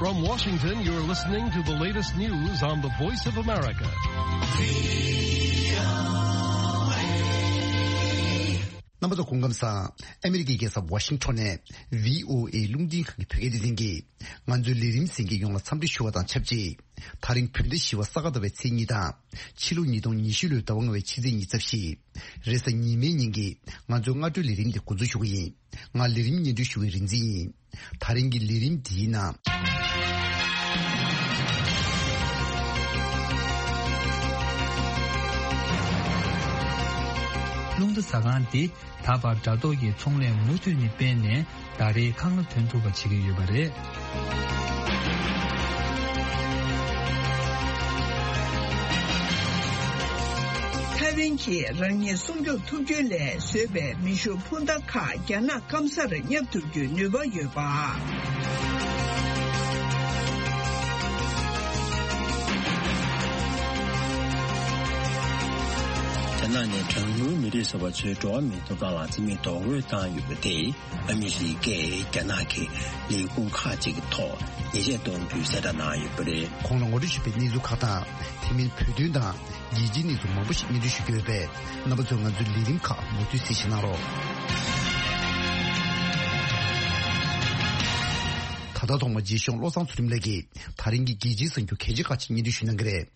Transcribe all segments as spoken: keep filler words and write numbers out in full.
From Washington, you're listening to the latest news on the Voice of America. རྣམ་པ་ཚོ་སྐུ་ཁམས་བཟང་། ཨ་མི་རི་ཀའི་རྒྱལ་ས་ཝ་ཤིང་ཊོན་ནས་བྷི་ཨོ་ཨེ་རླུང་འཕྲིན་ཁང་གི་བོད་སྐད་སྡེ་ཚན་གྱིས་ང་ཚོའི་ལས་རིམ་གསན་མཁན་ཡོངས་ལ་འཚམས་འདྲི་ཞུ་བ་དང་ཆབས་ཅིག་དེ་རིང་བོད་ཟླ་བཞི་པ་ས་ག་ཟླ་བའི་ཚེས་གཉིས་དང་། ཕྱི་ལོ་ཉིས་སྟོང་ཉི་ཤུ་ལོའི་ཟླ་བ་ལྔ་པའི་ཕྱི་ཚེས་ཉི་ཤུ་རྩ་བཞི། རེས་གཟའ་ཉི་མའི་ཉིན་གྱི་ང་ཚོའི་སྔ་དྲོའི་ལས་རིམ་འདི་འགོ་འཛུགས་ཞུ་གི་ཡིན། ང་ལས་རིམ་སྙན་སྒྲོན་ཞུ་བའི་རིན་འཛིན་ཡིན། དེ་རིང་གི་ལས་རིམ་འདིའི་ནང་། རླུང་རྟ་ཟ་ཁང་འདི་ད་བར་དྲ་ཐོག་གི་ཚོང་ལས་མུ་མཐུད་ནས་སྤེལ་ནས། ཟླ་རེའི་ཁང་གླ་ཐོན་ཐུབ་པ་བྱེད་ཀྱི་ཡོད་པ་རེད། ཐའེ་ཝན་གྱིས་རང་ཉིད་སྲུང་སྐྱོབ་ཐུབ་རྒྱུའི་སླད་བཟོས་པའི་མེ་ཤུགས་འཕུར་མདའ་ཁག་རྒྱ་ནག་སྐམ་སར་བསྙབ་ཐུབ་རྒྱུའི་ནུས་པ་ཡོད་པ། རྒྱ་ནག་ནས་གྲངས་ཉུང་མི་རིགས་ཟེར་བ་ཚོའི་འགྲོ་བ་མིའི་ཐོབ་ཐང་ལ་བརྩི་མེད་རྡོག་རོལ་བཏང་ཡོད་པ་དེས། ཨ་མི་རི་ཀས་རྒྱ་ནག་གི་ལས་ཁུངས་ཁག་ཅིག་གི་ཐོག་ཉེས་ཆད་གཏོང་རྒྱུའི་གསལ་བསྒྲགས་གནང་ཡོད་པ་རེད། གོང་ལ་ངོ་སྤྲོད་ཞུས་པའི་གནས་ཚུལ་ཁག་དང་། དེ་མིན་བོད་དོན་དང་རྒྱལ་སྤྱིའི་གནས་ཚུལ་མང་པོ་ཞིག་སྙན་སྒྲོན་ཞུ་རྒྱུ་ཡོད་པས། རྣམ་པ་ཚོས་ང་ཚོའི་ལས་རིམ་ཁག་མུ་མཐུད་གཟིགས་ཞིབ་གནང་རོགས། ད་ལྟ་ཐོག་མར་རྗེས་ཤོག་བློ་བཟང་ཚུལ་ཁྲིམས་ལགས་ཀྱིས་ད་རིང་གི་རྒྱལ་སྤྱིའི་གསར་འགྱུར་གལ་ཆེ་ཁག་ཅིག་སྙན་སྒྲོན་ཞུ་གནང་གི་རེད།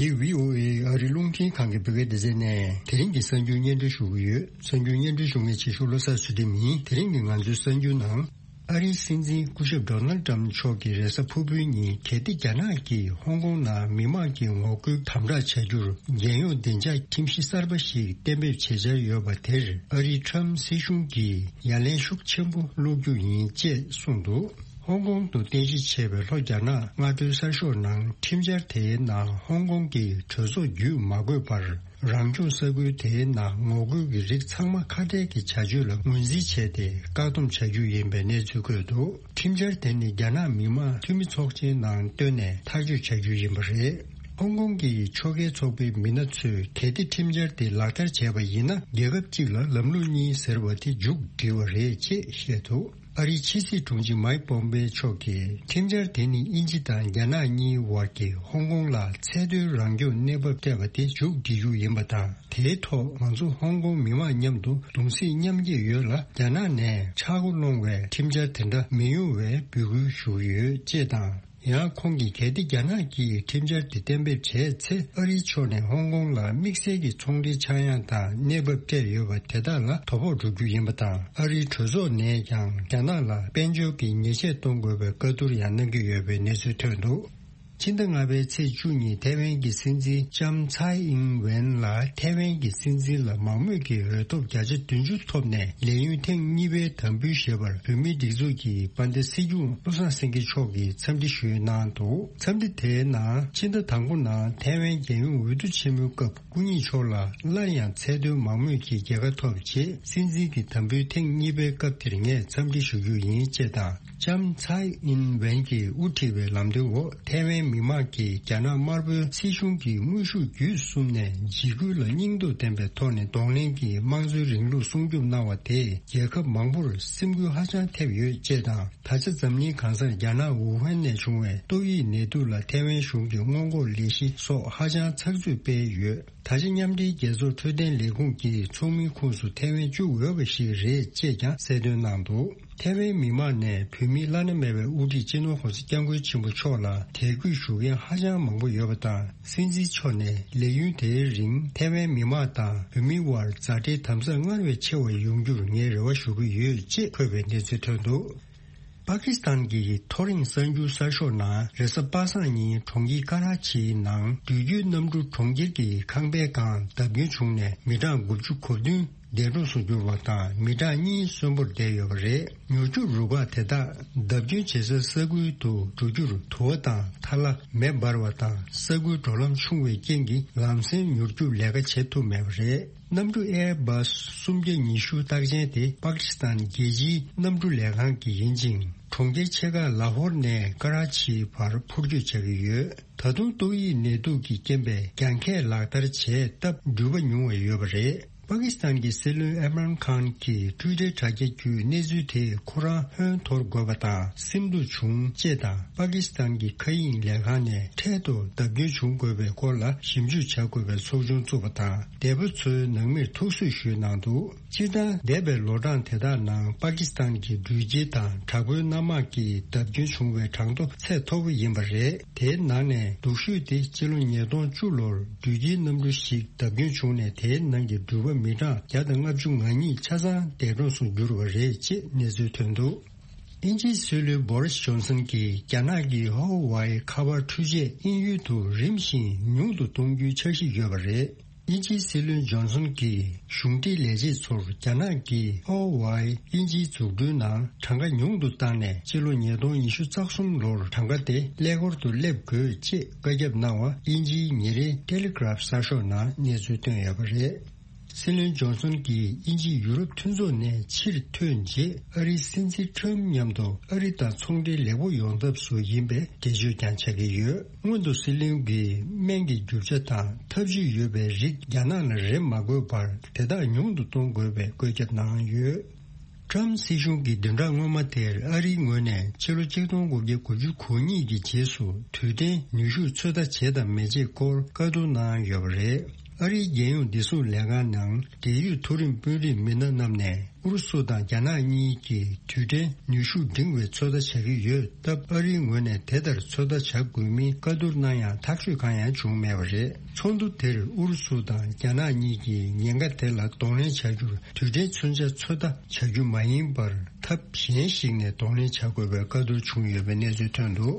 འདི་བྷི་ཨོ་ཨེ་ཨ་རིའི་རླུང་འཕྲིན་ཁང་གི་བོད་སྐད་སྡེ་ཚན་ནས་དེ་རིང་གི་གསར་འགྱུར་སྙན་སྒྲོན་ཞུ་གི་ཡོད། གསར་འགྱུར་སྙན་སྒྲོན་ཞུ་མཁན་ཆེ་ཤོས་བློ་བཟང་ཚུལ་ཁྲིམས་ཡིན། དེ་རིང་གི་ང་ཚོའི་གསར་འགྱུར་ནང་། ཨ་རིའི་སྲིད་འཛིན་སྐུ་ཞབས་ཌོ་ནལ་ཊམ་མཆོག་གིས་རེས་གཟའ་ཕུར་བུའི་ཉིན་གལ་ཏེ་རྒྱ་ནག་གིས་ཧོང་ཀོང་ནང་མི་མང་གི་ངོ་རྒོལ་དམ་དྲག་བྱ་རྒྱུར་རྒྱལ་ཡོངས་བདེ་འཇགས་ཁྲིམས་གཞི་གསར་པ་ཞིག་གཏན་འབེབས་བྱེད་འཆར་ཡོད་པ་དེར་ཨ་རིའི་ཊམ་སྲིད་གཞུང་གིས་ཡ་ལན་ཤུགས་ཆེན་པོ་སློག་རྒྱུ་ཡིན་ཅེས་གསུངས་འདུག་ཧོང་ཀོང་དུ་རྟེན་གཞི་བྱས་པའི་ལྷོ་རྒྱ་ནག་སྔ་དྲོའི་གསར་ཤོག་ནང་ཁྲིམས་འཆར་དེའི་ནང་ཧོང་ཀོང་གི་གྲོས་ཚོགས་བརྒྱུད་མ་དགོས་པར། རང་སྐྱོང་ས་ཁུལ་དེའི་ནང་ངོ་རྒོལ་གྱི་རིགས་ཚང་མ་ཁ་བྲལ་གྱི་བྱ་སྤྱོད་ལ་ངོས་འཛིན་བྱས་ཏེ་བཀག་སྡོམ་བྱ་རྒྱུ་ཡིན་པའི་གནས་ཚུལ་བཀོད་འདུག་ཁྲིམས་འཆར་དེ་ནི་རྒྱ་ནག་མི་དམངས་འཐུས་མི་ཚོགས་ཆེན་ནང་བཏོན་ནས་ཐག་གཅོད་བྱ་རྒྱུ་ཡིན་པ་རེད། ཧོང་ཀོང་གི་ཕྱོགས་འགལ་ཚོགས་པའི་མི་སྣ་ཚོས་གལ་ཏེ་ཁྲིམས་འཆར་དེ་ལག་བསྟར་བྱས་པ་ཡིན་ན། རྒྱལ་ཁབ་གཅིག་ལ་ལམ་ལུགས་གཉིས་ཟེར་བ་དེ་མཇུག་སྒྲིལ་བ་རེད་ཅེས་བཤད་འདུག་ཨ་རིའི་ཕྱི་སྲིད་དྲུང་ཆེ་མཱིག་པོམ་པེ་མཆོག་གིས་ཁྲིམས་འཆར་དེ་ནི་དབྱིན་ཇི་དང་རྒྱ་ནག་གཉིས་བར་གྱི་ཧོང་ཀོང་ལ་ཚད་མཐོའི་རང་སྐྱོང་གནས་བབ་སྤྲད་པ་དེ་མཇུག་སྒྲིལ་རྒྱུ་ཡིན་པ་དང་། དེའི་ཐོག་ང་ཚོ་ཧོང་ཀོང་མི་མང་མཉམ་དུ་གདུང་སེམས་མཉམ་སྐྱེད་ཡོད་ལ། རྒྱ་ནག་ནས་ཆག་སྒོ་སློང་བའི་ཁྲིམས་འཆར་དེ་འདྲ་མི་ཡོང་བའི་འབོད་སྐུལ་ཞུ་གི་ཡོད་ཅེས་དང་། ཡང་ཁོང་གིས་གལ་ཏེ་རྒྱ་ནག་གིས་ཁྲིམས་འཆར་དེ་གཏན་འབེབས་བྱས་ཚེ། ཨ་རིའི་ཕྱོགས་ནས་ཧོང་ཀོང་ལ་དམིགས་བསལ་གྱི་ཚོང་འབྲེལ་ཆག་ཡང་དང་གནས་བབ་སྤྲད་ཡོད་པ་དེ་དག་ལ་དོ་ཕོག་འགྲོ་རྒྱུ་ཡིན་པ་དང་། ཨ་རིའི་གྲོས་ཚོགས་ནས་ཀྱང་རྒྱ་ནག་ལ་དཔལ་འབྱོར་གྱི་ཉེས་ཆད་གཏོང་དགོས་པའི་བཀའ་བསྡུར་ཡང་གནང་གི་ཡོད་པའི་གནས་ཚུལ་ཐོན་འདུག་ཕྱི་ཟླ་ལྔ་པའི་ཚེས་བཅུ་ཉིན་ཐའེ་ཝན་གྱི་སྲིད་འཛིན་ལྕམ་ཚའེ་ཨིན་ཝེན་ལ་ཐའེ་ཝན་གྱི་སྲིད་འཛིན་ལ་མང་མོས་ཀྱི་འོས་ཐོབ་བརྒྱ་ཆ་བདུན་ཅུ་ཐོབ་ནས་ལས་ཡུན་ཐེངས་གཉིས་པའི་དམ་འབུལ་ཞེས་པར་བོད་མིའི་སྒྲིག་འཛུགས་ཀྱི་དཔལ་ལྡན་སྲིད་སྐྱོང་བློ་བཟང་སེང་གེ་མཆོག་གིས་འཚམས་འདྲི་ཞུས་གནང་འདུག་འཚམས་འདྲི་དེའི་ནང་ཕྱི་ཟླ་དང་པོ་ནང་ཐའེ་ཝན་རྒྱལ་ཡོངས་འོས་བསྡུ་ཆེན་མོའི་སྐབས་སྐུ་ཉིད་མཆོག་ལ་སླར་ཡང་ཚད་མཐོའི་མང་མོས་ཀྱི་རྒྱལ་ཁ་ཐོབ་རྗེས་སྲིད་འཛིན་གྱི་དམ་འབུལ་ཐེངས་གཉིས་པའི་སྐབས་དེར་ངས་འཚམས་འདྲི་ཞུ་རྒྱུ་ཡིན་ཅེས་དང་། ལྕམ་ཚའེ་ཨིན་ཝེན་གྱིས་དབུ་ཁྲིད་པའི་ལམ་སྟོན་འོག་ཐའེ་ཝན་མི་དམངས་ཀྱིས་རྒྱ་ནག་དམར་པོའི་སྲིད་གཞུང་གི་དངོས་ཤུགས་བརྒྱུད་གསུམ་ནས་འཇིགས་སྐུལ་ལ་སྙིང་སྟོབས་ལྡན་པའི་ཐོག་ནས་གདོང་ལེན་གྱིས་དམངས་གཙོའི་རིང་ལུགས་སྲུང་སྐྱོབ་གནང་བ་དེས་རྒྱལ་ཁབ་མང་པོར་སེམས་འགུལ་ཧ་ཅང་ཐེབས་ཡོད་ཅེས་དང་། ད་ཆ་འཛམ་གླིང་གང་སར་རྒྱ་ནག་ཝུ་ཧན་ནས་བྱུང་བའི་ཏོག་དབྱིབས་ནད་དུག་ལ་ཐའེ་ཝན་གཞུང་གིས་སྔོན་འགོག་ལས་གཞི་སོགས་ཧ་ཅང་ཚགས་ཚུད་སྤེལ་ཡོད། ད་ཆ་མཉམ་འབྲེལ་རྒྱལ་ཚོགས་འཕྲོད་བསྟེན་ལས་ཁུངས་ཀྱི་ཚོགས་མིའི་ཁོངས་སུ་ཐའེ་ཝན་བཅུག་འོས་པ་ཞིག་རེད་ཅེས་ཀྱང་གསལ་སྟོན་གནང་འདུག་ཐའེ་ཝན་མི་དམངས་ནས་བོད་མིའི་བླ་ན་མེད་པའི་དབུ་ཁྲིད་སྤྱི་ནོར་༸གོང་ས་༸སྐྱབས་མགོན་ཆེན་པོ་མཆོག་ལ་དད་གུས་ཞུ་མཁན་ཧ་ཅང་མང་པོ་ཡོད་པ་དང་། སྲིད་འཛིན་མཆོག་ནས་ལས་ཡུན་དེའི་རིང་ཐའེ་ཝན་མི་དམངས་དང་བོད་མིའི་དབར་མཛའ་འབྲེལ་དམ་ཟབ་སྔར་བས་ཆེ་བ་ཡོང་རྒྱུར་ངས་རེ་བ་ཞུ་གི་ཡོད་ཅེས་འཁོད་པའི་གནས་ཚུལ་ཐོན་འདུག་པ་ཀི་སི་ཐན་གྱི་མཐོ་རིམ་གསར་འགྱུར་གསར་ཤོག་ནང་རེས་གཟའ་པ་སངས་ཉིན་གྲོང་ཁྱེར་ཀ་ར་ཆིའི་ནང་འགྲུལ་སྐྱོད་གནམ་གྲུ་གྲོང་ཁྱེར་གྱི་ཁང་པའི་སྒང་བརྡབ་སྐྱོན་བྱུང་ནས་མི་གྲངས་དགུ་བཅུ་གོ་བདུན་འདས་གྲོངས་སུ་གྱུར་བ་དང་། མི་གྲངས་གཉིས་གསོན་པོར་བསྡད་ཡོད་པ་རེད། མྱུར་སྐྱོབ་རུ་ཁག་དེ་དག་བརྡབ་སྐྱོན་བྱེད་སའི་ས་ཁུལ་དུ་འགྲོ་རྒྱུར་དུ་བ་དང་ཐལ་བ་མེ་འབར་བ་དང་། ས་ཁུལ་འགྲོ་ལམ་ཆུང་བའི་རྐྱེན་གྱིས་ལམ་སེང་མྱུར་སྐྱོབ་ལས་ཀ་བྱེད་ཐུབ་མེད་པ་རེད། གནམ་གྲུ་ཨེར་བྷ་སི་སུམ་བརྒྱ་ཉི་ཤུ་རྟགས་ཅན་དེ་པ་ཀི་སི་ཐན་རྒྱལ་སྤྱིའི་གནམ་གྲུ་ལས་ཁང་གི་ཡིན་ཅིང་། གྲོང་ཁྱེར་ཆེ་ཁག་ལ་ཧོར་ནས་ཀ་ར་ཆིའི་བར་འཕུར་སྐྱོད་བྱ་གི་ཡོད། ད་དུང་ཏོག་དབྱིབས་ནད་དུག་གི་རྐྱེན་པས་རྒྱང་ཁྱད་ལག་བསྟར་བྱས་སྟབས་འགྲུལ་པ་ཉུང་བ་ཡོད་པ་རེད། པ་ཀི་སི་ཐན་གྱི་སྲིད་བློན་ཨེམ་རན་ཁཱན་གྱིས་ཊུའི་ཊར་དྲ་རྒྱ་བརྒྱུད་གནས་ཚུལ་དེས་ཁོ་རང་ཧོན་འཐོར་དགོས་པ་དང་སེམས་སྡུག་བྱུང་ཅེས་དང་། པ་ཀི་སི་ཐན་གྱི་མཁའ་དབྱིངས་ལས་ཁང་ནས་འཕྲལ་དུ་བརྡབ་སྐྱོན་བྱུང་དགོས་པའི་སྐོར་ལ་ཞིབ་འཇུག་བྱ་དགོས་པའི་ཚོགས་ཆུང་བཙུགས་པ་དང་། འདས་པོ་ཚོའི་ནང་མིར་ཐུགས་གསོས་ཞུས་གནང་འདུག་སྤྱིར་བཏང་འདས་པའི་ལོ་གྲངས་དེ་དག་ནང་པ་ཀི་སི་ཐན་གྱི་འགྲུལ་སྐྱེལ་དང་དྲག་པོའི་གནམ་དམག་གིས་བརྡབ་སྐྱོན་བྱུང་བའི་གྲངས་ཐོ་ཚད་མཐོ་པོ་ཡིན་པ་རེད། དེའི་ནང་ནས་སྡུག་ཤོས་དེ་སྤྱི་ལོ་ཉིས་སྟོང་བཅུ་ལོར་འགྲུལ་སྐྱེལ་གནམ་གྲུ་ཞིག་བརྡབ་སྐྱོན་བྱུང་ནས། དེའི་ནང་གི་འགྲུལ་པ་མི་གྲངས་བརྒྱ་དང་ལྔ་བཅུ་ང་གཉིས་ཆ་ཚང་འདས་གྲོངས་སུ་གྱུར་བ་རེད་ཅེས་གནས་ཚུལ་ཐོན་འདུག་དབྱིན་ཇིའི་སྲིད་བློན་བོ་རིས་ཇོན་སན་གྱིས་རྒྱ་ནག་གི་ཧོ་ཝའི་ཁ་པར་འཕྲུལ་ཆས་དབྱིན་ཡུལ་དུ་རིམ་བཞིན་ཉུང་དུ་གཏོང་རྒྱུའི་འཆར་གཞི་ཡོད་པ་རེད། དབྱིན་ཇིའི་སྲིད་བློན་ཇོན་སན་གྱིས་གཞུང་འབྲེལ་ལས་བྱེད་ཚོར་རྒྱ་ནག་གིས་ཧོ་ཝའི་དབྱིན་ཇིའི་འཛུགས་སྐྲུན་ནང་གྲངས་ཀ་ཉུང་དུ་བཏང་ནས། སྤྱི་ལོ་ཉིས་སྟོང་ཉི་ཤུ་རྩ་གསུམ་ལོར་གྲངས་ཀ་དེ་ཀླད་ཀོར་དུ་སླེབས་དགོས་ཅེས་བཀའ་ཁྱབ་གནང་བ་དབྱིན་ཇིའི་ཉིན་རེའི་ཊེ་ལི་གྷི་རབ་གསར་ཤོག་ནང་གནས་ཚུལ་བཏོན་ཡོད་པ་རེད། སྲིད་བློན་ཇོན་སན་གྱིས་དབྱིན་ཇི་ཡུ་རོབ་མཐུན་ཚོགས་ནས་ཕྱིར་ཐོན་རྗེས། ཨ་རིའི་སྲིད་འཛིན་ཁྲོམ་མཉམ་དུ་ཨ་རི་དང་ཚོང་འབྲེལ་ལེགས་པོ་ཡོང་ཐབས་སུ་ཡིན་པའི་འགྲེལ་བརྗོད་ཀྱང་བྱ་གི་ཡོད། སྔོན་དུ་སྲིད་བློན་གྱིས་སྨན་གྱི་རྒྱུ་ཆ་དང་ཐབས་ཇུས་ཡོད་པའི་རིགས་རྒྱ་ནག་ལ་རེ་མ་དགོས་པར་དེ་དག་ཉུང་དུ་གཏོང་དགོས་པའི་བཀོད་ཁྱབ་གནང་ཡོད། ཊྲམ་སྲིད་གཞུང་གི་བདུན་ཕྲག་སྔོན་མ་དེར་ཨ་རིའི་ངོས་ནས་ཕྱི་ལོ་ཆིག་སྟོང་དགུ་བརྒྱ་དགུ་བཅུ་གོ་གཉིས་ཀྱི་རྗེས་སུ་དུས་དྲན་ནུས་ཤུགས་ཚོད་ལྟ་བྱེད་དམ་མི་བྱེད་སྐོར་བཀའ་བསྡུར་གནང་ཡོད་པ་རེད། ཨ་རིའི་རྒྱལ་ཡོངས་བདེ་སྲུང་ལས་ཁང་ནང་འབྲེལ་ཡོད་མཐོ་རིམ་དཔོན་རིགས་མི་སྣ་རྣམས་ནས་ཨུ་རུ་སུ་དང་རྒྱ་ནག་གཉིས་ཀྱིས་དུས་དྲན་ནུས་ཤུགས་འབྲིང་བའི་ཚོད་ལྟ་བྱ་གི་ཡོད་སྟབས། ཨ་རིའི་ངོས་ནས་དེ་ལྟར་ཚོད་ལྟ་བྱ་དགོས་མིན་བཀའ་བསྡུར་གནང་ཡང་ཐག་གཅོད་གང་ཡང་བྱུང་མེད་པ་རེད། ཚོགས་འདུ་དེར་ཨུ་རུ་སུ་དང་རྒྱ་ནག་གཉིས་ཀྱིས་ཉེན་ཁ་དེ་ལ་གདོང་ལེན་བྱ་རྒྱུར་དུས་དྲན་མཚོན་ཆ་ཚོད་ལྟ་བྱ་རྒྱུ་མ་ཡིན་པར། ཐབས་གཞན་ཞིག་ནས་གདོང་ལེན་བྱ་དགོས་པའི་བཀའ་བསྡུར་བྱུང་ཡོད་པའི་གནས་ཚུལ་ཐོན་འདུག་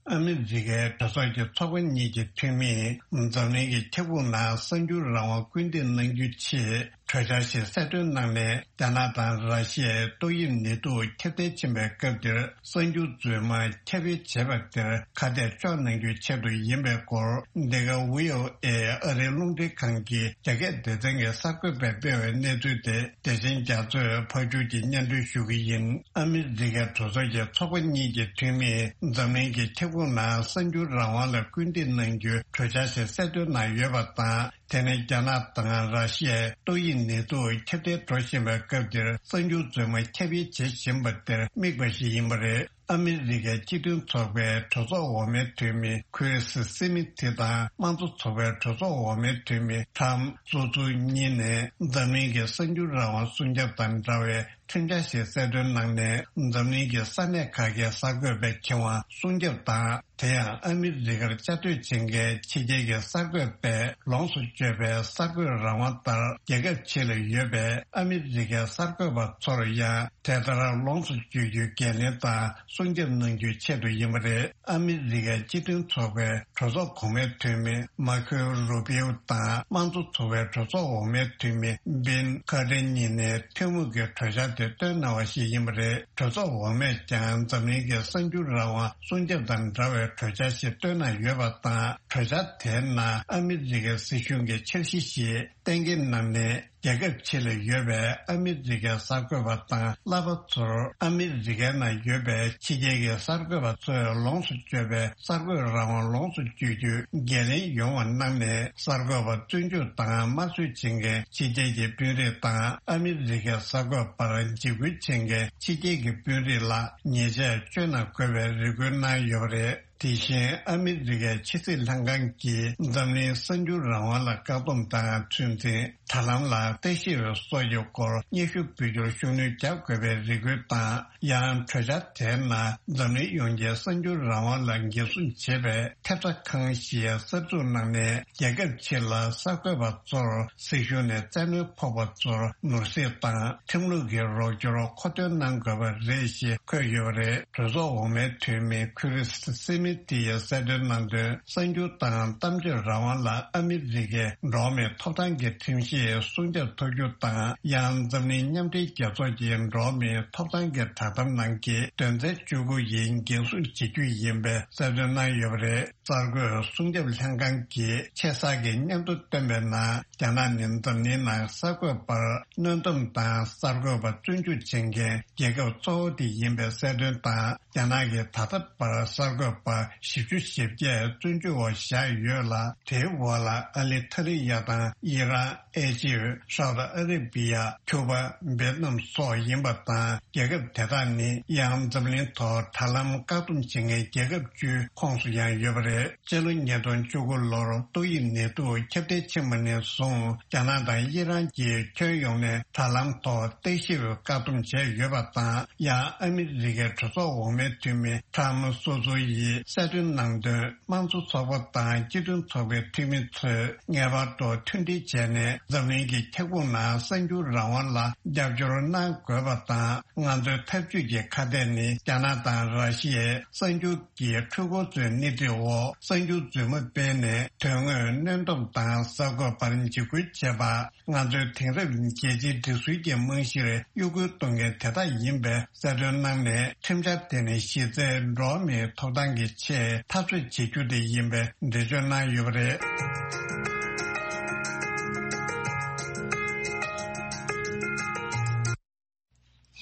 ཨ་མི་རི་ཀའི་གྲོས་ཚོགས་ཀྱི་ཚོགས་པ་གཉིས་ཀྱི་འཐུས་མིས་འཛམ་གླིང་གི་ཁྱབ་ཁོངས་ནང་གསར་འགྱུར་རང་དབང་སྐུལ་འདེད་གནང་རྒྱུའི་ཆེད་གྲོས་འཆར་ཞིག་གསལ་སྟོན་གནང་ནས། རྒྱ་ནག་དང་ར་ཤི་ཡའི་ཏོག་དབྱིབས་ནད་དུག་ཁྱབ་གདལ་ཕྱིན་པའི་སྐབས་འདིར་གསར་འགྱུར་རྫུན་མ་ཁྱབ་སྤེལ་བྱས་པ་དེར་ཁ་གཏད་གཅོག་གནང་རྒྱུའི་ཆེད་དུ་ཡིན་པའི་སྐོར། འདི་ག་ཝི་ཨོ་ཨེ་ཨ་རིའི་རླུང་འཕྲིན་ཁང་གི་རྒྱ་སྐད་སྡེ་ཚན་གྱི་གསར་འགོད་པས་སྤེལ་བའི་གནས་ཚུལ་དེ། བདེ་ཆེན་རྒྱ་མཚོས་ཕབ་སྒྱུར་གྱིས་སྙན་སྒྲོན་ཞུ་གི་ཡིན། ཨ་མི་རི་ཀའི་གྲོས་ཚོགས་ཀྱི་ཚོགས་པ་གཉིས་ཀྱི་འཐུས་མིས་འཛམ་གླིང་གི་ཁྱབ་ཁོངས་ནང་གསར་འགྱུར་རང་དབང་ལ་སྐུལ་འདེད་གནང་རྒྱུའི་གྲོས་འཆར་ཞིག་གསལ་སྟོན་གནང་ཡོད་པ་དང་། དེ་ནི་རྒྱ་ནག་དང་ར་ཤི་ཡའི་ཏོག་དབྱིབས་ནད་དུག་ཁྱབ་གདལ་འགྲོ་བཞིན་པའི་སྐབས་འདིར་གསར་འགྱུར་རྫུན་མ་ཁྱབ་སྤེལ་བྱེད་བཞིན་པ་དེར་དམིགས་པ་ཞིག་ཡིན་པ་རེད། ཨ་མི་རི་ཀའི་སྤྱི་མཐུན་ཚོགས་པའི་གྲོས་ཚོགས་འོག་མའི་འཐུས་མི་ཁུ་རེ་སི་སི་མི་ཐི་དང་། དམངས་གཙོ་ཚོགས་པའི་གྲོས་ཚོགས་འོག་མའི་འཐུས་མི་ཁྲམ་སོ་ཚུ་གཉིས་ནས་འཛམ་གླིང་གི་གསར་འགྱུར་རང་དབང་སྲུང་སྐྱོབ་དང་འདྲ་བའི་ཁྲིམས་འཆར་ཞིག་གསལ་སྟོན་གནང་ནས། འཛམ་གླིང་གི་ས་གནས་ཁག་གི་གསར་འགོད་པའི་ཁེ་དབང་སྲུང་སྐྱོབ་དང་། དེ་ཡང་ཨ་མི་རི་ཀར་བཅའ་སྡོད་བྱེད་མཁན་ཕྱི་རྒྱལ་གྱི་གསར་འགོད་པས་ལོངས་སུ་སྤྱོད་པའི་གསར་འགོད་རང་དབང་ལྟར། རྒྱལ་ཁབ་ཕྱི་ལ་ཡོད་པའི་ཨ་མི་རི་ཀའི་གསར་འགོད་པ་ཚོར་ཡང་དེ་ལྟར་ལོངས་སུ་སྤྱོད་རྒྱུའི་འགན་ལེན་དང་སྲུང་སྐྱོབ་གནང་རྒྱུའི་ཆེད་དུ་ཡིན་པ་རེད། ཨ་མི་རི་ཀའི་སྤྱི་མཐུན་ཚོགས་པའི་གྲོས་ཚོགས་གོང་མའི་འཐུས་མི་མར་ཁོ་རུ་པིའོ་དང་། དམངས་གཙོ་ཚོགས་པའི་གྲོས་ཚོགས་འོག་མའི་འཐུས་མི་བིན་ཁ་ཏྲེ་གཉིས་ནས་ཐུན་མོང་གི་གྲོས་འཆར་དེ་བཏོན་གནང་བ་ཞིག་ཡིན་པ་རེད། གྲོས་ཚོགས་འོག་མས་ཀྱང་འཛམ་གླིང་གི་གསར་འགྱུར་རང་དབང་སྲུང་སྐྱོབ་དང་འདྲ་བའི་གྲོས་འཆར་ཞིག་བཏོན་གནང་ཡོད་པ་དང་། གྲོས་འཆར་དེའི་ནང་ཨ་མི་རི་ཀའི་སྲིད་གཞུང་གི་འཆར་གཞི་ཞིག་གཏན་འཁེལ་གནང་ནས། རྒྱལ་ཁབ་ཕྱི་ལ་ཡོད་པའི་ཨ་མི་རི་ཀའི་གསར་འགོད་པ་དང་བསླབ་པ་ཚོར་ཨ་མི་རི་ཀའི་ནང་ཡོད་པའི་ཕྱི་རྒྱལ་གྱི་གསར་འགོད་པ་ཚོས་ལོངས་སུ་སྤྱོད་པའི་གསར་འགོད་རང་དབང་ལོངས་སུ་སྤྱོད་རྒྱུའི་འགན་ལེན་ཡོང་བ་གནང་ནས། གསར་འགོད་པ་བཙོན་འཇུག་དང་དམར་གསོད་བྱེད་མཁན་ཕྱི་རྒྱལ་གྱི་དཔོན་རིགས་དང་། ཨ་མི་རི་ཀའི་གསར་འགོད་པར་འཇིགས་སྐུལ་བྱེད་མཁན་ཕྱི་རྒྱལ་གྱི་དཔོན་རིགས་ལ་ཉེས་ཆད་གཅོད་གནང་དགོས་པའི་རེ་སྐུལ་གནང་ཡོད་པ་རེད། དེ་བཞིན་ཨ་མི་རི་ཀའི་ཕྱི་སྲིད་ལྷན་ཁང་གིས་འཛམ་གླིང་གསར་འགྱུར་རང་དབང་ལ་བཀག་སྡོམ་དང་ཚོད་འཛིན། དྲ་ལམ་ལ་ལྟ་ཞིབ་སོགས་ཀྱི་སྐོར་སྙན་ཞུ་འབུལ་རྒྱུར་ཤུགས་སྣོན་རྒྱག་དགོས་པའི་རེ་སྐུལ་དང་། ཡང་གྲོས་འཆར་དེའི་ནང་འཛམ་གླིང་ཡོངས་ཀྱི་གསར་འགྱུར་རང་དབང་ལ་འགན་སྲུང་བྱེད་པའི་ཐེབས་རྩ་ཁང་ཞིག་གསར་འཛུགས་གནང་ནས། རྒྱལ་ཁབ་ཕྱི་ལ་གསར་འགོད་པ་ཚོར་སྲིད་གཞུང་ནས་བཙན་གནོན་ཕོག་པ་ཚོར་ནོར་སྲིད་དང་ཁྲིམས་ལུགས་ཀྱི་རོགས་སྐྱོར་མཁོ་འདོན་གནང་དགོས་པ་རེད་ཞེས་འཁོད་ཡོད་པ་རེད། གྲོས་ཚོགས་འོག་མའི་འཐུས་མི་ཁུ་རི་སི་སི་མི་ཐི་ཡིས་གསལ་སྟོན་གནང་དོན། གསར་འགྱུར་དང་གཏམ་བརྗོད་རང་དབང་ལ་ཨ་མི་རི་ཀའི་འགྲོ་བ་མིའི་ཐོབ་ཐང་གི་ཁྲིམས་གཞིས་སྲུང་སྐྱོབ་ཐུབ་རྒྱུ་དང་། ཡང་འཛམ་གླིང་མཉམ་འབྲེལ་རྒྱལ་ཚོགས་ཀྱི་འགྲོ་བ་མིའི་ཐོབ་ཐང་གི་བསྒྲགས་གཏམ་ནང་གི་དོན་ཚན་བཅུ་དགུ་ཡིས་འགན་སྲུང་བྱེད་རྒྱུ་ཡིན་པའི་གསལ་སྟོན་གནང་ཡོད་པ་རེད། གསར་འགོད་སྲུང་སྐྱོབ་ལྷན་ཁང་གིས་ཆེ་གསར་གྱི་སྙན་ཐོ་བཏོན་པའི་ནང་། རྒྱ་ནག་ནི་འཛམ་གླིང་ནང་གསར་འགོད་པར་གནོན་སྡོམ་དང་གསར་འགོད་པ་བཙོན་འཇུག་བྱེད་མཁན་རྒྱལ་ཁབ་གཙོ་བོ་དེ་ཡིན་པའི་གསལ་སྟོན་དང་། རྒྱ་ནག་གིས་ད་ལྟ་བར་གསར་འགོད་པ་ བཞི་བཅུ་ཞེ་བརྒྱད་བཙོན་འཇུག་འོག་བཞག་ཡོད་ལ། དེའི་འོག་ལ་ཨ་ལི་ཐ་རི་ཡ་དང་ཨི་རན། ཨེ་ཇིབ། ཧྲའོ་ཏི་ཨ་རི་བི་ཡ། ཁྱུ་པ། ཝེ་ཏི་ནམ་སོགས་ཡིན་པ་དང་། རྒྱལ་ཁབ་དེ་དག་ནི་ཡང་འཛམ་གླིང་ཐོག་དྲ་ལམ་བཀག་སྡོམ་བྱེད་མཁན་རྒྱལ་ཁབ་བཅུའི་ཁོངས་སུ་ཡང་ཡོད་པ་རེད། སྤྱི་ལོ་ཉིས་སྟོང་བཅུ་དགུ་ལོར་ཏོག་དབྱིབས་ནད་དུག་ཁྱབ་གདལ་ཕྱིན་པ་ནས་བཟུང་། རྒྱ་ནག་དང་ཨི་རན་གྱིས་ཁྱོན་ཡོངས་ནས་དྲ་ལམ་ཐོག་ལྟ་ཞིབ་བཀག་སྡོམ་བྱས་ཡོད་པ་དང་། ཡང་ཨ་མི་རི་ཀའི་གྲོས་ཚོགས་འོག་མའི་འཐུས་མི་ཁྲམ་སོ་སོ་ཡིས་གསལ་སྟོན་གནང་དོན། དམངས་གཙོ་ཚོགས་པ་དང་སྤྱི་མཐུན་ཚོགས་པའི་འཐུས་མི་ཚོས་ངེས་པར་དུ་མཐུན་སྒྲིལ་བྱས་ནས། འཛམ་གླིང་གི་ཁྱབ་ཁོངས་ནང་གསར་འགྱུར་རང་དབང་ལ་རྒྱབ་སྐྱོར་གནང་དགོས་པ་དང་། ང་ཚོའི་འཐབ་ཇུས་ཀྱི་ཁ་གཏད་ནི། རྒྱ་ནག་དང་ར་ཤི་ཡའི་གསར་འགྱུར་གྱི་འཕྲུལ་འཁོར་ཚོའི་སྣེ་ཁྲིད་འོག་གསར་འགྱུར་རྫུན་མ་སྤེལ་ནས། དོན་དངོས་གནོན་སྡོམ་དང་གསར་འགོད་པར་འཇིགས་སྐུལ་བྱེད་པ། ང་ཚོའི་དེང་རབས་རྒྱལ་སྤྱིའི་སྒྲིག་སྲོལ་གྱི་རྨང་གཞིར་གཡོ་འགུལ་གཏོང་མཁན་དེ་དག་ཡིན་པའི་གསལ་སྟོན་གནང་ནས། ཁྲིམས་འཆར་དེ་ནི་གཞི་རྩའི་འགྲོ་བ་མིའི་ཐོབ་ཐང་གི་ཆེད་འཐབ་རྩོད་བྱེད་རྒྱུ་དེ་ཡིན་པའི་འགྲེལ་བརྗོད་གནང་ཡོད་པ་རེད།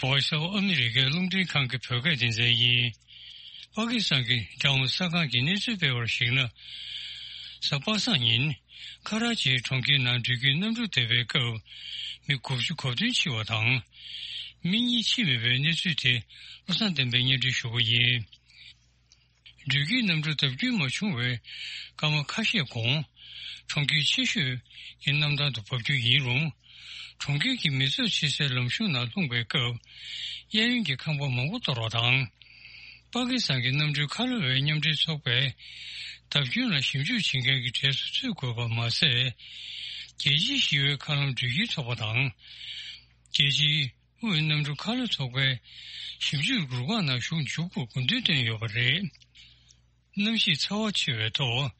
Voice of America རླུང་འཕྲིན་ཁང་གི་བོད་སྐད་སྡེ་ཚན་ཡིན། པ་ཀི་སི་ཐན་གྱི་རྒྱལ་ཡོངས་གསར་ཁང་གིས་གནས་ཚུལ་སྤེལ་བར་གཞིགས་ན། གཟའ་པ་སངས་ཉིན་ཁ་ར་ཅིའི་གྲོང་ཁྱེར་ནང་འགྲུལ་སྐྱེལ་གནམ་གྲུ་བརྡབས་པའི་སྐབས། མི་དགུ་བཅུ་གོ་བདུན་འཆི་བ་དང་། མི་གཉིས་འཆི་མེད་པའི་གནས་ཚུལ་དེ་བློ་བཟང་བསྟན་པས་སྙན་སྒྲོན་ཞུ་གི་ཡིན། འགྲུལ་སྐྱེལ་གནམ་གྲུ་བརྡབ་སྐྱོན་མ་བྱུང་བའི་སྐར་མ་ཁ་ཤས་གོང་། གྲོང་ཁྱེར་ཆེ་ཤོས་ཀྱི་གནམ་ཐང་དུ་བབས་རྒྱུ་ཡིན་རུང་། གྲོང་ཁྱེར་གྱི་མི་ཚོགས་ཆེ་སའི་ལམ་གཞུང་ནང་ལྷུང་བའི་སྐབས། གཡས་གཡོན་གྱི་ཁང་པ་མང་པོ་གཏོར་བ་དང་། པ་ཀི་སི་ཐན་གྱི་གནམ་གྲུའི་ཁ་ལོ་བའི་མཉམ་འབྲེལ་ཚོགས་པས། བརྡབ་སྐྱོན་ལ་ཞིབ་འཇུག་བྱེད་མཁན་གྱི་གྲས་སུ་ཚུད་དགོས་པ་མ་ཟད། རྒྱལ་སྤྱིའི་ཞི་བའི་མཁའ་རླུང་འགྲུལ་སྐྱེལ་ཚོགས་པ་དང་། རྒྱལ་སྤྱིའི་དབུས་གནམ་གྲུ་ཁ་ལོ་ཚོགས་པའི་ཞིབ་འཇུག་རུ་ཁག་ནང་ཞུགས་འཇུག་རྒྱུར་དགོངས་འདུན་བཏོན་ཡོད་པ་རེད། གནམ་གཤིས་ཚ་བ་ཆེ་བའི་ཐོག་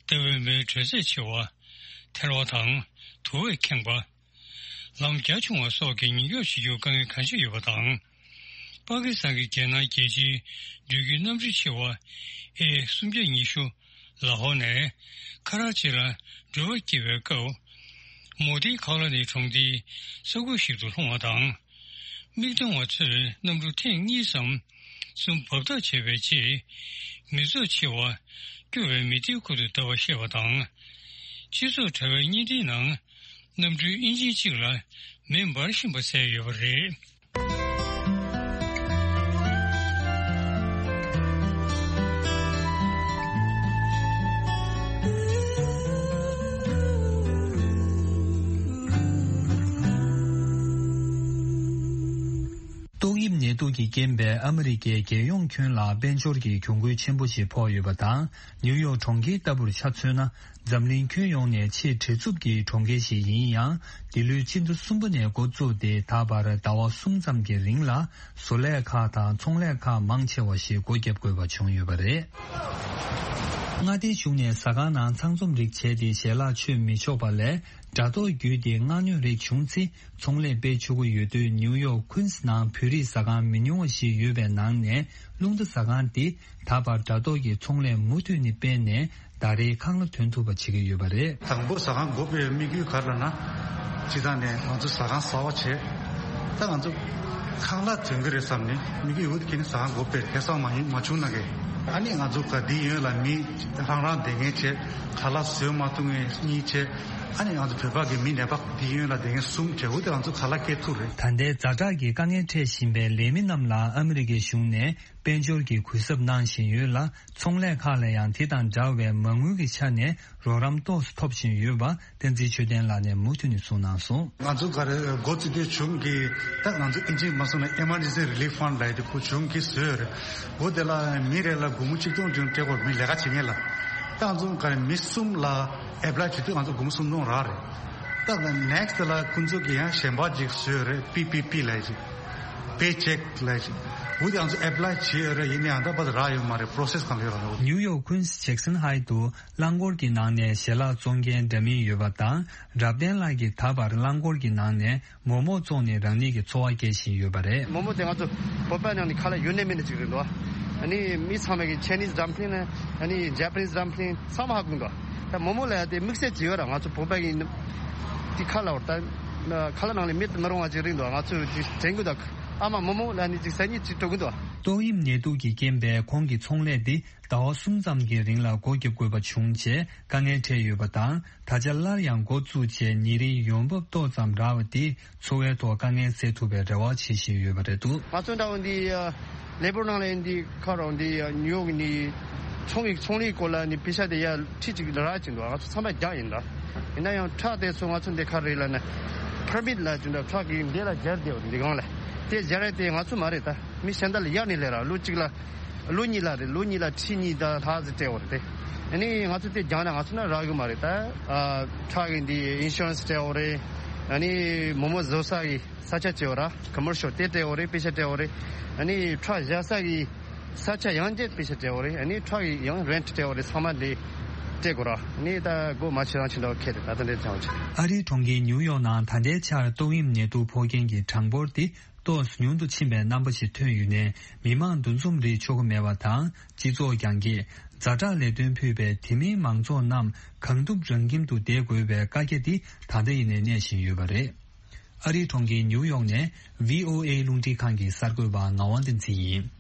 ཟླ་བའི་མེའི་དྲོད་ཚད་ཆེ་བ། ཐལ་བ་དང་དུ་བས་ཁེངས་པ། ལམ་རྒྱ་ཆུང་བ་སོགས་ཀྱི་ཉེན་སྐྱོབ་བྱེད་རྒྱུར་དཀའ་ངལ་གང་འཕྲད་ཡོད་པ་དང་། པ་ཀི་སི་ཐན་གྱི་རྒྱལ་ནང་རྒྱལ་སྤྱིའི་འགྲུལ་སྐྱེལ་གནམ་གྲུ་ཆེ་བ་ཨེ་སུམ་བརྒྱ་ཉི་ཤུ། ལ་ཧོར་ནས་ཁ་ར་ཅི་ལ་འགྲུལ་པ་བསྐྱོད་པའི་སྐབས། མོ་དིའི་ཁ་ལོ་ནི་གྲོང་སྡེའི་ས་ཁུལ་ཞིག་ཏུ་ལྷུང་བ་དང་། མིག་མཐོང་བ་ཚོས་གནམ་གྲུ་ཐེངས་གཉིས་སམ་གསུམ་འབབ་ཐབས་བྱས་པའི་རྗེས། མི་ཚོགས་ཆེ་བ་སྐྱོ་བའི་མི་ཐིའི་ཁུལ་དུ་བརྡབས་པ་ཤེས་པ་དང་། སྤྱི་ཚོགས་དྲ་བའི་བརྙན་འཕྲིན་ནང་། གནམ་གྲུའི་ཨིན་ཇི་གཅིག་ལ་མེ་འབར་བཞིན་པ་གསལ་ཡོད་པ་རེད། ཏོག་དབྱིབས་ནད་དུག་གི་རྐྱེན་པས་ཨ་མི་རི་ཀའི་རྒྱལ་ཡོངས་ཁྱོན་ལ་དཔལ་འབྱོར་གྱི་གྱོང་གུན་ཆེན་པོ་ཞིག་ཕོག་ཡོད་པ་དང་། ནིའུ་ཡོག་གྲོང་ཁྱེར་ལྟ་བུར་ཆ་མཚོན་ན། འཛམ་གླིང་ཁྱོན་ཡོངས་ནས་ཆེས་བྲེལ་འཚུབ་ཀྱི་གྲོང་ཁྱེར་ཞིག་ཡིན་ཡང་། འདི་ལོའི་སྤྱི་ཟླ་གསུམ་པ་ནས་འགོ་བཙུགས་ཏེ་ད་བར་ཟླ་བ་གསུམ་ཙམ་གྱི་རིང་ལ། བཟོ་ལས་ཁག་དང་ཚོང་ལས་ཁག་མང་ཆེ་བ་ཞིག་སྒོ་བརྒྱབ་དགོས་པ་བྱུང་ཡོད་པ་རེད། མངའ་སྡེའི་གཞུང་ནས་ཟ་ཁང་ནང་ཚང་འཛོམས་རིགས་བྱས་ཏེ་ཞལ་ལག་མཆོད་མི་ཆོག་པ་ལས། དྲ་ཐོག་བརྒྱུད་དེ་མངགས་ཉོ་རིགས་བྱུང་ཚེ། ཚོང་ལས་སྤེལ་ཆོག་གི་ཡོད་དུས། ནིའུ་ཡོག་ཁུན་སི་ནང་བོད་རིགས་ཟ་ཁང་མི་ཉུང་བ་ཞིག་ཡོད་པའི་ནང་ནས། རླུང་རྟ་ཟ་ཁང་འདི་ད་བར་དྲ་ཐོག་གི་ཚོང་ལས་མུ་མཐུད་ནས་སྤེལ་ནས། ཟླ་རེའི་ཁང་གླ་ཐོན་ཐུབ་པ་བྱེད་ཀྱི་ཡོད་པ་རེད། དང་པོ་ཟ་ཁང་སྒོ་ཕྱེ་བའི་དམིགས་ཡུལ་ག་རེ་ལབ་ན། སྤྱིར་བཏང་ནས་ང་ཚོ་ཟ་ཁང་གསར་པ་བྱས། ད་ང་ཚོ་ཁང་གླ་ཐོན་གྱི་རེད་བསམ་ནས་དམིགས་ཡུལ་འོ་དེ་ཁྱེར་ནས་ཟ་ཁང་སྒོ་ཕྱེ། ཁ་སང་མ་ཡིན་མ་བྱུང་ན་གས། ཨ་ནི་ང་ཚོ་ག་དེ་ཡོད་ལ་མི་རང་རང་བསྡད་མཁན་བྱས། ཁ་ལག་བཟོས་མ་ཐུབ་མཁན་གཉིས་བྱས། ཨ་ནི་ང་ཚོ་བོད་པ་གི་མི་ནད་པ་དེ་ཡོད་ལ་བསྡད་མཁན་གསུམ་བྱས། འོ་དེ་ང་ཚོ་ཁ་ལག་སྐྱེལ་ཐུབ་རེད། ད་ལྟའི་ཛ་དྲག་གི་དཀའ་ངལ་འཕྲད་བཞིན་པའི་ལས་མི་རྣམས་ལ་ཨ་མི་རི་ཀའི་གཞུང་ནས་དཔལ་འབྱོར་གྱི་གུས་ཞབས་གནང་བཞིན་ཡོད་ལ། ཚོང་ལས་ཁག་ལ་ཡང་དེ་དང་འདྲ་བའི་མ་དངུལ་གྱི་ཆ་ནས་རོགས་རམ་ཏོག་ཙམ་ཐོབ་བཞིན་ཡོད་པ། བསྟན་འཛིན་ཆོས་ལྡན་ལགས་ནས་མུ་མཐུད་ནས་གསུངས་གནང་སོང་། ང་ཚོ་ག་རེ་འགོ་བཙུགས་དུས་གཞུང་གིས་ད་ང་ཚོ་ཨིན་ཇི་མ་སོང་ན་Emergency Relief Fund ལབ་ཡ་དེ་ཁོ་གཞུང་གིས་བཟོས་ཡོད་རེད། འོ་དེ་ལ་མི་རེ་ལ་སྒོར་མོ་གཅིག་སྟོང་བྱུང་སྤྲད་དགོས། མི་ལས་ཀ་བྱེད་མཁན་ལ། ད་ང་ཚོ་ག་རེ་མི་གསུམ་ལ་ཨེབ་ལའི་བྱེད་དུས་ང་ཚོ་སྒོར་མོ་སུམ་སྟོང་རག་རེད། ད་ནེག་སི་ལ་ཁོང་ཚོ་གིས་ཡང་གཞན་པ་ཅིག་བཟོས་ཡོད་རེད། པི་པི་པི་ལབ་ཡ་ཅིག་པེ་ཅེག་ལབ་ཡ་ཅིག་འོ་དེ་ང་ཚོ་ཨེབ་ལའི་བྱས་ཡོད་རེད། ཡིན་ནའང་ད་བར་རག་ཡོད་མ་རེད། པོ་རོ་སེ་སི་གང་ལ་ཡོད་རེད། ནིའུ་ཡོག་ཁུན་སི་ཇེག་སན་ཧའི་ཏུ་རླངས་འཁོར་གྱི་ནང་ནས་ཞལ་ལག་བཙོང་མཁན་འདྲ་མིན་ཡོད་པ་དང་། རབ་བརྟན་ལགས་ཀྱིས་ད་བར་རླངས་འཁོར་གྱི་ནང་ནས་མོག་མོག་བཙོང་ནས་རང་ཉིད་ཀྱི་འཚོ་བ་སྐྱེལ་བཞིན་ཡོད་པ་རེད། མོག་མོག་དེ་ང་ཚོ་བོད་པ་ནང་ནས་ཁ་ལག་ཡོད་ནི་མེད་ནི་ཅིག་རེད་འདུག་ཨ་ནི་མི་ཚང་མས་ཀྱི་ཆའི་ནིས་ཌམ་པ་ལིང་ནས་ཨ་ནི་ཇེ་པ་ནིས་ཌམ་པ་ལིང་ཚང་མ་ཧ་གོ་གི་འདུག་ད་མོག་མོག་ལབ་ཡ་དེ་དམིགས་བསལ་ཅིག་ཡོད་ར། ང་ཚོ་བོད་པ་གི་དེ་ཁ་ལག་བར་ད་ཁ་ལག་ནང་ལ་མེད་དུ་མི་རུང་བ་ཅིག་རེད་འདུག་ང་ཚོས་དེ་དྲན་གི་འདུག་ཨ་མ་མོག་མོག་ལབ་ནི་ཅིག་སང་ཉིན་ཅིག་འགྲོ་གི་འདུག་ཏོག་དབྱིབས་ནད་དུག་གི་རྐྱེན་པས་ཁོང་གི་ཚོང་ལས་འདི་ཟླ་བ་གསུམ་ཙམ་གྱི་རིང་ལ་སྒོ་བརྒྱབ་དགོས་པ་བྱུང་རྗེས་དཀའ་ངལ་འཕྲད་ཡོད་པ་དང་། ད་ཆ་སླར་ཡང་འགོ་བཙུགས་རྗེས་ཉིན་རེའི་ཡོང་འབབ་ཏོག་ཙམ་རག་པ་དེས་འཚོ་བའི་ཐོག་དཀའ་ངལ་སེལ་ཐུབ་པའི་རེ་བ་བྱེད་བཞིན་ཡོད་པ་རེད་འདུག། ང་ཚོ་འདྲ་བོ་འདི་ལས་འབོར་ནང་ལ་འདི་ཁ་རོག་འདི་ཉུ་ཡོག་ནི་ཚོང་གི་ཚོང་ལས་སྐོར་ལ་ནི་པེ་ཤ་དེ་ཡ་ཁྲི་གཅིག་ལ་རག་ཅིག་འདུག། ང་ཚོ་ཚང་མ་རྒྱག་ཡིན་ད། ཡིན་ན་ཡང་ཁྲག་དེ་ཚོ་ང་ཚོ་འདི་ག་རེ་ལ་ནི་ཕར་མིད་ལ་ཅིག་འདྲ་ཁྲག་གི་འདི་ལ་སྦྱར་དེ་འདི་གང་ལ་དེ་སྦྱར་དེ་ང་ཚོ་མ་རེད་ད། མི་གཞན་དག་ལ་གཡར་ནས་ལས་ར་ལོ་གཅིག་ལ་ལོ་གཉིས་ལ་རེད། ལོ་གཉིས་ལ་ཁྲི་གཉིས་དང་ལྷག་ཙམ་སྤྲད་འོ་རེད་དེ། ཨ་ནི་ང་ཚོ་དེ་རྒྱག་ན་ང་ཚོ་ན་རག་གི་མ་རེད་ད། ཨ་ཁྲག་གི་འདི་ཨིན་ཤུ་རན་སི་སྤྲད་འོ་རེད། ཨ་ནི་མོ་མོ་བཟོ་ས་གི་ས་ཆ་བྱེད་འོ་ར་ཀོ་མར་ཤལ་དེ་སྤྲད་འོ་རེད། པེ་ཤ་སྤྲད་འོ་རེད། ཨ་ནི་ཁྲག་བཞག་ས་གི་ས་ཆ་ཡང་བཅས་པེ་ཤ་སྤྲད་འོ་རེད། ཨ་ནི་ཁྲག་གི་ཡང་རེན་ཊི་སྤྲད་འོ་རེད། ཚང་མ་འདི་སྤྲད་དགོས་ར། ཨ་ནི་ད་སྒོ་མ་ཕྱེ་རང་ཕྱིན་འདྲ་བོ་ཁེལ་རེད་ད། ད་འདྲའི་ཚང་བ་ཆེ། ཨ་རིའི་གྲོང་ཁྱེར་ཉིའུ་ཡོག་ནང་ད་ལྟའི་ཆར་ཏོག་དབྱིབས་ནད་དུག་ཕོག་མཁན་གྱི་གྲངས་འབོར་དེ་ཏོག་ཉུང་དུ་ཕྱིན་པའི་རྣམ་པ་ཞིག་ཐོན་ཡོད་ནས་མི་མང་འདུ་འཛོམས་རེ་ཆོག་གི་མེད་པ་དང་། སྤྱི་ཚོགས་རྒྱང་བཀྱེད། ཛ་དྲག་ལས་དོན་ཕུད་པའི་དེ་མིན་མང་ཚོགས་རྣམས་གང་ཐུབ་རང་ཁྱིམ་དུ་བསྡད་དགོས་པའི་བཀའ་རྒྱ་འདི་ད་ལྟ་ཡིན་ནས་གནས་བཞིན་ཡོད་པ་རེད། ཨ་རིའི་གྲོང་ཁྱེར་ཉིའུ་ཡོག་ནས་བྷི་ཨོ་ཨེ་རླུང་འཕྲིན་ཁང་གི་གསར་འགོད་པ་ངག་དབང་བསྟན་འཛིན་ཡིན།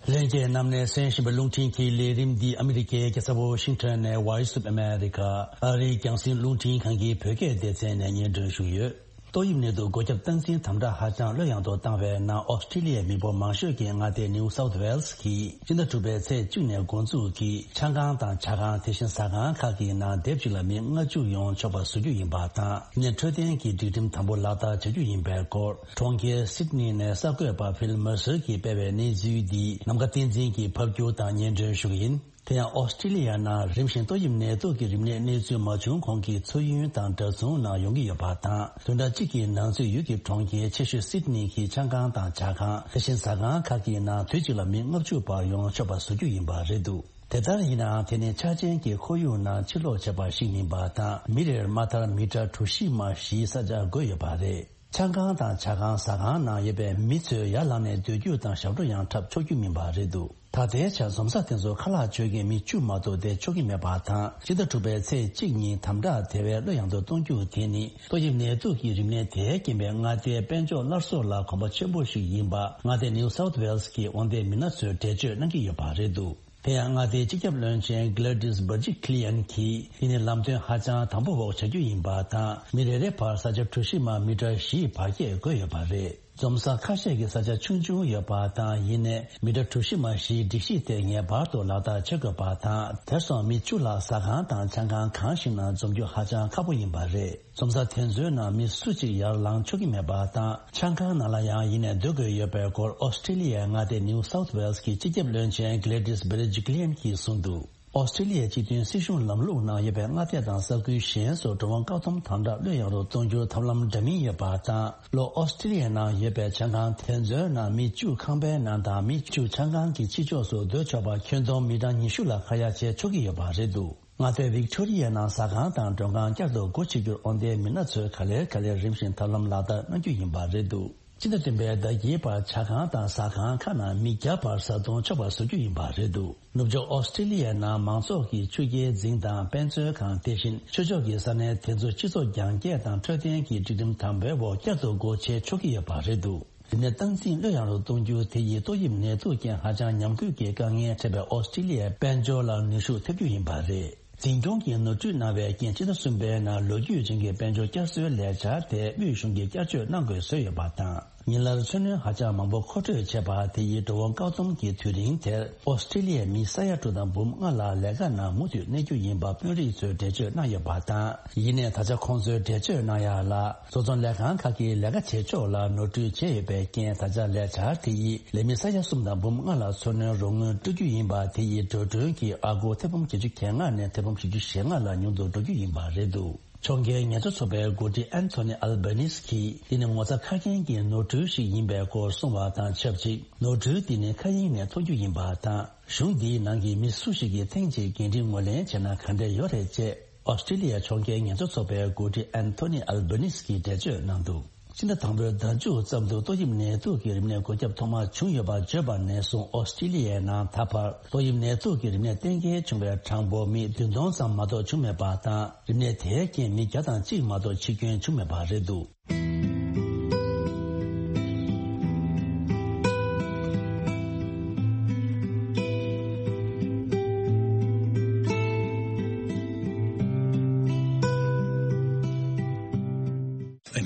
ལྷན་རྒྱས་རྣམས་ནས་གསན་བཞིན་པའི་རླུང་འཕྲིན་གྱི་ལས་རིམ་འདི་ཨ་མི་རི་ཀའི་རྒྱལ་ས་ཝོ་ཤིང་ཊོན་ནས་Voice of America ཨ་རིའི་རྒྱང་སྲིང་རླུང་འཕྲིན་ཁང་གི་བོད་སྐད་སྡེ་ཚན་ནས་སྙན་སྒྲོན་ཞུས་ཡོད། ཏོག་དབྱིབས་ནད་དུག་འགོས་ཁྱབ་སྟངས་འཛིན་དམ་དྲག་ཧ་ཅང་བློ་ཡངས་དུ་བཏང་བའི་ནང་ཨོ་སི་ཀྲི་ལི་ཡའི་མི་འབོར་མང་ཤོས་ཀྱི་མངའ་སྡེ་ནིའུ་སའུཐ་ཝེལ་སི་གིས་སྤྱི་ཟླ་དྲུག་པའི་ཚེས་གཅིག་ནས་འགོ་འཛུགས་ཀྱིས་ཆང་ཁང་དང་ཇ་ཁང་དེ་བཞིན་ཟ་ཁང་ཁག་གི་ནང་སྡེབ་གཅིག་ལ་མི་ལྔ་བཅུ་ཡོང་ཆོག་པ་བཟོ་རྒྱུ་ཡིན་པ་དང་། ཡིན་ནའི་འཕྲོད་བསྟེན་གྱི་སྒྲིག་ཁྲིམས་དམ་པོ་ལག་བསྟར་བྱ་རྒྱུ་ཡིན་པའི་སྐོར་གྲོང་ཁྱེར་སིད་ནི་ནས་གསར་འགོད་པ་ཕིལ་མར་སར་གྱིས་སྤེལ་བའི་གནས་ཚུལ་འདི་ནམ་མཁའ་བསྟན་འཛིན་གྱིས་ཕབ་སྒྱུར་དང་སྙན་སྒྲོན་ཞུ་གི་ཡིན། དེ་ཡང་ཨོ་སི་ཀྲི་ལི་ཡ་ནང་རིམ་བཞིན་ཏོག་དབྱིབས་ནད་དུག་གི་རིམས་ནད་གནས་ཚུལ་མ་བྱུང་གོང་གི་མཚོ་ཡུལ་དང་འདྲ་མཚུངས་ནང་ཡོང་གི་ཡོད་པ་དང་། བདུན་ཕྲག་གཅིག་གི་ནང་ཚུད་ཡུལ་གྱི་གྲོང་ཁྱེར་ཆེ་ཤོས་སིད་ནི་གི་ཆང་ཁང་དང་ཇ་ཁང་དེ་བཞིན་ཟ་ཁང་ཁག་གི་ནང་དུས་གཅིག་ལ་མི་ལྔ་བཅུ་བར་ཡོང་ཆོག་པ་བཟོ་རྒྱུ་ཡིན་པ་རེད་འདུག། དེ་ལྟར་ཡིན་ནའང་དེ་ནི་ཆ་ཅན་གྱི་ཁོར་ཡུག་ནང་ཕྱིར་ལོག་བྱས་པ་ཞིག་མིན་པ་དང་། མི་རེར་མ་མཐར་མི་ཊར་གྲུ་བཞི་མ་བཞིའི་ས་ཆ་དགོས་ཡོད་པ་རེད། ཆང་ཁང་དང་ཇ་ཁང་ཟ་ཁང་ནང་ཡོད་པའི་མི་ཚོས་ཡར་ལངས་ནས་སྡོད་རྒྱུ་དང་ཞབས་བྲོ་ཡང་འཁྲབ་ཆོག་རྒྱུ་མིན་པ་རེད་འདུག། ད་ལྟའི་ཆར་འཛོམས་ས་དེ་ཚོར་ཁ་ལག་མཆོད་མཁན་མི་བཅུ་མ་གཏོགས་བསྡད་ཆོག་གི་མེད་པ་དང་། སྤྱི་ཟླ་དྲུག་པའི་ཚེས་གཅིག་ཉིན་དམ་དྲག་དེ་བས་བློ་ཡངས་དུ་གཏོང་རྒྱུ་དེ་ནི་ཏོག་དབྱིབས་ནད་དུག་གི་རིམས་ནད་དེའི་རྐྱེན་པས་མངའ་སྡེའི་དཔལ་འབྱོར་སླར་གསོ་ལ་གོམ་པ་ཆེན་པོ་ཞིག་ཡིན་པ་མངའ་སྡེ་ནིའུ་སའུཐ་ཝེལ་སི་གི་དབང་ལྡན་མི་སྣ་ཚོས་འགྲེལ་བརྗོད་གནང་གི་ཡོད་པ་རེད་འདུག། དེ་ཡང་མངའ་སྡེའི་སྤྱི་ཁྱབ་བློན་ཆེན་Gladys Berejiklian གྱིས་འདི་ནི་ལམ་སྟོན་ཧ་ཅང་དམ་པོ་འོག་བྱ་རྒྱུ་ཡིན་པ་དང་། མི་རེ་རེའི་བར་ས་ཆ་གྲུ་བཞི་མ་མི་ཊར་བཞིའི་བར་ཁྱད་དགོས་ཡོད་པ་རེད། འཛོམས་ས་ཁ་ཤས་ཀྱི་ས་ཆ་ཆུང་ཆུང་ཡོད་པ་དང་། ཡིན་ནའི་མི་ཊར་གྲུ་བཞི་མ་བཞིའི་སྒྲིག་གཞི་དེ་ངེས་པར་དུ་ལག་བསྟར་བྱེད་དགོས་པ་དང་། དེར་སོང་མི་བཅུ་ལ་ཟ་ཁང་དང་ཆང་ཁང་གང་ཞིག་ནང་འཛོམས་རྒྱུ་ཧ་ཅང་ཁག་པོ་ཡིན་པ་རེད། འཛོམས་ས་དེ་ཚོའི་ནང་མི་སུ་གཅིག་ཡར་ལངས་ཆོག་གི་མེད་པ་དང་། ཆང་ཁང་ནང་ལ་ཡང་ཡིན་ནའི་སྡོད་དགོས་ཡོད་པའི་སྐོར་ཨོ་སི་ཀྲི་ལི་ཡའི་མངའ་སྡེ་ནིའུ་སའུཐ་ཝེལ་སི་གི་སྤྱི་ཁྱབ་བློན་ཆེན་Gladys Berejiklian གྱིས་གསུངས་འདུག། ཨོ་སི་ཀྲི་ལི་ཡའི་སྤྱི་མཐུན་སྲིད་གཞུང་ལམ་ལུགས་ནང་ཡོད་པའི་མངའ་སྡེ་དང་ས་ཁུལ་གཞན་སོགས་འགྲོ་འོང་བཀག་སྡོམ་དམ་དྲག་བློ་ཡངས་རུ་གཏོང་རྒྱུར་ཐབས་ལམ་འདྲ་མིན་ཡོད་པ་དང་། ལྷོ་ཨོ་སི་ཀྲི་ལི་ཡའི་ནང་ཡོད་པའི་ཆང་ཁང་དེ་ཚོའི་ནང་མི་བཅུ་ཁང་པའི་ནང་དང་མི་བཅུ་ཆང་ཁང་གི་ཕྱི་ཕྱོགས་སུ་སྡོད་ཆོག་པ་ཁྱོན་བསྡོམས་མི་གྲངས་ཉི་ཤུ་ལ་ཁ་ཡ་བྱེད་ཆོག་གི་ཡོད་པ་རེད་འདུག། མངའ་སྡེ་ཝིག་ཊོ་རི་ཡའི་ནང་ཟ་ཁང་དང་མགྲོན་ཁང་བསྐྱར་དུ་སྒོ་ཕྱེ་རྒྱུར་དབང་ལྡན་མི་སྣ་ཚོས་ག་ལེར་ག་ལེར་རིམ་བཞིན་ཐབས་ལམ་ལག་བསྟར་གནང་རྒྱུ་ཡིན་པ་རེད་འདུག། སྤྱི་ཟླ་བདུན་པའི་ཟླ་བརྒྱད་བར་ཇ་ཁང་དང་ཟ་ཁང་ཁག་ནང་མི་བརྒྱ་བར་བཟའ་བཏུང་ཆོག་པ་བཟོ་རྒྱུ་ཡིན་པ་རེད་འདུག། ནུབ་ཕྱོགས་ཨོ་སི་ཀྲི་ལི་ཡའི་ནང་མང་ཚོགས་ཀྱི་ཆུ་རྐྱལ་འཛིན་དང་དཔེ་མཛོད་ཁང་དེ་བཞིན་ཆོས་ཕྱོགས་ཀྱི་ས་གནས་དེ་ཚོ་སྤྱི་ཚོགས་རྒྱང་བཀྱེད་དང་འཕྲོད་བསྟེན་གྱི་སྒྲིག་ཁྲིམས་དམ་པོའི་འོག་བསྐྱར་དུ་སྒོ་ཕྱེ་ཆོག་གི་ཡོད་པ་རེད་འདུག། རིམས་ནད་སྟངས་འཛིན་བློ་ཡངས་རུ་གཏོང་རྒྱུ་དེ་ཡིས་ཏོག་དབྱིབས་ནད་དུག་རྐྱེན་ཧ་ཅང་ཉམས་རྒུད་ཀྱི་དཀའ་ངལ་འཕྲད་པའི་ཨོ་སི་ཀྲི་ལི་ཡའི་དཔལ་འབྱོར་ལ་ནུས་ཤུགས་ཐེབས་རྒྱུ་ཡིན་པ་རེད། འཛིན་སྐྱོང་གིས་ནོར་འཁྲུལ་གནང་བའི་རྐྱེན་སྤྱི་ཟླ་གསུམ་པའི་ནང་ལོ་རྒྱུས་ཅན་གྱི་དཔལ་འབྱོར་བསྐྱར་གསོའི་ལས་འཆར་དེ་དབུས་གཞུང་གིས་བསྐྱར་བཅོས་གནང་དགོས་བཟོས་ཡོད་པ་དང་། ཉིན་ལྟར་འཚོ་སྣོན་ཧ་ཅང་མང་པོ་མཁོ་སྤྲོད་བྱས་པ་དེ་ཡིས་འགྲོ་འོང་བཀག་སྡོམ་གྱི་དུས་རིང་དེར་ཨོ་སི་ཀྲི་ལི་ཡའི་མི་ས་ཡ་དྲུག་དང་འབུམ་ལྔ་ལ་ལས་ཀ་ནང་མུ་མཐུད་གནས་རྒྱུ་ཡིན་པ་དཔོན་རིགས་ཚོས་འགྲེལ་བརྗོད་གནང་ཡོད་པ་དང་། ཡིན་ནའི་ད་ཆ་ཁོང་ཚོས་འགྲེལ་བརྗོད་གནང་ཡག་ལ། བཟོ་ཚོང་ལས་ཁང་ཁག་གིས་ལས་ཀ་བྱེད་ཕྱོགས་ལ་ནོར་འཁྲུལ་བྱས་ཡོད་པའི་རྐྱེན། ད་ཆ་ལས་འཆར་དེ་ཡིས་ལས་མི་ས་ཡ་གསུམ་དང་འབུམ་ལྔ་ལ་འཚོ་སྣོན་རོགས་དངུལ་སྤྲོད་རྒྱུ་ཡིན་པ་དེ་ཡིས་འགྲོ་གྲོན་གྱི་ཨ་སྒོར་ཐེར་འབུམ་བརྒྱད་ཅུ་གྱ་ལྔ་ནས་ཐེར་འབུམ་བཞི་བཅུ་ཞེ་ལྔ་ལ་ཉུང་དུ་འགྲོ་རྒྱུ་ཡིན་པ་རེད་འདུག། ཕྱོགས་འགལ་ངལ་རྩོལ་ཚོགས་པའི་འགོ་ཁྲིད་ཨན་ཐོ་ནི་ཨལ་བྷ་ནིས་ཀྱིས་འདི་ནི་ངོ་ཚ་ཁ་རྒྱན་གྱི་ནོར་འཁྲུལ་ཞིག་ཡིན་པའི་སྐོར་གསུངས་པ་དང་ཆབས་ཅིག། ནོར་འཁྲུལ་འདི་ནི་མཁའ་དབྱིངས་ནས་ཐོན་རྒྱུ་ཡིན་པ་དང་། གཞུང་འདིའི་ནང་གི་མི་སུ་ཞིག་གིས་ཐེངས་གཅིག་འགན་འཁྲི་ངོས་ལེན་བྱས་ན་ག་འདྲ་ཡོད་རེད་ཅེས། ཨོ་སི་ཀྲི་ལི་ཡ་ཕྱོགས་འགལ་ངལ་རྩོལ་ཚོགས་པའི་འགོ་ཁྲིད་ཨན་ཐོ་ནི་ཨལ་བྷ་ནིས་ཀྱིས་འགྲེལ་བརྗོད་གནང་འདུག། ཕྱི་ཟླ་དང་པོའི་ཟླ་མཇུག་ཙམ་དུ་ཏོག་དབྱིབས་ནད་དུག་གི་རིམས་ནད་འགོས་ཁྱབ་ཐོག་མ་བྱུང་ཡོད་པ་བརྗོད་པ་ནས་བཟུང་ཨོ་སི་ཀྲི་ལི་ཡའི་ནང་ད་བར་ཏོག་དབྱིབས་ནད་དུག་གི་རིམས་ནད་གཏན་འཁེལ་བྱུང་བའི་གྲངས་འབོར་མི་བདུན་སྟོང་ཙམ་མ་གཏོགས་བྱུང་མེད་པ་དང་། རིམས་ནད་དེའི་རྐྱེན་མི་བརྒྱ་དང་གཅིག་མ་གཏོགས་འཆི་སྐྱོན་བྱུང་མེད་པ་རེད་འདུག།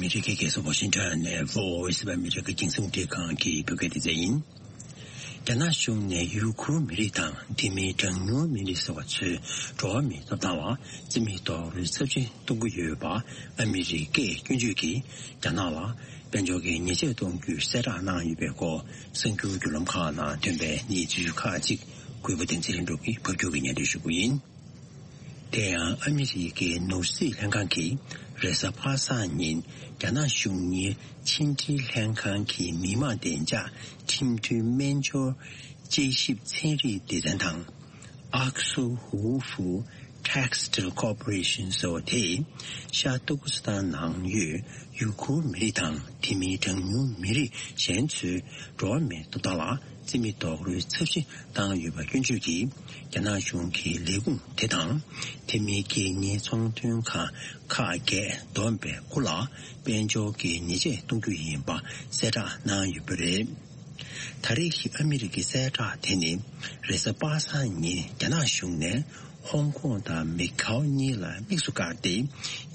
ཨ་མི་རི་ཀའི་རྒྱལ་ས་ཝ་ཤིང་ཊོན་ནས་Voice of America་རྒྱང་སྲིང་རླུང་འཕྲིན་ཁང་གི་བོད་སྐད་སྡེ་ཚན་ཡིན། རྒྱ་ནག་གཞུང་ནས་ཡུ་གུར་མི་རིགས་དང་དེ་མིན་གྲངས་ཉུང་མི་རིགས་ཟེར་བ་ཚོའི་འགྲོ་བ་མིའི་ཐོབ་ཐང་ལ་བརྩི་མེད་རྡོག་རོལ་ཚབས་ཆེན་གཏོང་གི་ཡོད་པ་ཨ་མི་རི་ཀས་སྐྱོན་བརྗོད་ཀྱིས་རྒྱ་ནག་ལ་དཔལ་འབྱོར་གྱི་ཉེས་ཆད་གཏོང་རྒྱུའི་གསལ་བསྒྲགས་གནང་ཡོད་པའི་སྐོར་གསར་འགྱུར་བརྒྱུད་ལམ་ཁག་ནང་ཐོན་པའི་གནས་ཚུལ་ཁག་ཅིག་གུས་པ་བསྟན་འཛིན་ལྷུན་གྲུབ་ཀྱིས་ཕབ་སྒྱུར་གྱིས་སྙན་སྒྲོན་ཞུ་རྒྱུ་ཡིན། དེ་ཡང་ཨ་མི་རི་ཀའི་ནོར་སྲིད་ལྷན་ཁང་གིས་རེས་གཟའ་པ་སངས་ཉིན་རྒྱ་ནག་གཞུང་གཉེར་ཕྱི་འབྲེལ་ལྷན་ཁང་གི་མི་དམངས་བདེ་འཇགས་ཁྲིམས་མཐུན་སྨན་སྦྱོར་དཔྱད་ཞིབ་ཚན་རིག་སྡེ་ཚན་དང་། ཨག་སུ་ཧུའུ་ཧྥུ་Textile Corporation་ཟེར་བ་དེས་ཤར་ཏུར་ཀི་སི་ཐན་ནང་ཡོད་ཡུ་གུར་མི་རིགས་དང་དེ་མིན་གྲངས་ཉུང་མི་རིགས་གཞན་ཚོའི་འགྲོ་བ་མིའི་ཐོབ་ཐང་ལ་བརྩི་མེད་རྡོག་རོལ་ཚབས་ཆེན་བཏང་ཡོད་པ་སྐྱོན་བརྗོད་ཀྱིས་རྒྱ་ནག་གཞུང་གི་ལས་ཁུངས་དེ་དང་། དེ་མིན་རྒྱལ་གཉེར་ཚོང་དོན་ཁང་ཁག་བརྒྱད་བསྡོམས་པའི་ཁུལ་ལ་དཔལ་འབྱོར་གྱི་ཉེས་ཆད་གཏོང་རྒྱུ་ཡིན་པ་གསལ་བསྒྲགས་གནང་ཡོད་པ་རེད། ད་རེས་ཀྱི་ཨ་མི་རི་ཀའི་གསལ་བསྒྲགས་དེ་ནི་རེས་གཟའ་པ་སངས་ཉིན་རྒྱ་ནག་གཞུང་ནས་ཧོང་ཀོང་དང་མེ་ཁའོ་གཉིས་ལ་དམིགས་སུ་བཀར་ཏེ་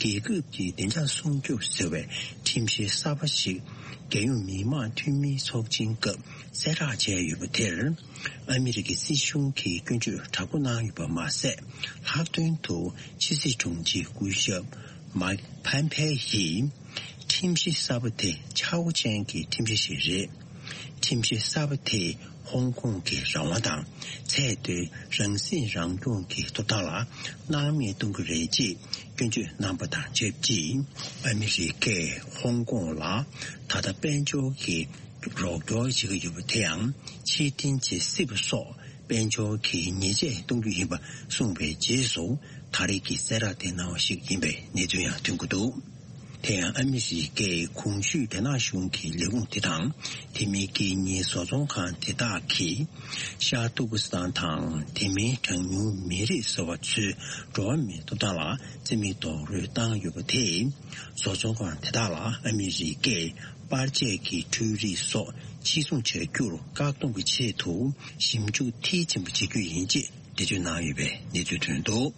རྒྱལ་ཁབ་ཀྱི་བདེ་འཇགས་སྲུང་སྐྱོབ་ཟེར་བའི་ཁྲིམས་གཞི་གསར་པ་ཞིག་རྒྱལ་ཡོངས་མི་དམངས་འཐུས་མིའི་ཚོགས་ཆེན་སྐབས་གསལ་བསྒྲགས་བྱས་ཡོད་པ་དེར། ཨ་མི་རི་ཀའི་སྲིད་གཞུང་གིས་སྐྱོན་བརྗོད་དྲག་པོ་གནང་ཡོད་པ་མ་ཟད། ལྷག་དོན་དུ་ཕྱི་སྲིད་དྲུང་ཆེ་སྐུ་ཞབས་མཱིག་ཕམ་ཕེ་ཡིས་ཁྲིམས་གཞི་གསར་པ་དེ་ཆག་སྒོ་ཅན་གྱི་ཁྲིམས་གཞི་ཞིག་རེད། ཁྲིམས་གཞི་གསར་པ་དེས་ཧོང་ཀོང་གི་རང་དབང་དང་ཚད་མཐོའི་རང་སྲིད་རང་སྐྱོང་གི་ཐོབ་ཐང་ལ་སྣང་མེད་གཏོང་གི་རེད་ཅེས་སྐྱོན་བརྗོད་གནང་པ་དང་ཆབས་ཅིག་ཨ་མི་རི་ཀས་ཧོང་ཀོང་ལ་ད་ལྟ་དཔལ་འབྱོར་གྱི་རོགས་སྐྱོར་བྱེད་ཀྱི་ཡོད་པ་དེ་ཡང་ཕྱིར་འཐེན་བྱེད་སྲིད་པ་སོགས་དཔལ་འབྱོར་གྱི་ཉེས་ཆད་གཏོང་རྒྱུ་ཡིན་པ་གསུངས་པའི་རྗེས་སུ་ད་རེས་ཀྱི་གསལ་བསྒྲགས་དེ་གནང་བ་ཞིག་ཡིན་པའི་གནས་ཚུལ་ཡང་ཐོན་གྱི་འདུག་དེ་ཡང་ཨ་མི་རི་ཀའི་གོང་ཞུས་རྒྱ་ནག་གཞུང་གི་ལས་ཁུངས་དེ་དང་དེ་མིན་རྒྱལ་གཉེར་བཟོ་ཚོང་ཁང་དེ་དག་གིས་ཤར་ཏུར་ཀི་སི་ཐན་དང་དེ་མིན་གྲངས་ཉུང་མི་རིགས་ཟེར་བ་ཚོའི་འགྲོ་བ་མིའི་ཐོབ་ཐང་ལ་བརྩི་མེད་རྡོག་རོལ་བཏང་ཡོད་པ་དེས། བཟོ་ཚོང་ཁང་དེ་དག་ལ་ཨ་མི་རི་ཀས་པར་ཆས་ཀྱི་འཕྲུལ་རིག་སོགས་ཕྱིར་ཚོང་བྱ་རྒྱུར་བཀག་སྡོམ་གྱི་ཆེད་དུ་ཞིབ་འཇུག་མཐིལ་ཕྱིན་པ་བྱེད་རྒྱུ་ཡིན་ཅེས་འགྲེལ་བརྗོད་གནང་ཡོད་པའི་གནས་ཚུལ་ཐོན་འདུག་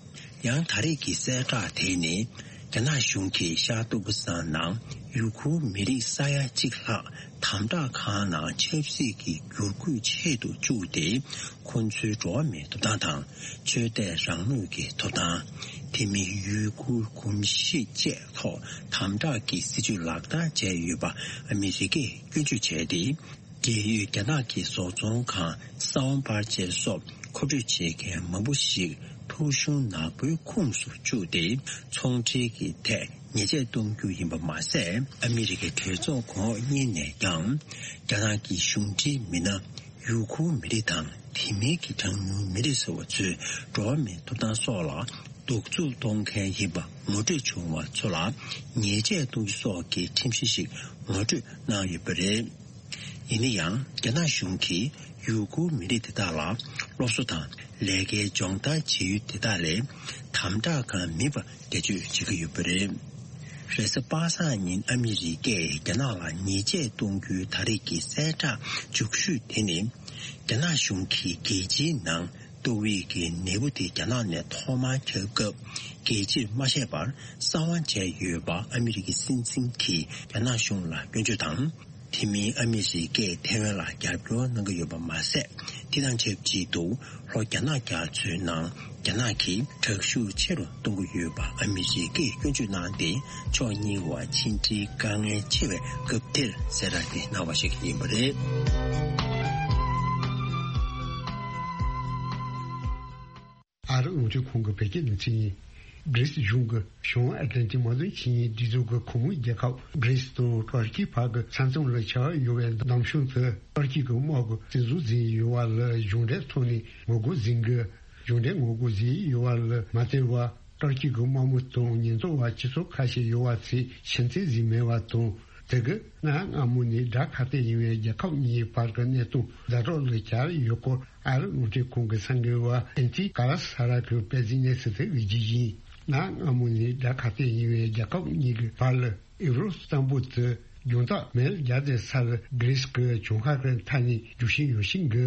ཡང་ད་རེས་ཀྱི་གསལ་བསྒྲགས་དེ་ནི་རྒྱ་ནག་གཞུང་གིས་ཤར་ཏུར་ཀི་སི་ཐན་ནང་ཡུ་གུར་མི་རིགས་ས་ཡ་གཅིག་ལྷག་དམ་དྲག་ཁང་ནང་ཆབ་སྲིད་ཀྱི་བསྒྱུར་བཀོད་ཆེད་དུ་བཅུག་སྟེ། ཁོ་ཚོའི་འགྲོ་བ་མིའི་ཐོབ་ཐང་དང་ཆོས་དད་རང་མོས་ཀྱི་ཐོབ་ཐང་། དེ་མིན་ཡུ་གུར་གོམས་གཤིས་བཅས་ཐོག་དམ་དྲག་གི་སྲིད་ཇུས་ལག་བསྟར་བྱས་ཡོད་པ་ཨ་མི་རི་ཀས་སྐྱོན་བརྗོད་བྱས་ཏེ། འབྲེལ་ཡོད་རྒྱ་ནག་གི་བཟོ་ཚོང་ཁང་། ས་བོན་པར་ཆས་སོགས་མཁོ་སྤྲོད་བྱེད་མཁན་མང་པོ་ཞིག་ཐོ་གཞུང་ནག་པོའི་ཁོངས་སུ་བཅུག་སྟེ། ཚོང་འབྲེལ་གྱི་ཐད་ཉེས་ཆད་གཏོང་རྒྱུ་ཡིན་པ་མ་ཟད། ཨ་མི་རི་ཀའི་གྲོས་ཚོགས་གོང་འོག་གཉིས་ནས་ཀྱང་རྒྱ་ནག་གི་གཞུང་འབྲེལ་མི་སྣ། ཡུ་གུར་མི་རིགས་དང་དེ་མིན་གྱི་གྲངས་ཉུང་མི་རིགས་ཟེར་བ་ཚོའི་འགྲོ་བ་མིའི་ཐོབ་ཐང་སོགས་ལ་གདུག་རྩུབ་གཏོང་མཁན་ཡིན་པ་ངོ་སྤྲོད་བྱུང་བ་ཚོ་ལ་ཉེས་ཆད་གཏོང་རྒྱུ་སོགས་ཀྱི་ཁྲིམས་གཞི་ཞིག་ངོ་སྤྲོད་གནང་ཡོད་པ་རེད། ཡིན་ན་ཡང་རྒྱ་ནག་གཞུང་གིས་ཡུ་གུར་མི་རིགས་དེ་དག་ལ་སློབ་གསོ་དང་ལས་ཀའི་སྦྱོང་བརྡར་བྱེད་ཡུལ་དེ་དག་ལས་དམ་དྲག་ཁང་མིན་པ་འགྲེལ་བརྗོད་བྱེད་ཀྱི་ཡོད་པ་རེད། རེས་གཟའ་པ་སངས་ཉིན་ཨ་མི་རི་ཀས་རྒྱ་ནག་ལ་ཉེས་ཆད་གཏོང་རྒྱུའི་ད་རེས་ཀྱི་གསལ་བསྒྲགས་མཇུག་ཤོས་དེ་ནི། རྒྱ་ནག་གཞུང་གིས་རྒྱལ་སྤྱིའི་ནང་ཏོག་དབྱིབས་ཀྱི་ནད་འབུ་དེ་རྒྱ་ནག་ནས་ཐོག་མར་ཁྱབ་སྐབས་རྒྱལ་སྤྱིར་མ་བཤད་པར་གསང་བ་བྱས་ཡོད་པ་ཨ་མི་རི་ཀའི་སྲིད་འཛིན་གྱིས་རྒྱ་ནག་གཞུང་ལ་སྐྱོན་བརྗོད་དང་། དེ་མིན་ཨ་མི་རི་ཀས་ཐའེ་ཝན་ལ་རྒྱབ་སྐྱོར་གནང་གི་ཡོད་པ་མ་ཟད། དེ་དང་ཆབས་ཅིག་ཏུ་ལྷོ་རྒྱ་ནག་རྒྱ་མཚོའི་ནང་རྒྱ་ནག་གིས་དྲག་ཤུགས་ཆེ་རུ་གཏོང་གི་ཡོད་པ་ཨ་མི་རི་ཀས་སྐྱོན་བརྗོད་གནང་སྟེ། ཕྱོགས་གཉིས་བར་ཕྱི་འབྲེལ་དཀའ་ངལ་ཆེ་བའི་སྐབས་དེར་གསལ་བསྒྲགས་དེ་གནང་བ་ཞིག་ཡིན་པ་རེད། ཨ་རི་རླུང་འཕྲིན་ཁང་གི་བོད་སྐད་སྡེ་ཚན་ཡིན། གྷི་རིས་གཞུང་གིས་བྱང་ཨེ་ཏི་ལན་ཏི་དམག་དོན་ཆིངས་ཡིག་སྒྲིག་འཛུགས་ཀྱི་ཁོངས་མི་རྒྱལ་ཁབ་གྷི་རིས་དང་ཏུར་ཀི་བར་གྱི་ས་མཚམས་ལ་བྱ་བ་ཡོད་པའི་འདམ་གཞུང་དུ་ཏུར་ཀི་གི་དམག་གི་བཙན་འཛུལ་ཟིན་ཡོད་པ་ལ་གཞུང་འབྲེལ་ཐོག་ནས་ངོ་རྒོལ་ཟིན་དགོས། གཞུང་འབྲེལ་ངོ་རྒོལ་ཟིན་ཡོད་པ་ལ་མ་བརྟེན་པར་ཏུར་ཀི་གི་དམག་མི་དང་ཉེན་རྟོག་པ་སྤྱི་ཚོགས་ཁ་ཤས་ཡོད་པ་ཚོས་ཕྱིར་འཐེན་ཟིན་མེད་པ་དང་། དེ་གི་གནའ་སྔ་མོ་ནས་དགྲ་ཁ་གཏད་ཡིན་པའི་རྒྱལ་ཁབ་གཉིས་བར་གྱི་གནད་དོན་ཛ་དྲག་ལ་གྱར་ཡོད་སྐོར་ཨ་རི་རླུང་འཕྲིན་ཁང་གི་གསར་འགོད་པ་ཨན་ཏི་ཀ་ལ་ས་ར་གིས་སྤེལ་གཟིགས་གནས་ཚུལ་དེ་གཟིགས་རྒྱུ་ཡིན། གནའ་སྔ་མོ་ནས་དགྲ་ཁ་གཏད་ཡིན་པའི་རྒྱལ་ཁབ་གཉིས་ཀྱི་བར་ལ་ཨེབ་རོ་གཙང་པོ་དེ་རྒྱང་ཐག་མེལ་བརྒྱ་དེ་སར་གྷི་རིས་ཀྱི་ལྗོངས་མཁར་གྱི་མཐའ་ནས་རྒྱུག་ཤིང་ཡོད་ཤིང་གི།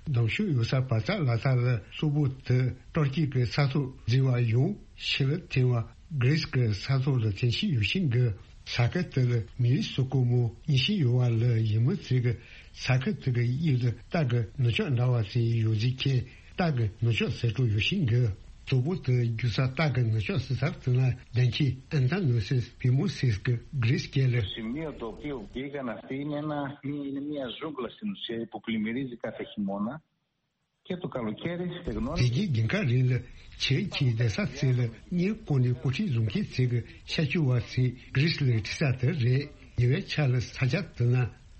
འདམ་གཞུང་ཡོད་སར་བར་ཐག་ལ་ཐག་ལ་སོག་པོ་དེ་ཏུར་ཀི་གི་ས་ཐོག་འཛུལ་བ་ཡང་ཕྱི་ལ་འཐེན་པ་གྷི་རིས་ཀྱི་ས་ཐོག་ལ་འཐེན་བཞིན་ཡོད་ཤིང་གི། ས་ཁུལ་དེ་ལ་མི་རིགས་སུ་གོ་མོ་ཉི་ཤུ་ཡོད་པ་ལ་ཡིན་མི་ཚོས་ཀྱི་ས་ཁུལ་དེ་གི་དབྱིབས་དུ་སྟག་གི་ནུབ་ཕྱོགས་འདྲ་བ་ཞིག་ཡོད་ཅིག་ཁྱེད་སྟག་གི་ནུབ་ཕྱོགས་ཟེར་འགྲོ་ཡོད་ཤིང་གི། གཙོ་བོ་དེ་རྒྱུ་ས་སྟག་གི་ནུབ་ཕྱོགས་སི་ས་དེ་ན་བདེན་ཁྱི་ཨན་ཐ་ནོ་སིས་བི་མོ་སིས་ཀྱི་གྷི་རིས་སྐད་ལ། Σημείο το οποίο μπήκαν αυτοί είναι ένα, είναι μια ζούγκλα στην ουσία που πλημμυρίζει κάθε χειμώνα. Και το καλοκαίρι, δεν དེ་གི་རྒྱུན་ཁ་རིང་ལ་ཁྱེད་ཀྱིས་བསྡད་ས་ཚེ་ལ་གཉེར་སྐོར་ནས་སྐོར་ཁྲིད་བཟུང་མཁན་ཚེ་གི་ཤ་ཆུ་བ་ཚེ་གྷི་རིས་ལ་ཁྲིད་ས་དེ་རེད། ཉེ་བའི་ཆར་ལ་ས་ཆ་དེ་ན་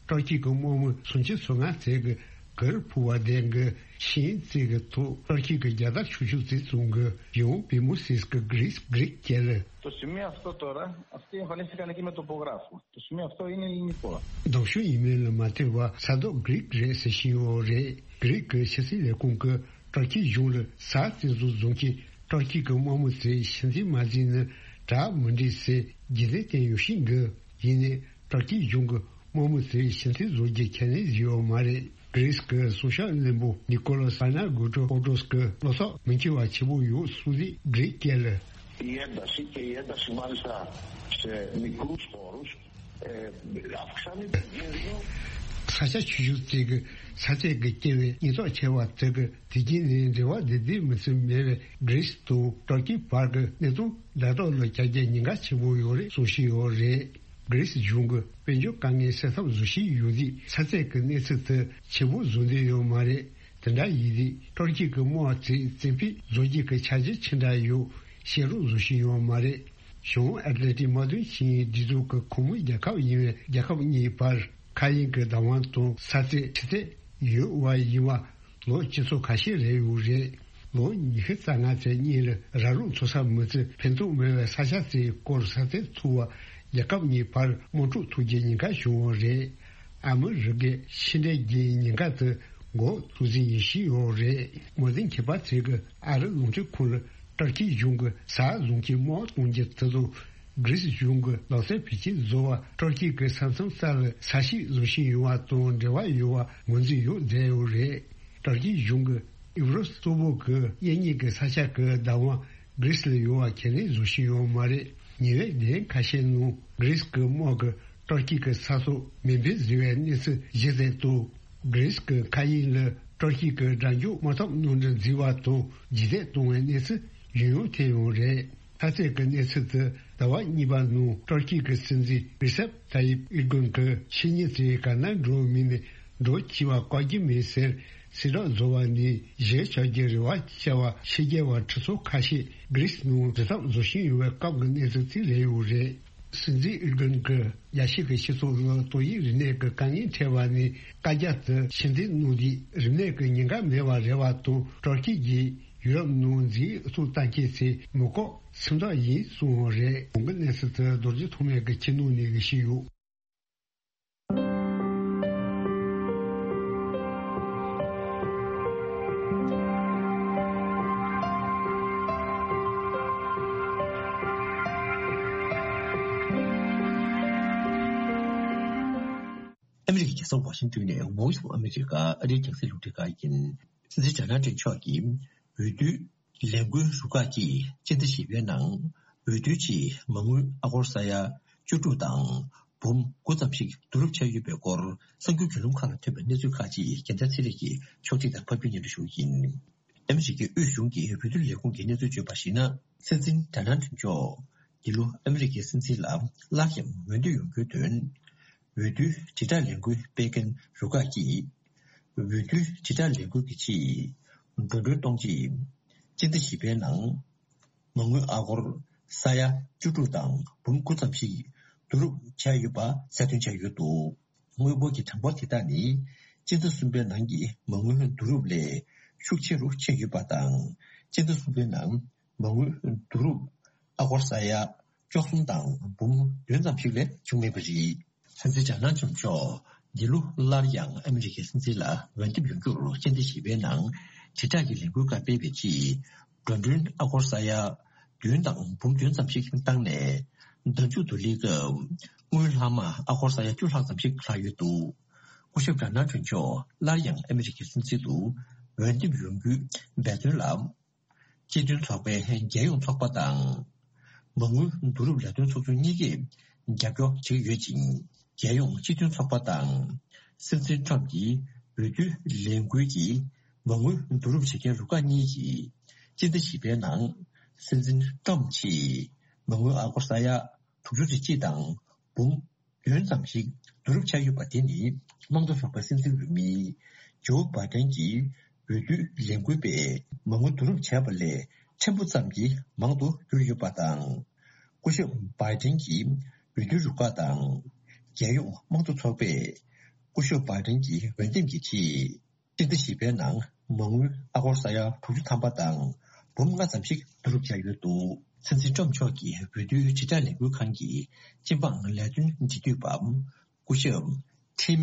ཏུར་ཀི་གི་དམག་མི་སུམ་ཅུ་སོ་ལྔ་ཚེ་གི་གར་ཕུ་བ་ལྡན་གི་ཤིང་རྩེ་གི་ཐོག་ཏུར་ཀི་གི་རྒྱལ་དར་ཆུ་ཆུ་ཚེ་བཙོང་གི་ཡོང་བི་མོ་སིས་ཀྱི་གྷི་རིས་གྷི་རིས་སྐད་ལ། Το σημείο αυτό τώρα, αυτοί εμφανίστηκαν εκεί με τοπογράφο. Το σημείο αυτό είναι ελληνικό. མདང་ཞུ་ཡིན་མིན་ལ་མ་ལྟོས་པ་ས་ཐོག་གྷི་རིས་རེད་ཟེར་བཞིན་ཡོད་རེད། གྷི་རིས་ཀྱི་ཕྱི་སྲིད་ལས་ཁུངས་ཀྱིས་ཏུར་ཀི་གཞུང་ལ་ས་རྩིས་བཟོ་བཟུང་གིས་ཏུར་ཀི་གི་དམག་མི་ཚོས་ཕྱི་འཐེན་མ་བྱས་ན་དྲག་མི་འགྲིག་ཟེར་རྒྱུན་ལྡན་བསྟན་ཡོད་ཤིང་གི། ཡིན་ནའི་ཏུར་ཀི་གཞུང་གི་དམག་མི་ཚོས་ཕྱི་འཐེན་བཟོ་རྒྱུ་ཁས་ལེན་བྱས་ཡོད་མ་རེད། གྷི་རིས་ཀྱི་སྲུང་སྐྱོབ་བློན་པོ་ནི་ཀོ་ལོ་ས་ན་གུ་ཏྲོ་ཀོ་ཏོས་ཀྱིས་བློ་ཐོག་མི་འཁྱོལ་བ་ཆེ་པོ་ཡོད་གསུངས་ཏེ་གྷི་རིས་སྐད་ལ། Η ένταση και η ένταση μάλιστα σε μικρούς χώρους, ε, αυξάνεται και δίνουν ས་ཆ་ཆུང་ཆུང་ཅིག་གི་ས་ཆ་གི་སྐྱེ་བའི་ཉེན་རྟོག་ཆེ་བ་དེ་གི་དེ་རྐྱེན་ནས་འབྲེལ་བ་བདེ་བདེ་མི་སྲིད་མེད་པའི་གྷི་རིས་དང་ཏུར་ཀི་བར་གི་གནས་སྟངས་ལྡན་ཐོག་ལ་བྱ་རྒྱུ་ཉེན་ཁ་ཆེན་པོ་ཡོད་རེད་གསུངས་བཞིན་ཡོད་རེད། གྷི་རིས་གཞུང་གི་དཔལ་འབྱོར་དཀའ་ངལ་སེལ་ཐབས་བཟོ་བཞིན་ཡོད་དུས་ས་ཆ་གི་གནས་ཚུལ་དེ་ཆེན་པོ་བཟོ་འདོད་ཡོད་མ་རེད། དེ་འདྲ་ཡིན་དུས་ཏུར་ཀི་གི་དམག་ཚོས་བཙན་ཕེབས་བཟོ་རྒྱུ་གི་འཆར་གཞི་ཅི་འདྲ་ཡོད་བཤད་རོགས་བཟོ་བཞིན་ཡོད་མ་རེད། བྱང་ཨེཊ་ལན་ཊིག་དམག་དོན་ཆིངས་ཡིག་སྒྲིག་འཛུགས་ཀྱི་ཁོངས་མི་རྒྱལ་ཁབ་ཡིན་པའི་རྒྱལ་ཁབ་གཉིས་བར་མཁའ་དབྱིངས་ཀྱི་བདག་དབང་དང་ས་རྩལ་ཁྲི་རྩད་ཡོད་པ་ཡིན་པ་ལོ་བཅུ་ཚོ་ཁ་ཤས་རེད་ཡོད་རེད། ལོ་ཉི་ཤུ་རྩ་ལྔ་ཚེ་གཉིས་ལ་ར་ལུག་འཚོ་ས་མི་ཚེ་ཕན་ཐོགས་མེད་པའི་ས་ཆ་ཚེ་སྐོར་ས་རྩལ་འཚོ་བ་རྒྱལ་ཁབ་གཉིས་བར་དམག་འཁྲུག་ཐུག་རྒྱུའི་ཉེན་ཁ་བྱུང་བ་རེད། ཨ་མི་རི་ཀས་ཕྱི་འབྲེལ་གྱི་ཉེན་ཁ་དེ་འགོག་ཐུབ་རྩིས་ཡིན་བཞིན་ཡོད་རེད། དམག་དོན་ཁྱད་པར་ཚོས་ཀྱིས་ཨ་རི་རླུང་འཕྲིན་ཁང་ལ་ཏུར་ཀི་གཞུང་གིས་ས་བཟུང་གིས་དམག་གཏོང་རྒྱུ་དེ་དང་གྷི་རིས་གཞུང་གིས་ལག་རྩལ་བེད་སྤྱོད་བཟོ་བར་ཏུར་ཀི་གི་ས་མཚམས་རྩ་ལ་ས་ཞིག་བཟོ་བཞིན་ཡོད་པ་དང་འབྲེལ་བ་ཡོད་པ་ངོས་འཛིན་ཡོད་མཛད་ཡོད་རེད། ཏུར་ཀི་གཞུང་གིས་ཨི་བྷ་རུ་སོག་པོ་གི་གཡས་གཉིས་ཀྱི་ས་ཆ་གི་བདག་དབང་གྷི་རིས་ལ་ཡོད་པ་ཁས་ལེན་བཟོ་བཞིན་ཡོད་མ་རེད། ཉེ་བའི་ལན་ཁ་ཤས་ནང་གྷི་རིས་ཀྱི་དམག་གིས་ཏུར་ཀི་གི་ས་ཐོག་མེ་འཕེན་བཟོས་པའི་གནས་ཚུལ་གཞི་བཙུགས་འདུག་གྷི་རིས་ཀྱི་མཁའ་དབྱིངས་ལ་ཏུར་ཀི་གི་དགྲ་འཇོམས་དམག་འཐབ་གནམ་གྲུ་འཛུལ་བ་དང་རྗེས་འདེད་གཏོང་བའི་གནས་ཚུལ་ཡང་ཡང་ཐོན་ཡོད་རེད། ལྷ་རྩེ་གི་གནས་ཚུལ་དེ་ཟླ་བ་གཉིས་པ་ནང་ཏུར་ཀི་གི་སྲིད་འཛིན་རི་སེབ་ཏཱ་ཡིབ་ཨེར་དོ་གྷན་གྱིས་ཕྱི་ཉིན་ཚེ་ག་ན་འགྲོ་མི་ནས་འགྲོ་འཆི་བ་བཀག་རྒྱུ་མེད་ཟེར་གསལ་བསྒྲགས་བཟོ་བ་ནས་གཞིར་བཞག་རྒྱུའི་རེ་བ་བྱ་བ་ཕྱི་རྒྱལ་བ་ཁྲི་ཚོ་ཁ་ཤས་གྷི་རིས་ནང་འཛིན་ཐབས་བཟོ་བཞིན་ཡོད་པའི་སྐབས་ཀྱི་གནས་ཚུལ་དེ་རེད་ཡོད་རེད། སྲིད་འཛིན་ཨེར་དོ་གྷན་གྱིས་རྒྱལ་སྤྱི་གི་སྤྱི་ཚོགས་ལ་ཏོག་དབྱིབས་རིམས་ནད་ཀྱི་དཀའ་ངལ་འཕྲད་པ་ནས་བཀའ་རྒྱ་དེ་ཕྱིར་འཐེན་གནང་དུས་རིམས་ནད་ཀྱི་ཉེན་ཁ་མེད་པ་རེད་པ་དང་ཏུར་ཀི་གིས་ཡུ་རོབ་ནང་འཛིང་ཨུ་ཚུགས་བཏང་མཁན་ཚོའི་མི་ཁོག་སིམ་དོགས་ཡིན་གསུངས་པ་རེད། གོང་གི་གནས་ཚུལ་དེ་རྡོ་རྗེ་ཐོགས་མེད་ཀྱིས་ཁྱེར་གནང་ནས་ཞུས་ཡོད། ཨ་མི་རི་ཀའི་རྒྱལ་ས་ཝ་ཤིང་ཏོན་ནས་Voice of America ཨ་རིའི་རྒྱང་སྲིང་རླུང་འཕྲིན་ཁང་ཡིན། སྲིད་འཛིན་ཇོ་ནལ་ཊམ་མཆོག་གིས་འོས་བསྡུའི་ལས་འགུལ་རུ་ཁག་གིས་སྤྱི་ཟླ་བཞི་པའི་ནང་འོས་བསྡུའི་ཆེད་མ་དངུལ་ཨ་སྒོར་ས་ཡ་བཅུ་དྲུག་དང་འབུམ་དགུ་ཙམ་ཞིག་བསྡུ་རུབ་བྱས་ཡོད་པའི་སྐོར་གསར་འགྱུར་བརྒྱུད་ལམ་ཁག་ལ་ཐོན་པའི་གནས་ཚུལ་ཁག་ཅིག་རྒྱལ་མཚན་ཚེ་རིང་གིས་ཕྱོགས་སྒྲིག་དང་ཕབ་སྒྱུར་སྙན་སྒྲོན་ཞུ་གི་ཡིན། ཨ་མི་རི་ཀའི་དབུས་གཞུང་གི་འོས་བསྡུ་ལས་ཁུངས་ཀྱིས་གནས་ཚུལ་བརྗོད་པར་གཞིགས་ན། སྲིད་འཛིན་ཇོ་ནལ་ཊམ་མཆོག་འདི་ལོ་ཨ་མི་རི་ཀའི་སྲིད་འཛིན་ལ་སླར་ཡང་འོས་འདེམས་ཡོང་རྒྱུའི་དོན། འོས་བསྡུའི་དྲིལ་བསྒྲགས་ལས་འགུལ་སྤེལ་མཁན་རུ་ཁག་གིས། འོས་བསྡུའི་དྲིལ་བསྒྲགས་ལས་འགུལ་གྱི་ཆེད། འགྲོ་གྲོན་གཏོང་ཆེད། སྤྱི་ཟླ་བཞི་པའི་ནང་། མ་དངུལ་ཨ་སྒོར་ས་ཡ་བཅུ་དྲུག་དང་འབུམ་དགུ་ཙམ་ཞིག་བསྡུ་རུབ་བྱས་ཡོད་པ་གསལ་སྟོན་བྱས་ཡོད་འདུག་དངུལ་འབོར་གྱི་གྲངས་འབོར་དེ་དག་ནི། སྤྱི་ཟླ་གསུམ་པའི་ནང་གི་མ་དངུལ་བསྡུ་རུབ་ལས་ཤུགས་ཆེ་རུ་ཕྱིན་ཡོད་པ་དང་། སྤྱི་ཟླ་གསུམ་པའི་ནང་མ་དངུལ་བསྡུ་རུབ་ཨ་སྒོར་ས་ཡ་བཅུ་གསུམ་དང་འབུམ་བདུན་ཙམ་ཞིག་ལས་བྱུང་མེད་པ་རེད། སྲིད་འཛིན་ཇོ་ནལ་ཊམ་མཆོག་འདི་ལོ་སླར་ཡང་ཨ་མི་རི་ཀའི་སྲིད་འཛིན་ལ་འོས་འདེམས་ཡོང་རྒྱུར་སྤྱི་ཟླ་བཞི་པའི་ནང་དྲིལ་བསྒྲགས་ཀྱི་ལས་འགུལ་ཁག་སྤེལ་བའི་ཆེད། འགྲོ་གྲོན་ཨ་སྒོར་ས་ཡ་བདུན་དང་འབུམ་བདུན་ཙམ་ཞིག་བཏང་ནས། ཟླ་མཇུག་ཏུ་སླེབས་སྐབས་དངུལ་ལྷག་མ་ཨ་སྒོར་ས་ཡ་བཅུ་ལྷག་ཙམ་ཞིག་ལྷག་ཡོད་འདུག་སྐུ་ཞབས་ཇོ་ནལ་ཊམ་མཆོག་སླར་ཡང་ཨ་མི་རི་ཀའི་སྲིད་འཛིན་དུ་འོས་འདེམས་ཡོང་རྒྱུའི་འབད་བརྩོན་ལ། སྤྱི་མཐུན་ཚོགས་པའི་རྒྱལ་ཡོངས་ཚོགས་པ་དང་། མ་དངུལ་བསྡུ་རུབ་ལས་དོན་ཚོགས་ཆུང་གཉིས་ཀས་ རྒྱབ་སྐྱོར་བྱེད་ཀྱི་ཡོད་ཅིང་། རྒྱལ་ཡོངས་སྤྱི་མཐུན་ཚོགས་པ་དང་། སྲིད་འཛིན་ཊམ་གྱི་འོས་བསྡུའི་ལས་འགུལ་གྱི་མ་དངུལ་བསྡུ་རུབ་བྱེད་མཁན་རུ་ཁག་གཉིས་ཀྱིས་སྤྱི་ཟླ་བཞི་པའི་ནང་སྲིད་འཛིན་ཊམ་ཆེད་མ་དངུལ་ཨ་སྒོར་ས་ཡ་དྲུག་ཅུ་རེ་གཅིག་དང་འབུམ་བདུན་ཙམ་ཞིག་བསྡུ་རུབ་བྱས་ཡོད་པ་དེ་ནི། དམངས་གཙོ་ཚོགས་པའི་སྲིད་འཛིན་འོས་མི་ཇོ་བྷའི་ཌེན་གྱི་འོས་བསྡུའི་ལས་འགུལ་པས་མ་དངུལ་བསྡུ་རུབ་བྱས་པ་ལས་ཕྲན་བུ་ཙམ་གྱིས་མང་དུ་གྱུར་ཡོད་པ་དང་། སྐུ་ཞབས་བྷའི་ཌེན་གྱི་འོས་བསྡུའི་རུ་ཁག་དང་། རྒྱལ་ཡོངས་དམངས་གཙོ་ཚོགས་པས་སྐུ་ཞབས་བྷའི་ཌེན་གྱི་འོས་འདེམས་ཀྱི་ཆེད། སྤྱི་ཟླ་བཞི་པའི་ནང་མ་དངུལ་ཨ་སྒོར་ས་ཡ་དྲུག་ཅུ་ཐམ་པ་དང་འབུམ་ལྔ་ཙམ་ཞིག་བསྡུ་རུབ་བྱས་ཡོད་འདུག་སྲིད་འཛིན་ཊམ་མཆོག་གི་འོས་བསྡུའི་དྲིལ་བསྒྲགས་ལས་འགུལ་ཁང་གི་སྤྱི་འབངས་ལས་དོན་འབྲེལ་མཐུད་པ། སྐུ་ཞབས་ཊིམ་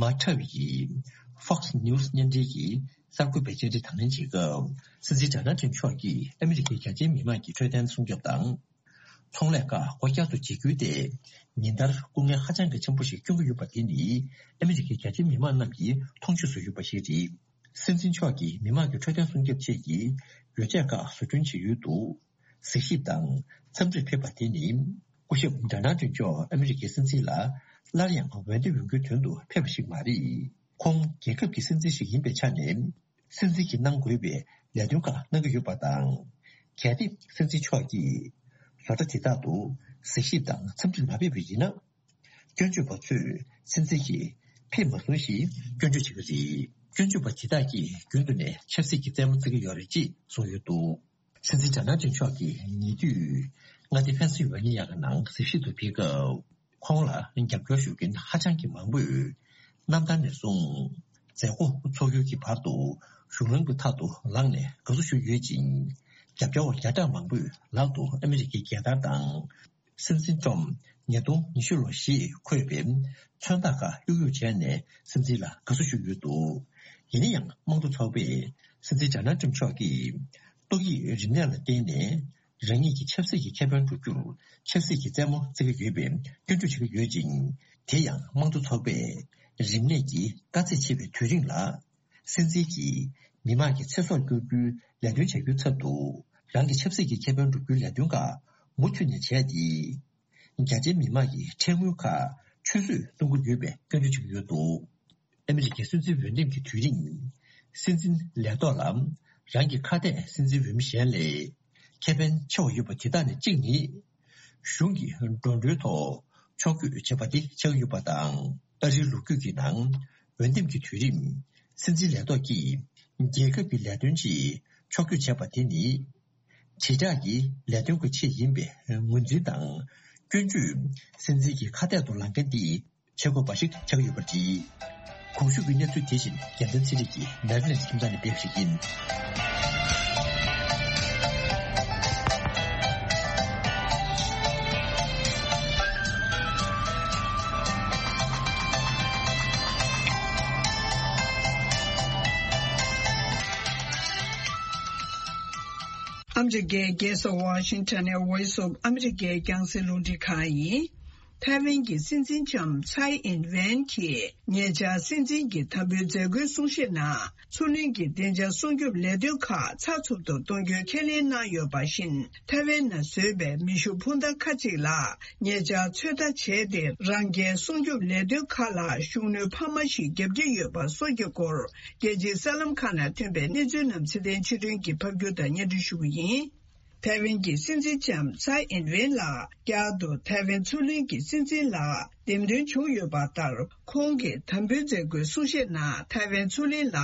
མ་ཁྲབ་ཀྱིས་Fox News་བརྙན་འཕྲིན་གྱི་གསར་འགོད་པའི་བཅར་འདྲི་དང་ལེན་བྱེད་སྐབས། སྲིད་འཛིན་ཌོ་ནལ་ཊམ་མཆོག་གིས་ཨ་མི་རི་ཀའི་རྒྱ་ཆེའི་མི་མང་གི་འཕྲོད་བསྟེན་སྲུང་སྐྱོབ་དང་། ཚོང་ལས་ཁག་སྒོ་བསྐྱར་དུ་འབྱེད་རྒྱུ་དེ་ཉིན་ལྟར་སྐུ་ངལ་ཧ་ཅང་གི་ཆེན་པོ་ཞིག་སྐྱོན་གྱི་ཡོད་པ་དེ་ནི། ཨ་མི་རི་ཀའི་རྒྱ་ཆེའི་མི་མང་རྣམས་ཀྱིས་མཐོང་ཆོས་སུ་ཡོད་པ་ཞིག་རེད། སྲིད་འཛིན་མཆོག་གིས་མི་མང་གི་འཕྲོད་བསྟེན་སྲུང་སྐྱོབ་ཆེད་ཀྱི་ཡོ་བྱད་ཁག་བཟོ་སྐྲུན་བྱེད་ཡུལ་དུ་གཟིགས་ཞིབ་དང་འཚམས་འདྲིར་ཕེབས་པ་དེ་ནི། སྐུ་ཞབས་ཌོ་ནལ་ཊམ་མཆོག་ཨ་མི་རི་ཀའི་སྲིད་འཛིན་ལ་སླར་ཡང་འོས་འདེམས་ཡོང་རྒྱུའི་དོན་དུ་ཕེབས་པ་ཞིག་མ་རེད། ཁོང་རྒྱལ་ཁབ་ཀྱི་སྲིད་འཛིན་ཞིག་ཡིན་པའི་ཆ་ནས། སྲིད་འཛིན་གྱིས་གནང་དགོས་པའི་ལས་དོན་ཁག་གནང་གི་ཡོད་པ་དང་། གལ་ཏེ་སྲིད་འཛིན་མཆོག་གིས་བཟོ་གྲྭ་དེ་དག་ཏུ་གཟིགས་ཞིབ་དང་འཚམས་འདྲིར་མ་ཕེབས་པ་ཡིན་ན། སྐྱོན་བརྗོད་པ་ཚོས་སྲིད་འཛིན་གྱིས་ཕེབས་མ་སོང་ཞེས་སྐྱོན་བརྗོད་བྱེད་ཀྱི་རེད། སྐྱོན་བརྗོད་པ་དེ་དག་གིས་རྒྱུན་དུ་ནས་ཆབ་སྲིད་ཀྱི་རྩེད་མོ་རྩེ་གི་ཡོད་རེད་ཅེས་གསུངས་ཡོད་འདུག་སྲིད་འཛིན་ཌོ་ནལ་ཊམ་མཆོག་གིས་ཉེ་དུས་མངའ་སྡེ་ཕེན་སིལ་ཝེ་ནི་ཡ་གི་ནང་གཟིགས་ཞིབ་ཏུ་ཕེབས་སྐབས། ཁོང་ལ་རྒྱབ་སྐྱོར་ཞུ་མཁན་ཧ་ཅང་གི་མང་པོས་གནམ་ཐང་ནས་བཟུང་མཛད་སྒོ་ཚོགས་ཡུལ་གྱི་བར་དུ་གཞུང་ལམ་གྱི་ཐག་ཏུ་ལངས་ནས་དགའ་བསུ་ཞུས་ཡོད་ཅིང་། རྒྱབ་སྐྱོར་བ་བརྒྱ་ཕྲག་མང་པོས་ལག་ཏུ་ཨ་མི་རི་ཀའི་རྒྱལ་དར་དང་། སྲིད་འཛིན་ཊམ་ཉིས་སྟོང་ཉི་ཤུ་ལོ་ཞེས་འཁོད་པའི་མཚོན་རྟགས་ཁག་གཡུག་གཡུག་བྱས་ནས་སྲིད་འཛིན་ལ་དགའ་བསུ་ཞུས་ཡོད་འདུག་ཡིན་ན་ཡང་དམངས་གཙོ་ཚོགས་པས་སྲིད་འཛིན་ཌོ་ནལ་ཊམ་མཆོག་གིས་ཏོག་དབྱིབས་རིམས་ནད་ལ་བརྟེན་ནས། རང་ཉིད་ཀྱི་ཆབ་སྲིད་ཀྱི་ཁེ་ཕན་སྒྲུབ་རྒྱུར་ཆབ་སྲིད་ཀྱི་རྩེད་མོ་རྩེ་གི་ཡོད་པའི་སྐྱོན་བརྗོད་བྱེད་ཀྱི་ཡོད་ཅིང་། དེ་ཡང་དམངས་གཙོ་ཚོགས་པས་རིམས་ནད་ཀྱི་དཀའ་ཚེགས་ཆེ་བའི་དུས་རིང་ལ། སྲིད་འཛིན་གྱིས་མི་དམངས་ཀྱི་ཚེ་སྲོག་སྐྱོབ་རྒྱུའི་ལས་དོན་བྱ་རྒྱུའི་ཚབ་ཏུ། རང་གི་ཆབ་སྲིད་ཀྱི་ཁེ་ཕན་སྒྲུབ་རྒྱུའི་ལས་དོན་ཁག་མུ་མཐུད་ནས་བྱས་ཏེ། རྒྱ་ཆེའི་མི་དམངས་ཀྱི་ཁྲལ་དངུལ་ཁག་ཆུད་ཟོས་གཏོང་གི་ཡོད་པའི་སྐྱོན་བརྗོད་བྱེད་ཀྱི་ཡོད་འདུག་ཨ་མི་རི་ཀའི་སྲིད་འཛིན་འོས་འདེམས་ཀྱི་དུས་རིང་། སྲིད་འཛིན་ལས་ཐོག་ལ་རང་གི་ཁ་གཏད་སྲིད་འཛིན་འོས་མི་གཞན་ལས་ཁེ་ཕན་ཆེ་བ་ཡོད་པ་དེ་དག་ནས་གཅིག་ནི། གཞུང་གི་འགྲོ་གྲོན་ཐོག་ཕྱོགས་བསྐྱོད་བྱེད་པ་དེ་ཆགས་ཀྱི་ཡོད་པ་དང་། ཨ་རིའི་ལོ་རྒྱུས་ཀྱི་ནང་འོས་འདེམས་ཀྱི་དུས་རིང་། སྲིད་འཛིན་ལས་ཐོག་གིས་རྒྱལ་ཁབ་ཀྱི་ལས་དོན་ཆེད་ཕྱོགས་བསྐྱོད་བྱས་པ་དེ་ནི། དྲིལ་བསྒྲགས་ཀྱི་ལས་དོན་གྱི་ཆེད་ཡིན་པའི་ངོས་འཛིན་དང་། སྐྱོན་བརྗོད་སྲིད་འཛིན་གྱི་ཁ་གཏད་དུ་ལངས་མཁན་དེ་བྱེད་དགོས་པ་ཞིག་ཆགས་ཡོད་པ་རེད། གོང་ཞུས་ཀྱི་གནས་ཚུལ་དེ་བཞིན་རྒྱལ་མཚན་ཚེ་རིང་གིས་མེ་རི་ལེན་ཁྱིམ་ཚང་ནས་སྤེལ་བ་ཞིག་ཡིན། ཨ་མི་རི་ཀའི་རྒྱལ་ས་ཝ་ཤིང་ཊོན་ནས་Voice of America་རྒྱང་སྲིང་རླུང་འཕྲིན་ཁང་ཡིན། ཐའེ་ཝན་གྱི་སྲིད་འཛིན་ལྕམ་ཚའེ་ཨིན་ཝེན་གྱིས་ཉེ་ཆར་སྲིད་འཛིན་གྱི་དམ་འབུལ་མཛད་སྒོའི་གསུང་བཤད་ནང་། མཚོ་གླིང་གི་བདེ་འཇགས་སྲུང་སྐྱོབ་ལས་དོན་ཁག་ཚགས་ཚུད་དུ་གཏོང་རྒྱུའི་ཁས་ལེན་གནང་ཡོད་པ་བཞིན། ཐའེ་ཝན་ནང་བཟོས་པའི་མེ་ཤུགས་འཕུར་མདའ་ཁག་ཅིག་ལ། ཉེ་ཆར་ཚོད་ལྟ་བྱས་ཏེ། རང་རྒྱལ་སྲུང་སྐྱོབ་ལས་དོན་ཁག་ལ་ཤུགས་སྣོན་འཕར་མ་ཞིག་བརྒྱབ་ཀྱི་ཡོད་པ་སོགས་ཀྱི་སྐོར། རྒྱལ་སྤྱིའི་གསར་ལམ་ཁག་ནང་ཐོན་པའི་གནས་ཚུལ་རྣམས་ཚེ་བརྟན་ཆོས་སྒྲོན་གྱིས་ཕབ་སྒྱུར་དང་སྙན་སྒྲོན་ཞུ་གི་ཡིན། ཐའེ་ཝན་གྱི་སྲིད་འཛིན་ལྕམ་ཚའེ་ཨིན་ཝེན་ལགས་བསྐྱར་དུ་ཐའེ་ཝན་མཚོ་གླིང་གི་སྲིད་འཛིན་ལ་འདེམས་ཐོན་བྱུང་ཡོད་པ་ལྟར། ཁོང་གི་དམ་འབུལ་མཛད་སྒོའི་གསུང་བཤད་ནང་། ཐའེ་ཝན་མཚོ་གླིང་ལ་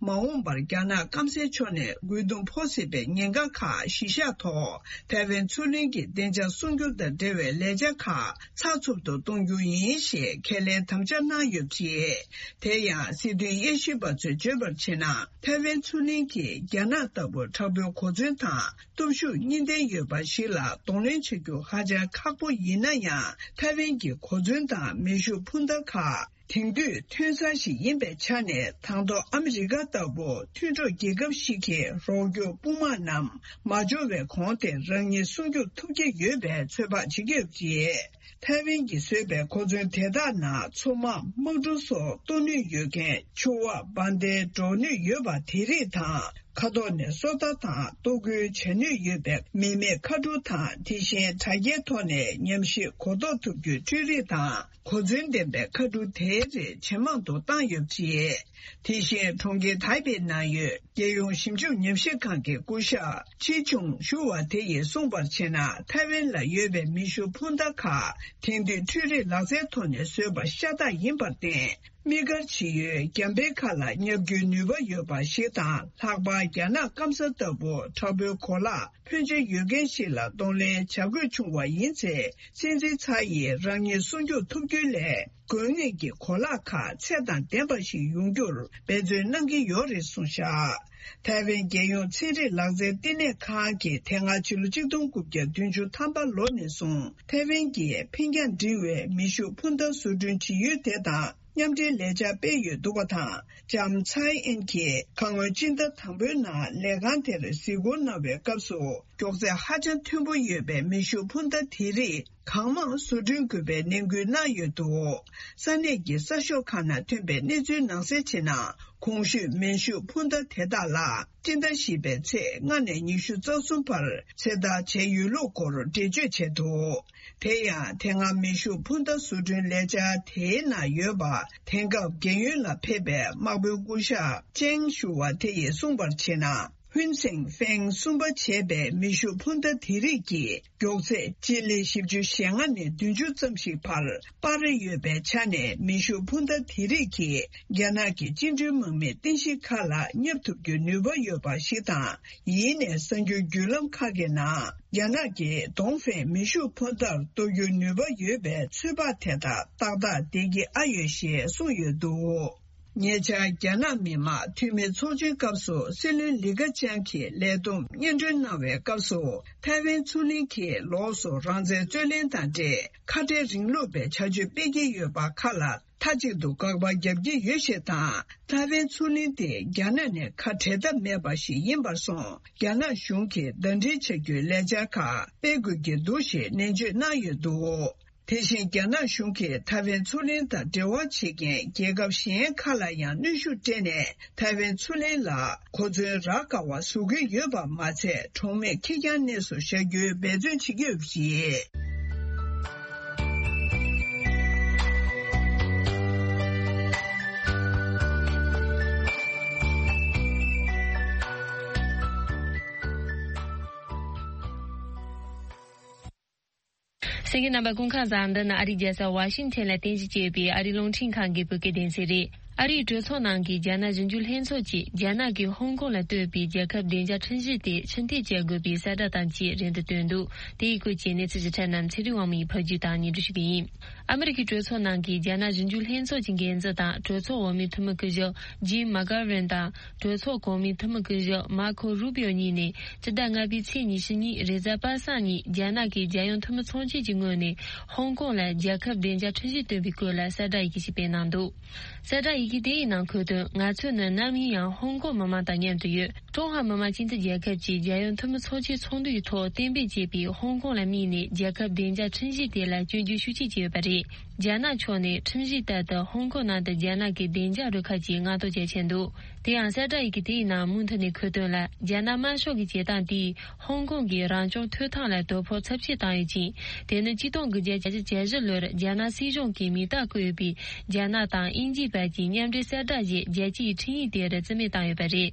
མ་འོངས་པར་རྒྱ་ནག་སྐམ་སའི་ཕྱོགས་ནས་རྒོལ་རྡུང་ཕོག་སྲིད་པའི་ཉེན་ཁ་ཁག་གཞི་བཞག་ཐོག་ཐའེ་ཝན་མཚོ་གླིང་གི་བདེ་འཇགས་སྲུང་སྐྱོབ་དང་འབྲེལ་བའི་ལས་འཆར་ཁག་ཚགས་ཚུད་དུ་གཏོང་རྒྱུ་ཡིན་ཞེས་ཁས་ལེན་དམ་བཅའ་གནང་ཡོད་པ་རེད། དེ་ཡང་སྲིད་དོན་དབྱེ་ཞིབ་པ་ཚོས་བརྗོད་པར་བྱས་ན། ཐའེ་ཝན་མཚོ་གླིང་གིས་རྒྱ་ནག་ལྟ་བུ་དྲག་པོའི་གོ་མཚོན་དང་། སྟོབས་ཤུགས་གཉིས་ལྡན་ཡོད་པ་ཞིག་ལ་གདོང་ལེན་བྱ་རྒྱུ་ཧ་ཅང་ཁག་པོ་ཡིན་ན་ཡང་། ཐའེ་ཝན་གྱི་གོ་མཚོན་དང་མེ་ཤུགས་འཕུར་མདའ་ཁག་དེང་དུས་ཐོན་ས་ཞིག་ཡིན་པའི་ཆ་ནས། དང་ཐོག་ཨ་མི་རི་ཀ་ལྟ་བུ་མཐུན་གྲོགས་རྒྱལ་ཁབ་ཞིག་གི་རོགས་སྐྱོར་དཔུང་དམག་རྣམས་མ་འབྱོར་བའི་གོང་དེ་རང་ཉིད་སྲུང་སྐྱོབ་ཐུབ་ཀྱི་ཡོད་པའི་ཚོད་དཔག་བྱེད་ཀྱི་ཡོད་པ་རེད། ཐའེ་ཝན་གྱིས་བཟོས་པའི་གོ་མཚོན་དེ་དག་ནང་མཚོ་དམག་དམག་གྲུ་སོགས་གཏོར་ནུས་ཡོད་མཁན་ཕྱུ་པ་འབར་མདེལ་སྒྲོག་ནུས་ཡོད་པ་དེ་རིགས་དང་། ཁ་ཐོག་ནས་སོ་ལྟ་དང་གཏོར་རྒོལ་བྱ་ནུས་ཡོད་པའི་མི་མེད་མཁའ་གྲུ་དང་། དེ་བཞིན་དྲ་རྒྱའི་ཐོག་ནས་ཉམས་ཞིབ་གོ་རྟོགས་ཐུབ་རྒྱུའི་འཕྲུལ་རིག་དང་གོ་མཚོན་ལྡན་པའི་མཁའ་གྲུ་དེའི་རིགས་ཇེ་མང་དུ་བཏང་ཡོད་པ་རེད། དེ་བཞིན་གྲོང་ཁྱེར་ཐའེ་པེ་ནང་ཡོད་རྒྱལ་ཡོངས་ཞིབ་འཇུག་ཉམས་ཞིབ་ཁང་གི་སྐུ་ཞབས་ཆི་ཆུང་ཞུ་བ་དེ་ཡིས་གསུངས་པར་བྱས་ན། ཐའེ་ཝན་ལ་ཡོད་པའི་མེ་ཤུགས་འཕུར་མདའ་ཁག་དེང་དུས་འཕྲུལ་རིག་ལག་རྩལ་ཐོག་ནས་བཟོས་པ་ཤ་སྟག་ཡིན་པར་བརྟེན། དམིགས་བཀར་བྱེད་ཡུལ་རྒྱང་འཕེན་ཁག་ལ་བརྙབ་རྒྱུའི་ནུས་པ་ཡོད་པ་ཞིག་དང་། ལྷག་པར་རྒྱ་ནག་སྐམ་ས་ལྟ་བུ་དྲག་པོའི་གོ་ལག་ཕོན་ཆེ་ཡོད་མཁན་ཞིག་ལ་གདོང་ལེན་བྱ་དགོས་བྱུང་བ་ཡིན་ཚེ། སྲིད་འཛིན་ཚའེ་ཡིས་རང་ཉིད་སྲུང་སྐྱོབ་ཐུབ་རྒྱུའི་སླད། དགོས་ངེས་ཀྱི་གོ་ལག་ཁག་ཚད་དང་ལྡན་པ་ཞིག་ཡོང་རྒྱུར་འབད་བརྩོན་གནང་གི་ཡོད་རེད་གསུངས་བཞག་ཐའེ་ཝན་རྒྱལ་ཡོངས་ཚན་རིག་ལག་རྩལ་བསྟི་གནས་ཁང་གིས་དེ་སྔ་ཕྱི་ལོ་ཆིག་སྟོང་དགུ་བརྒྱ་བདུན་ཅུ་ཐམ་པ་ལོ་ནས་བཟུང་ཐའེ་ཝན་གྱིས་འཕེན་རྒྱང་འབྲིང་བའི་མེ་ཤུགས་འཕུར་མདའ་བཟོ་སྐྲུན་བྱེད་ཡུལ་དེ་དང་མཉམ་འབྲེལ་ལས་འཆར་སྤེལ་ཡོད་འདུག་པ་དང་། ལྕམ་ཚའེ་ཨེན་གྱིས་ཁ་སྔོན་སྤྱི་ཟླ་དང་པོའི་ནང་ལས་ཁང་དེར་གཟིགས་སྐོར་གནང་བའི་སྐབས་སུ། མགྱོགས་ཚད་ཧ་ཅང་མཐོན་པོ་ཡོད་པའི་མེ་ཤུགས་འཕུར་མདའ་དེ་རིགས་གང་མང་བཟོ་སྐྲུན་དགོས་པའི་ནན་སྐུལ་གནང་ཡོད་འདུག་ས་གནས་ཀྱི་གསར་ཤོག་ཁག་ནང་ཐོན་པའི་གནས་ཚུལ་ནང་གསལ་བྱས་ན། གོང་ཞུས་མེ་ཤུགས་འཕུར་མདའ་དེ་དག་ལ་སྤྱི་ཟླ་བཞི་པའི་ཚེས་ལྔ་ནས་ཉི་ཤུ་རྩ་གསུམ་བར་ཚོད་ལྟ་བྱས་ཡོད་ལུགས་སྐོར་འགྲེལ་བརྗོད་བྱས་འདུག་དེ་ཡང་དེ་སྔ་མེ་ཤུགས་འཕུར་མདའ་བཟོ་སྐྲུན་ལས་འཆར་དེའི་ནང་ཡོད་པ། དེང་སྐབས་རྒན་ཡོལ་ལ་ཕེབས་པའི་དམག་དཔོན་སྐུ་ཞབས་ཅེང་ཞུ་བ་དེ་ཡིས་གསུངས་པར་བྱས་ན། ཧུན་སེང་ཧྥེང་གསུམ་པ་བྱས་པའི་མེ་ཤུགས་འཕུར་མདའ་དེ་རིགས་ཀྱི་མགྱོགས་ཚད་སྤྱི་ལེ་བཞི་བཅུ་ཞེ་ལྔ་ནས་བདུན་ཅུ་ཙམ་ཞིག་བར་སྤར་ཡོད་པའི་ཆ་ནས། མེ་ཤུགས་འཕུར་མདའ་དེ་རིགས་ཀྱིས་རྒྱ་ནག་གི་བཅིངས་འགྲོལ་དམག་མིའི་རྟེན་གཞི་ཁག་ལ་བརྙབ་ཐུབ་རྒྱུའི་ནུས་པ་ཡོད་པ་ཞིག་དང་། ཡིན་ནའི་གསར་འགྱུར་བརྒྱུད་ལམ་ཁག་གི་ནང་རྒྱ་ནག་གིས་ཏོང་ཧྥེང་མེ་ཤུགས་འཕུར་མདའ་གཏོར་རྒྱུའི་ནུས་པ་ཡོད་པའི་ཚོད་དཔག་དེ་དག་ཏག་ཏག་བསྡད་ཀྱི་ཨ་ཡོད་ཞེས་གསུངས་ཡོད་འདུག་ཉེ་ཆར་རྒྱ་ནག་མི་དམངས་འཐུས་མི་ཚོགས་ཆེན་སྐབས་སུ་སྲིད་བློན་ལི་ཁེ་ཆང་གིས་ལས་བསྡོམས་སྙན་སྒྲོན་གནང་བའི་སྐབས་སུ། ཐའེ་ཝན་མཚོ་གླིང་གིས་ལོགས་སུ་རང་བཙན་རྩོད་ལེན་དང་འབྲེལ་ཁ་བྲལ་རིང་ལུགས་པའི་བྱ་སྤྱོད་སྤེལ་གྱི་ཡོད་པ་ཁག་ལ་མཐའ་གཅིག་ཏུ་དགག་པ་རྒྱག་གི་ཡོད་ཞེས་དང་། ཐའེ་ཝན་མཚོ་གླིང་དེ་རྒྱ་ནག་ནས་ཁ་བྲལ་ཐབས་མེད་པ་ཞིག་ཡིན་པར་སོང་། རྒྱ་ནག་གཞུང་གིས་ཟླ་སྒྲིལ་བྱ་རྒྱུའི་ལས་འཆར་ཁག་སྤེལ་དགོས་ཀྱི་འདུག་ཞེས་ནན་བརྗོད་གནང་ཡོད་འདུག་དེ་བཞིན་རྒྱ་ནག་གཞུང་གིས་ཐའེ་ཝན་མཚོ་གླིང་དང་འབྲེལ་བ་བྱེད་མཁན་རྒྱལ་ཁབ་གཞན་ཁག་ལ་ཡང་གནོན་ཤུགས་སྤྲད་ནས། ཐའེ་ཝན་མཚོ་གླིང་ལ་གོ་མཚོན་རག་དཀའ་བ་བཟོ་གི་ཡོད་པ་མ་ཚད། གྲོང་མིར་ཁེར་རྐྱང་གནས་སུ་བཞག་རྒྱུའི་འབད་བརྩོན་བྱེད་ཀྱི་ཡོད་པ་རེད། གསན་མཁན་རྣམ་པ་སྐུ་ཁམས་བཟང་། འདི་ནི་ཨ་རིའི་རྒྱལ་ས་ཝ་ཤིང་ཐན་ལ་རྟེན་གཞི་བྱས་པའི་ཨ་རིའི་རླུང་འཕྲིན་ཁང་གི་བོད་སྐད་སྡེ་ཚན་རེད། ཨ་རིའི་གྲོས་ཚོགས་ནང་གི་རྒྱ་ནག་གཞོན་སྐྱེས་ལྷན་ཚོགས་ཀྱིས་རྒྱ་ནག་གིས་ཧོང་ཀོང་ལ་གཏོད་པའི་རྒྱལ་ཁབ་བདེ་འཇགས་ཁྲིམས་གཞི་དེ་ཕྱིར་འཐེན་བྱེད་དགོས་པའི་གསལ་བསྒྲགས་དང་བཅས་རིང་དུ་བཏོན་འདུག་དེའི་སྐོར་གྱི་གནས་ཚུལ་ཞིབ་ཕྲ་རྣམས་ཚེ་རིང་དབང་མོ་ཡིས་ཕབ་སྒྱུར་དང་སྙན་སྒྲོན་ཞུ་གི་ཡིན། ཨ་མི་རི་ཀའི་གྲོས་ཚོགས་ནང་གི་རྒྱ་ནག་གཞོན་སྐྱེས་ལྷན་ཚོགས་ཀྱི་འགན་འཛིན་དང་གྲོས་ཚོགས་འོག་མའི་འཐུས་མི་སྐུ་ཞབས་ཇིམ་མག་གྷ་ཝན་དང་། གྲོས་ཚོགས་གོང་མའི་འཐུས་མི་སྐུ་ཞབས་མར་ཁོ་རུ་པིའོ་གཉིས་ནས་སྤྱི་ཟླ་ལྔ་པའི་ཚེས་ཉི་ཤུ་ཉིན་རེས་གཟའ་པ་སངས་ཉིན་རྒྱ་ནག་གི་རྒྱལ་ཡོངས་འཐུས་མི་ཚོགས་ཆེན་གྱི་ངོས་ནས་ཧོང་ཀོང་ལ་རྒྱལ་ཁབ་བདེ་འཇགས་ཁྲིམས་གཞི་བཏོན་པའི་སྐོར་ལ་གསལ་བསྒྲགས་ཡི་གེ་ཞིག་སྤེལ་གནང་འདུག་གསལ་བསྒྲགས་ཡི་གེ་དེའི་ནང་འཁོད་དོན། ང་ཚོ་ནི་ནམ་ཡིན་ཡང་ཧོང་ཀོང་མི་མང་དང་མཉམ་དུ་ཡོད། ཀྲུང་ཧྭ་མི་དམངས་སྤྱི་མཐུན་རྒྱལ་ཁབ་ཀྱིས་རྒྱལ་ཡོངས་འཐུས་མི་ཚོགས་ཆེན་ཚོགས་འདུའི་ཐོག་གཏན་འབེབས་བྱས་པའི་ཧོང་ཀོང་ལ་དམིགས་ནས་རྒྱལ་ཁབ་བདེ་འཇགས་ཁྲིམས་གཞི་དེ་ལ་སྐྱོན་བརྗོད་ཤུགས་ཆེ་བྱས་ཡོད་པ་རེད། རྒྱ་ནག་ཕྱོགས་ནས་ཁྲིམས་གཞི་ལྟར་དུ་ཧོང་ཀོང་ནང་དུ་རྒྱ་ནག་གི་བདེ་འཇགས་རུ་ཁག་ཅིག་མངགས་གཏོང་བྱེད་ཆེད་འདུག་དེ་ཡང་གསལ་བསྒྲགས་ཡི་གེ་དེའི་ནང་མུ་མཐུད་ནས་འཁོད་དོན་ལ། རྒྱ་ནག་དམར་ཤོག་གི་བྱེད་སྟངས་དེས་ཧོང་ཀོང་གི་རང་སྐྱོང་ཐོབ་ཐང་ལ་དོ་ཕོག་ཚབས་ཆེ་བཏང་ཡོད་ཅིང་། དེ་ནི་ཆིག་སྟོང་དགུ་བརྒྱ་གྱ་གྱ་བཞི་ལོར་རྒྱ་ནག་སྲིད་གཞུང་གིས་མིང་རྟགས་བཀོད་ཡོད་པའི་རྒྱ་ནག་དང་དབྱིན་ཇིའི་བར་གྱི་མཉམ་འབྲེལ་གསལ་བསྒྲགས་ཞེས་རྒྱལ་སྤྱིའི་འཕྲིན་ཡིག་དེར་རྩིས་མེད་བཏང་ཡོད་པ་རེད།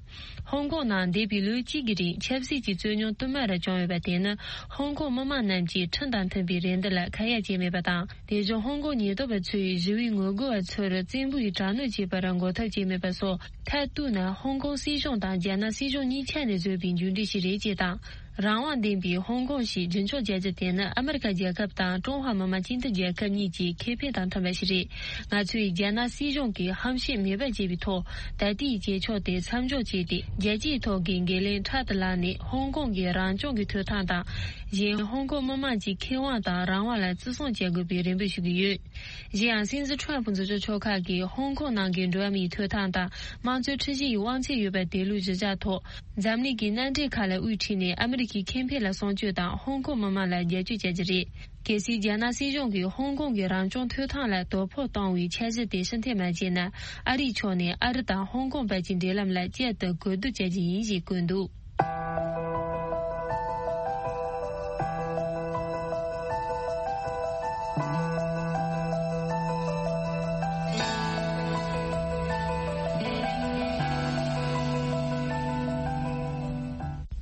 ཧོང་ཀོང་ནང་འདས་པའི་ལོ་གཅིག་གི་རིང་ཆབ་སྲིད་ཀྱི་རྩོད་རྙོག་དུ་མར་བྱུང་ཡོད་པ་དེ་ནི་ཧོང་ཀོང་མི་མང་རྣམས་ཀྱིས་ཁྲིམས་དང་མཐུན་པའི་རེ་འདུན་ལ་ཁ་ཡ་བྱས་མེད་པ་དང་། དེ་བཞིན་ཧོང་ཀོང་ཉེན་རྟོག་པ་ཚོས་ཞི་བའི་ངོ་རྒོལ་བ་ཚོར་བཙན་པོས་དྲག་གནོན་བྱས་པར་འགོག་ཐབས་བྱས་མེད་པ་སོགས་མཐར་གཏུགས་ན། ཧོང་ཀོང་སྲིད་གཞུང་དང་རྒྱ་ནག་སྲིད་གཞུང་གཉིས་ཆ་ནས་བཟོས་པའི་མཇུག་འབྲས་ཤིག་རེད་ཅེས་དང་། རང་དབང་ལྡན་པའི་ཧོང་ཀོང་ཞེས་རྒྱུན་འཁྱོངས་བྱ་རྒྱུ་དེ་ནི་ཨ་མི་རི་ཀ་རྒྱལ་ཁབ་དང་ཀྲུང་ཧྭ་མི་དམངས་སྤྱི་མཐུན་རྒྱལ་ཁབ་གཉིས་ཀྱི་ཁེ་ཕན་དང་མཐུན་པ་ཞིག་རེད། ང་ཚོས་རྒྱ་ནག་སྲིད་གཞུང་གིས་ཧམ་བཤད་མེད་པར་བྱས་པའི་ཐོག་ད་ལྟའི་བྱེད་ཕྱོགས་དེ་མཚམས་འཇོག་བྱས་ཏེ། རྒྱལ་སྤྱིའི་ཐོག་གི་འགན་ལེན་ཕྲག་ཏུ་བསླངས་ནས། ཧོང་ཀོང་གི་རང་སྐྱོང་གི་ཐོབ་ཐང་དང་། གཞན་ཧོང་ཀོང་མི་དམངས་ཀྱི་ཁེ་དབང་དང་རང་དབང་ལ་བརྩི་སྲུང་བྱ་དགོས་པའི་རེ་འབོད་ཞུ་གི་ཡོད། གཞན་ཡང་། སྲིད་འཛིན་ཁྲོམ་ཕུ་འཛིན་སྐྱོང་ཕྱོགས་ཁག་གིས་ཧོང་ཀོང་ནང་གི་འགྲོ་བ་མིའི་ཐོབ་ཐང་དང་། དམངས་གཙོའི་ཁྲིམས་གཞི་ཡི་དབང་ཚད་ཡོད་པ་དེ་ལུགས་གཞི་བཞག་ཐོག་འཛམ་གླིང་གི་མནའ་འབྲེལ་ཁག་ལ་དབུ་ཁྲིད་ནས་ཨ་མི་ གི་ཁེ་ཕན་ལ་སྲུང་སྐྱོབ་དང་ཧོང་ཀོང་མི་མང་ལ་རྒྱབ་སྐྱོར་བྱ་རྒྱུ་རེད། གལ་སྲིད་རྒྱ་ནག་སྲིད་གཞུང་གིས་ཧོང་ཀོང་གི་རང་སྐྱོང་ཐོབ་ཐང་ལ་དོ་ཕོག་གཏོང་བའི་འཆར་གཞི་དེ་ཕྱིར་འཐེན་མ་བྱས་ན། ཨ་རིའི་ཕྱོགས་ནས་ཨ་རི་དང་ཧོང་ཀོང་བར་གྱི་འབྲེལ་ལམ་ལ་བསྐྱར་དུ་གོ་བསྡུར་བྱ་རྒྱུ་ཡིན་ཞེས་བཀོད་འདུག།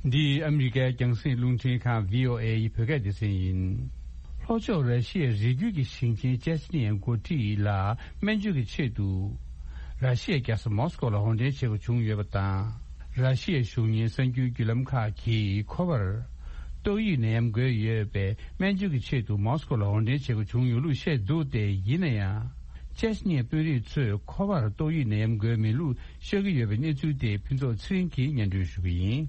འདི་ཨ་མི་རི་ཀའི་རྒྱང་སྲིང་རླུང་འཕྲིན་ཁང་བྷི་ཨོ་ཨེ་ཡི་བོད་སྐད་སྡེ་ཚན་ཡིན། ལྷོ་ཕྱོགས་ར་ཤི་ཡའི་རི་རྒྱུད་ཀྱི་ཞིང་ཆེན་ཅེ་ཆི་ནི་ཡའི་འགོ་ཁྲིད་ལ་སྨན་བཅོས་ཀྱི་ཆེད་དུ། ར་ཤི་ཡའི་རྒྱལ་ས་མོ་སི་ཀོ་ལ་འོར་འདྲེན་བྱེད་དགོས་བྱུང་ཡོད་པ་དང་། ར་ཤི་ཡའི་གཞུང་གཉེར་གསར་འགྱུར་བརྒྱུད་ལམ་ཁག་གིས་ཁོ་པར་ཏོག་དབྱིབས་ནད་ཡམས་འགོས་ཡོད་པའི་སྨན་བཅོས་ཀྱི་ཆེད་དུ་མོ་སི་ཀོ་ལ་འོར་འདྲེན་བྱེད་དགོས་བྱུང་ཡོད་ལུགས་བཤད་འདུག་སྟེ། ཡིན་ན་ཡང་། ཅེ་ཆི་ནི་ཡའི་དཔོན་རིགས་ཚོས་ཁོ་པར་ཏོག་དབྱིབས་ནད་ཡམས་འགོས་མེད་ལུགས་ཤོད་ཀྱི་ཡོད་པའི་གནས་ཚུལ་དེ་ཕུན་ཚོགས་ཚེ་རིང་གིས་སྙན་སྒྲོན་ཞུ་གི་ཡིན།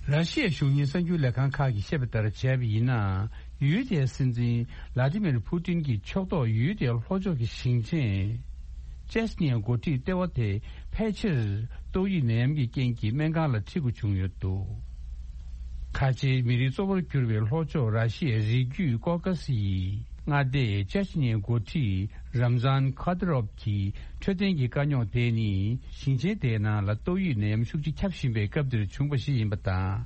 ར་ཤི་ཡའི་གཞུང་གཉེར་གསར་འགྱུར་ལས་ཁང་ཁག་གིས་བཤད་པ་ལྟར་བྱས་པ་ཡིན་ན། ཡུལ་དེའི་སྲིད་འཛིན་ལ་ཏི་མིར་ཕུ་ཏིན་གྱི་ཕྱོགས་གཏོགས་ཡུལ་དེའི་ལྷོ་ཕྱོགས་ཀྱི་ཞིང་ཆེན་ཅེ་ཆི་ནི་ཡའི་འགོ་ཁྲིད་ལྟེ་བ་དེ་ཕལ་ཆེར་ཏོག་དབྱིབས་ནད་ཡམས་ཀྱི་རྐྱེན་གྱིས་སྨན་ཁང་ལ་ཁྲིད་དགོས་བྱུང་ཡོད་འདུག། ཁ་ཆེའི་མི་རིགས་གཙོ་བོར་གྱུར་པའི་ལྷོ་ཕྱོགས་ར་ཤི་ཡའི་རི་རྒྱུད་ཀོ་ཀ་སི་ཡི་མངའ་སྡེའི་ཅེ་ཆི་ནི་ཡའི་འགོ་ཁྲིད་རམ་ཛན་ཁ་ཏི་རོབ་ཀྱི་འཕྲོད་བསྟེན་གྱི་དཀའ་རྙོག་དེ་ནི་ཞིང་ཆེན་དེའི་ནང་ལ་ཏོག་དབྱིབས་ནད་ཡམས་ཤུགས་ཆེ་ཁྱབ་བཞིན་པའི་སྐབས་འདིར་བྱུང་བ་ཞིག་ཡིན་པ་དང་།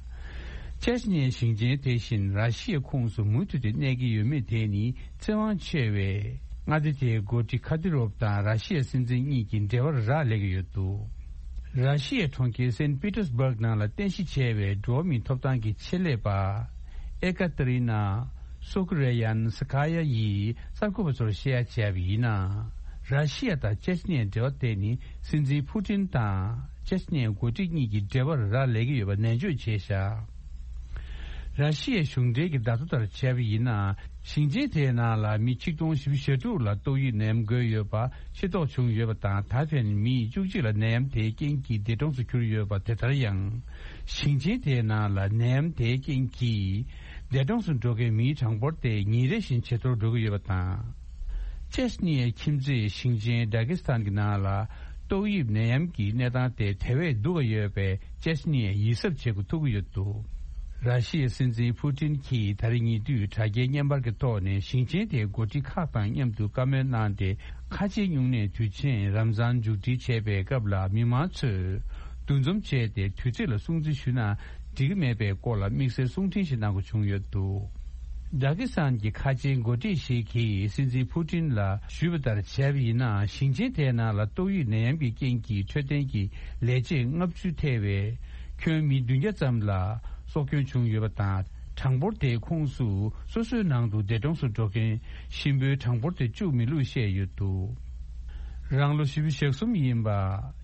ཅེ་ཆི་ནི་ཡའི་ཞིང་ཆེན་དེ་བཞིན་ར་ཤི་ཡའི་ཁོངས་སུ་མུ་མཐུད་དུ་གནས་ཀྱི་ཡོད་མེད་དེ་ནི་ཚེ་དབང་ཆེ་བས། མངའ་སྡེ་དེའི་འགོ་ཁྲིད་ཁ་ཏི་རོབ་དང་ར་ཤི་ཡའི་སྲིད་འཛིན་གཉིས་ཀྱི་འབྲེལ་བར་རག་ལས་ཀྱི་ཡོད་འདུག། ར་ཤི་ཡའི་གྲོང་ཁྱེར་སེན་པི་ཏེར་སྦུག་ནང་ལ་རྟེན་གཞི་བྱས་པའི་འགྲོ་བ་མིའི་ཐོབ་ཐང་གི་ཆེད་ལས་པ་ཨེ་ཀ་ཏེ་རི་ན་སོ་ཀུ་རེ་ཡན་སི་ཁ་ཡ་ཡིས་གསར་འགོད་པ་ཚོར་བཤད་ཡ་བྱས་པ་ཡིན་ན། ར་ཤི་ཡ་དང་ཅེ་ཆི་ནི་ཡའི་འབྲེལ་བ་དེ་ནི་སྲིད་འཛིན་ཕུ་ཏིན་དང་ཅེ་ཆི་ནི་ཡའི་འགོ་ཁྲིད་གཉིས་ཀྱི་འབྲེལ་བར་རག་ལས་ཀྱི་ཡོད་པ་ནན་བརྗོད་བྱས་བཞག། ར་ཤི་ཡའི་གཞུང་འབྲེལ་གྱི་བརྡ་ཐོ་ལྟར་བྱས་པ་ཡིན་ན། ཞིང་ཆེན་དེའི་ནང་ལ་མི་ཆིག་སྟོང་བཞི་བཅུ་ཞེ་དྲུག་ལ་ཏོག་དབྱིབས་ནད་ཡམས་འགོས་ཡོད་པ་ཤེས་རྟོགས་བྱུང་ཡོད་པ་དང་། ད་ཕན་མི་བཅུ་གཅིག་ལ་ནད་ཡམས་དེའི་རྐྱེན་གྱིས་འདས་གྲོངས་སུ་གྱུར་ཡོད་པ། དེ་ལྟར་ཡང་ཞིང་ཆེན་དེའི་ནང་ལ་ནད་ཡམས་དེའི་རྐྱེན་གྱིས་འདས་གྲོངས་སུ་འགྲོ་མཁན་མིའི་གྲངས་འབོར་དེ་ཉིན་རེ་བཞིན་ཇེ་མཐོར་འགྲོ་གི་ཡོད་པ་དང་། ཅེ་ཆི་ནི་ཡའི་ཁྱིམ་མཚེས་ཞིང་ཆེན་ཌ་ཀི་སི་ཐན་གྱི་ནང་ལ་ཏོག་དབྱིབས་ནད་ཡམས་ཀྱི་གནས་སྟངས་དེ་དེ་བས་སྡུག་ག་ཡོད་པའི་ཅེ་ཆི་ནི་ཡས་ཡིད་གཟབ་བྱེད་དགོས་ཐུག་གི་ཡོད་འདུག། ར་ཤི་ཡའི་སྲིད་འཛིན་ཕུ་ཏིན་གྱིས་ད་རེས་ཉེ་དུས་དྲ་རྒྱའི་བརྙན་པར་གྱི་ཐོག་ནས་ཞིང་ཆེན་དེའི་འགོ་ཁྲིད་ཁག་དང་མཉམ་དུ་བཀའ་མོལ་གནང་སྟེ། ཁ་ཆེའི་སྨྱུང་གནས་དུས་ཆེན་རམ་ཛཱན་མཇུག་སྒྲིལ་བྱས་པའི་སྐབས་ལ། མི་མང་ཚོས་འདུ་འཛོམས་བྱས་ཏེ་དུས་ཚོད་ལ་སྲུང་བརྩི་ཞུས་ན་འགྲིག་གི་མེད་པའི་སྐོར་ལ་དམིགས་བསལ་གསུང་འཕྲིན་ཞིག་གནང་དགོས་བྱུང་ཡོད་འདུག། ཌ་ཀི་སི་ཐན་གྱི་ཁ་ཆེའི་འགོ་ཁྲིད་ཞིག་གིས་སྲིད་འཛིན་ཕུ་ཏིན་ལ་ཞུས་པ་ལྟར་བྱས་པ་ཡིན་ན། ཞིང་ཆེན་དེའི་ནང་ལ་ཏོག་དབྱིབས་ནད་ཡམས་ཀྱི་རྐྱེན་གྱིས་འཕྲོད་བསྟེན་གྱི་ལས་བྱེད་ལྔ་བཅུ་ཐེ་བའི་ཁྱོན་མི་བདུན་བརྒྱ་ཙམ་ལ་སྲོག་སྐྱོན་བྱུང་ཡོད་པ་དང་། གྲངས་འབོར་དེའི་ཁོངས་སུ་སོ་སོའི་ནང་དུ་འདས་གྲོངས་སུ་འགྲོ་མཁན་གཤིན་པོའི་གྲངས་འབོར་དེ་བཅུག་མེད་ལུགས་བཤད་ཡོད་འདུག། རང་ལོ་བཞི་བཅུ་ཞེ་གསུམ་ཡིན་པ་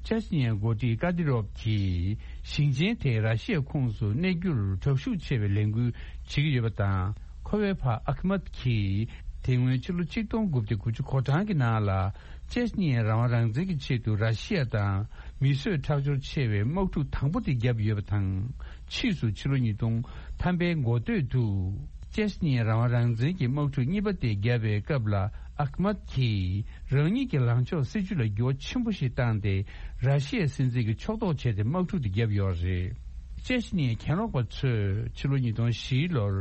ཅེ་ཆི་ནི་ཡའི་འགོ་ཁྲིད་ཀ་ཏི་རོབ་ཀྱིས་ཞིང་ཆེན་དེ་ར་ཤི་ཡའི་ཁོངས་སུ་གནས་རྒྱུར་དྲག་ཤུགས་ཆེ་བའི་ལས་འགུལ་བྱེད་ཀྱི་ཡོད་པ་དང་། ཁོ་པའི་ཕ་ཨ་ཁི་མད་ཀྱིས་དེ་སྔོན་ཕྱི་ལོ་ཆིག་སྟོང་དགུ་བརྒྱ་དགུ་བཅུ་གོ་གྲངས་ཀྱི་ནང་ལ་ཅེ་ཆི་ནི་ཡའི་རང་དབང་རང་བཙན་གྱི་ཆེད་དུ་ར་ཤི་ཡ་དང་མི་གསོད་ཁྲག་སྦྱོར་ཆེ་བའི་དམག་འཁྲུག་དང་པོ་དེ་བརྒྱབ་ཡོད་པ་དང་། ཕྱིས་སུ་ཕྱི་ལོ་ཉིས་སྟོང་ཐམ་པའི་འགོ་སྟོད་དུ་ཅེ་ཆི་ནི་ཡའི་རང་དབང་རང་བཙན་གྱི་དམག་འཁྲུག་གཉིས་པ་དེ་བརྒྱབ་པའི་སྐབས་ལ། ཨ་ཁི་མད་ཀྱིས་རང་ཉིད་ཀྱི་ལངས་ཕྱོགས་སྲིད་བྱུས་ལ་འགྱུར་བ་ཆེན་པོ་ཞིག་བཏང་སྟེ། ར་ཤི་ཡའི་སྲིད་འཛིན་གྱི་ཕྱོགས་གཏོགས་བྱས་ཏེ་དམག་འཁྲུག་དེ་བརྒྱབ་ཡོད་རེད། ཅེ་ཆི་ནི་ཡའི་གྱེན་ལོག་པ་ཚོས་ཕྱི་ལོ་ཉིས་སྟོང་བཞི་ལོར་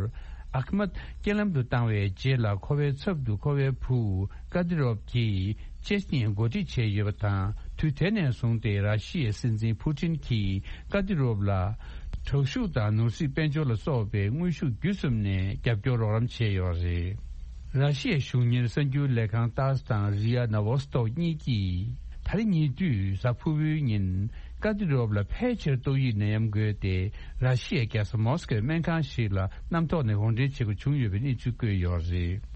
ཨ་ཁི་མད་རྐྱེན་ལམ་དུ་བཏང་བའི་རྗེས་ལ། ཁོ་པའི་ཚབ་ཏུ་ཁོ་པའི་བུ་ཀ་ཏི་རོབ་ཀྱིས་ཅེ་ཆི་ནི་ཡའི་འགོ་ཁྲིད་བྱས་ཡོད་པ་དང་། དུས་དེ་ནས་བཟུང་སྟེ་ར་ཤི་ཡའི་སྲིད་འཛིན་ཕུ་ཏིན་གྱིས་ཀ་ཏི་རོབ་ལ་དྲག་ཤུགས་དང་ནོར་སྲིད་དཔལ་འབྱོར་ལ་སོགས་པའི་དངོས་ཤུགས་བརྒྱུད་གསུམ་ནས་རྒྱབ་སྐྱོར་རོགས་རམ་བྱས་ཡོད་རེད། ར་ཤི་ཡའི་གཞུང་གཉེར་གསར་འགྱུར་ལས་ཁང་ཏཱ་སི་དང་རི་ཡ་ན་ཝོ་སི་ཏོག་གཉིས་ཀྱིས་ད་རེས་ཉེ་དུས་གཟའ་ཕུར་བུའི་ཉིན་ཀ་ཏི་རོབ་ལ་ཕལ་ཆེར་ཏོག་དབྱིབས་ནད་ཡམས་འགོས་ཏེ། ར་ཤི་ཡའི་རྒྱལ་ས་མོ་སི་ཀོའི་སྨན་ཁང་ཞིག་ལ་གནམ་ཐོག་ནས་འོར་འདྲེན་བྱེད་དགོས་བྱུང་ཡོད་པའི་གནས་ཚུལ་བཀོད་ཡོད་རེད།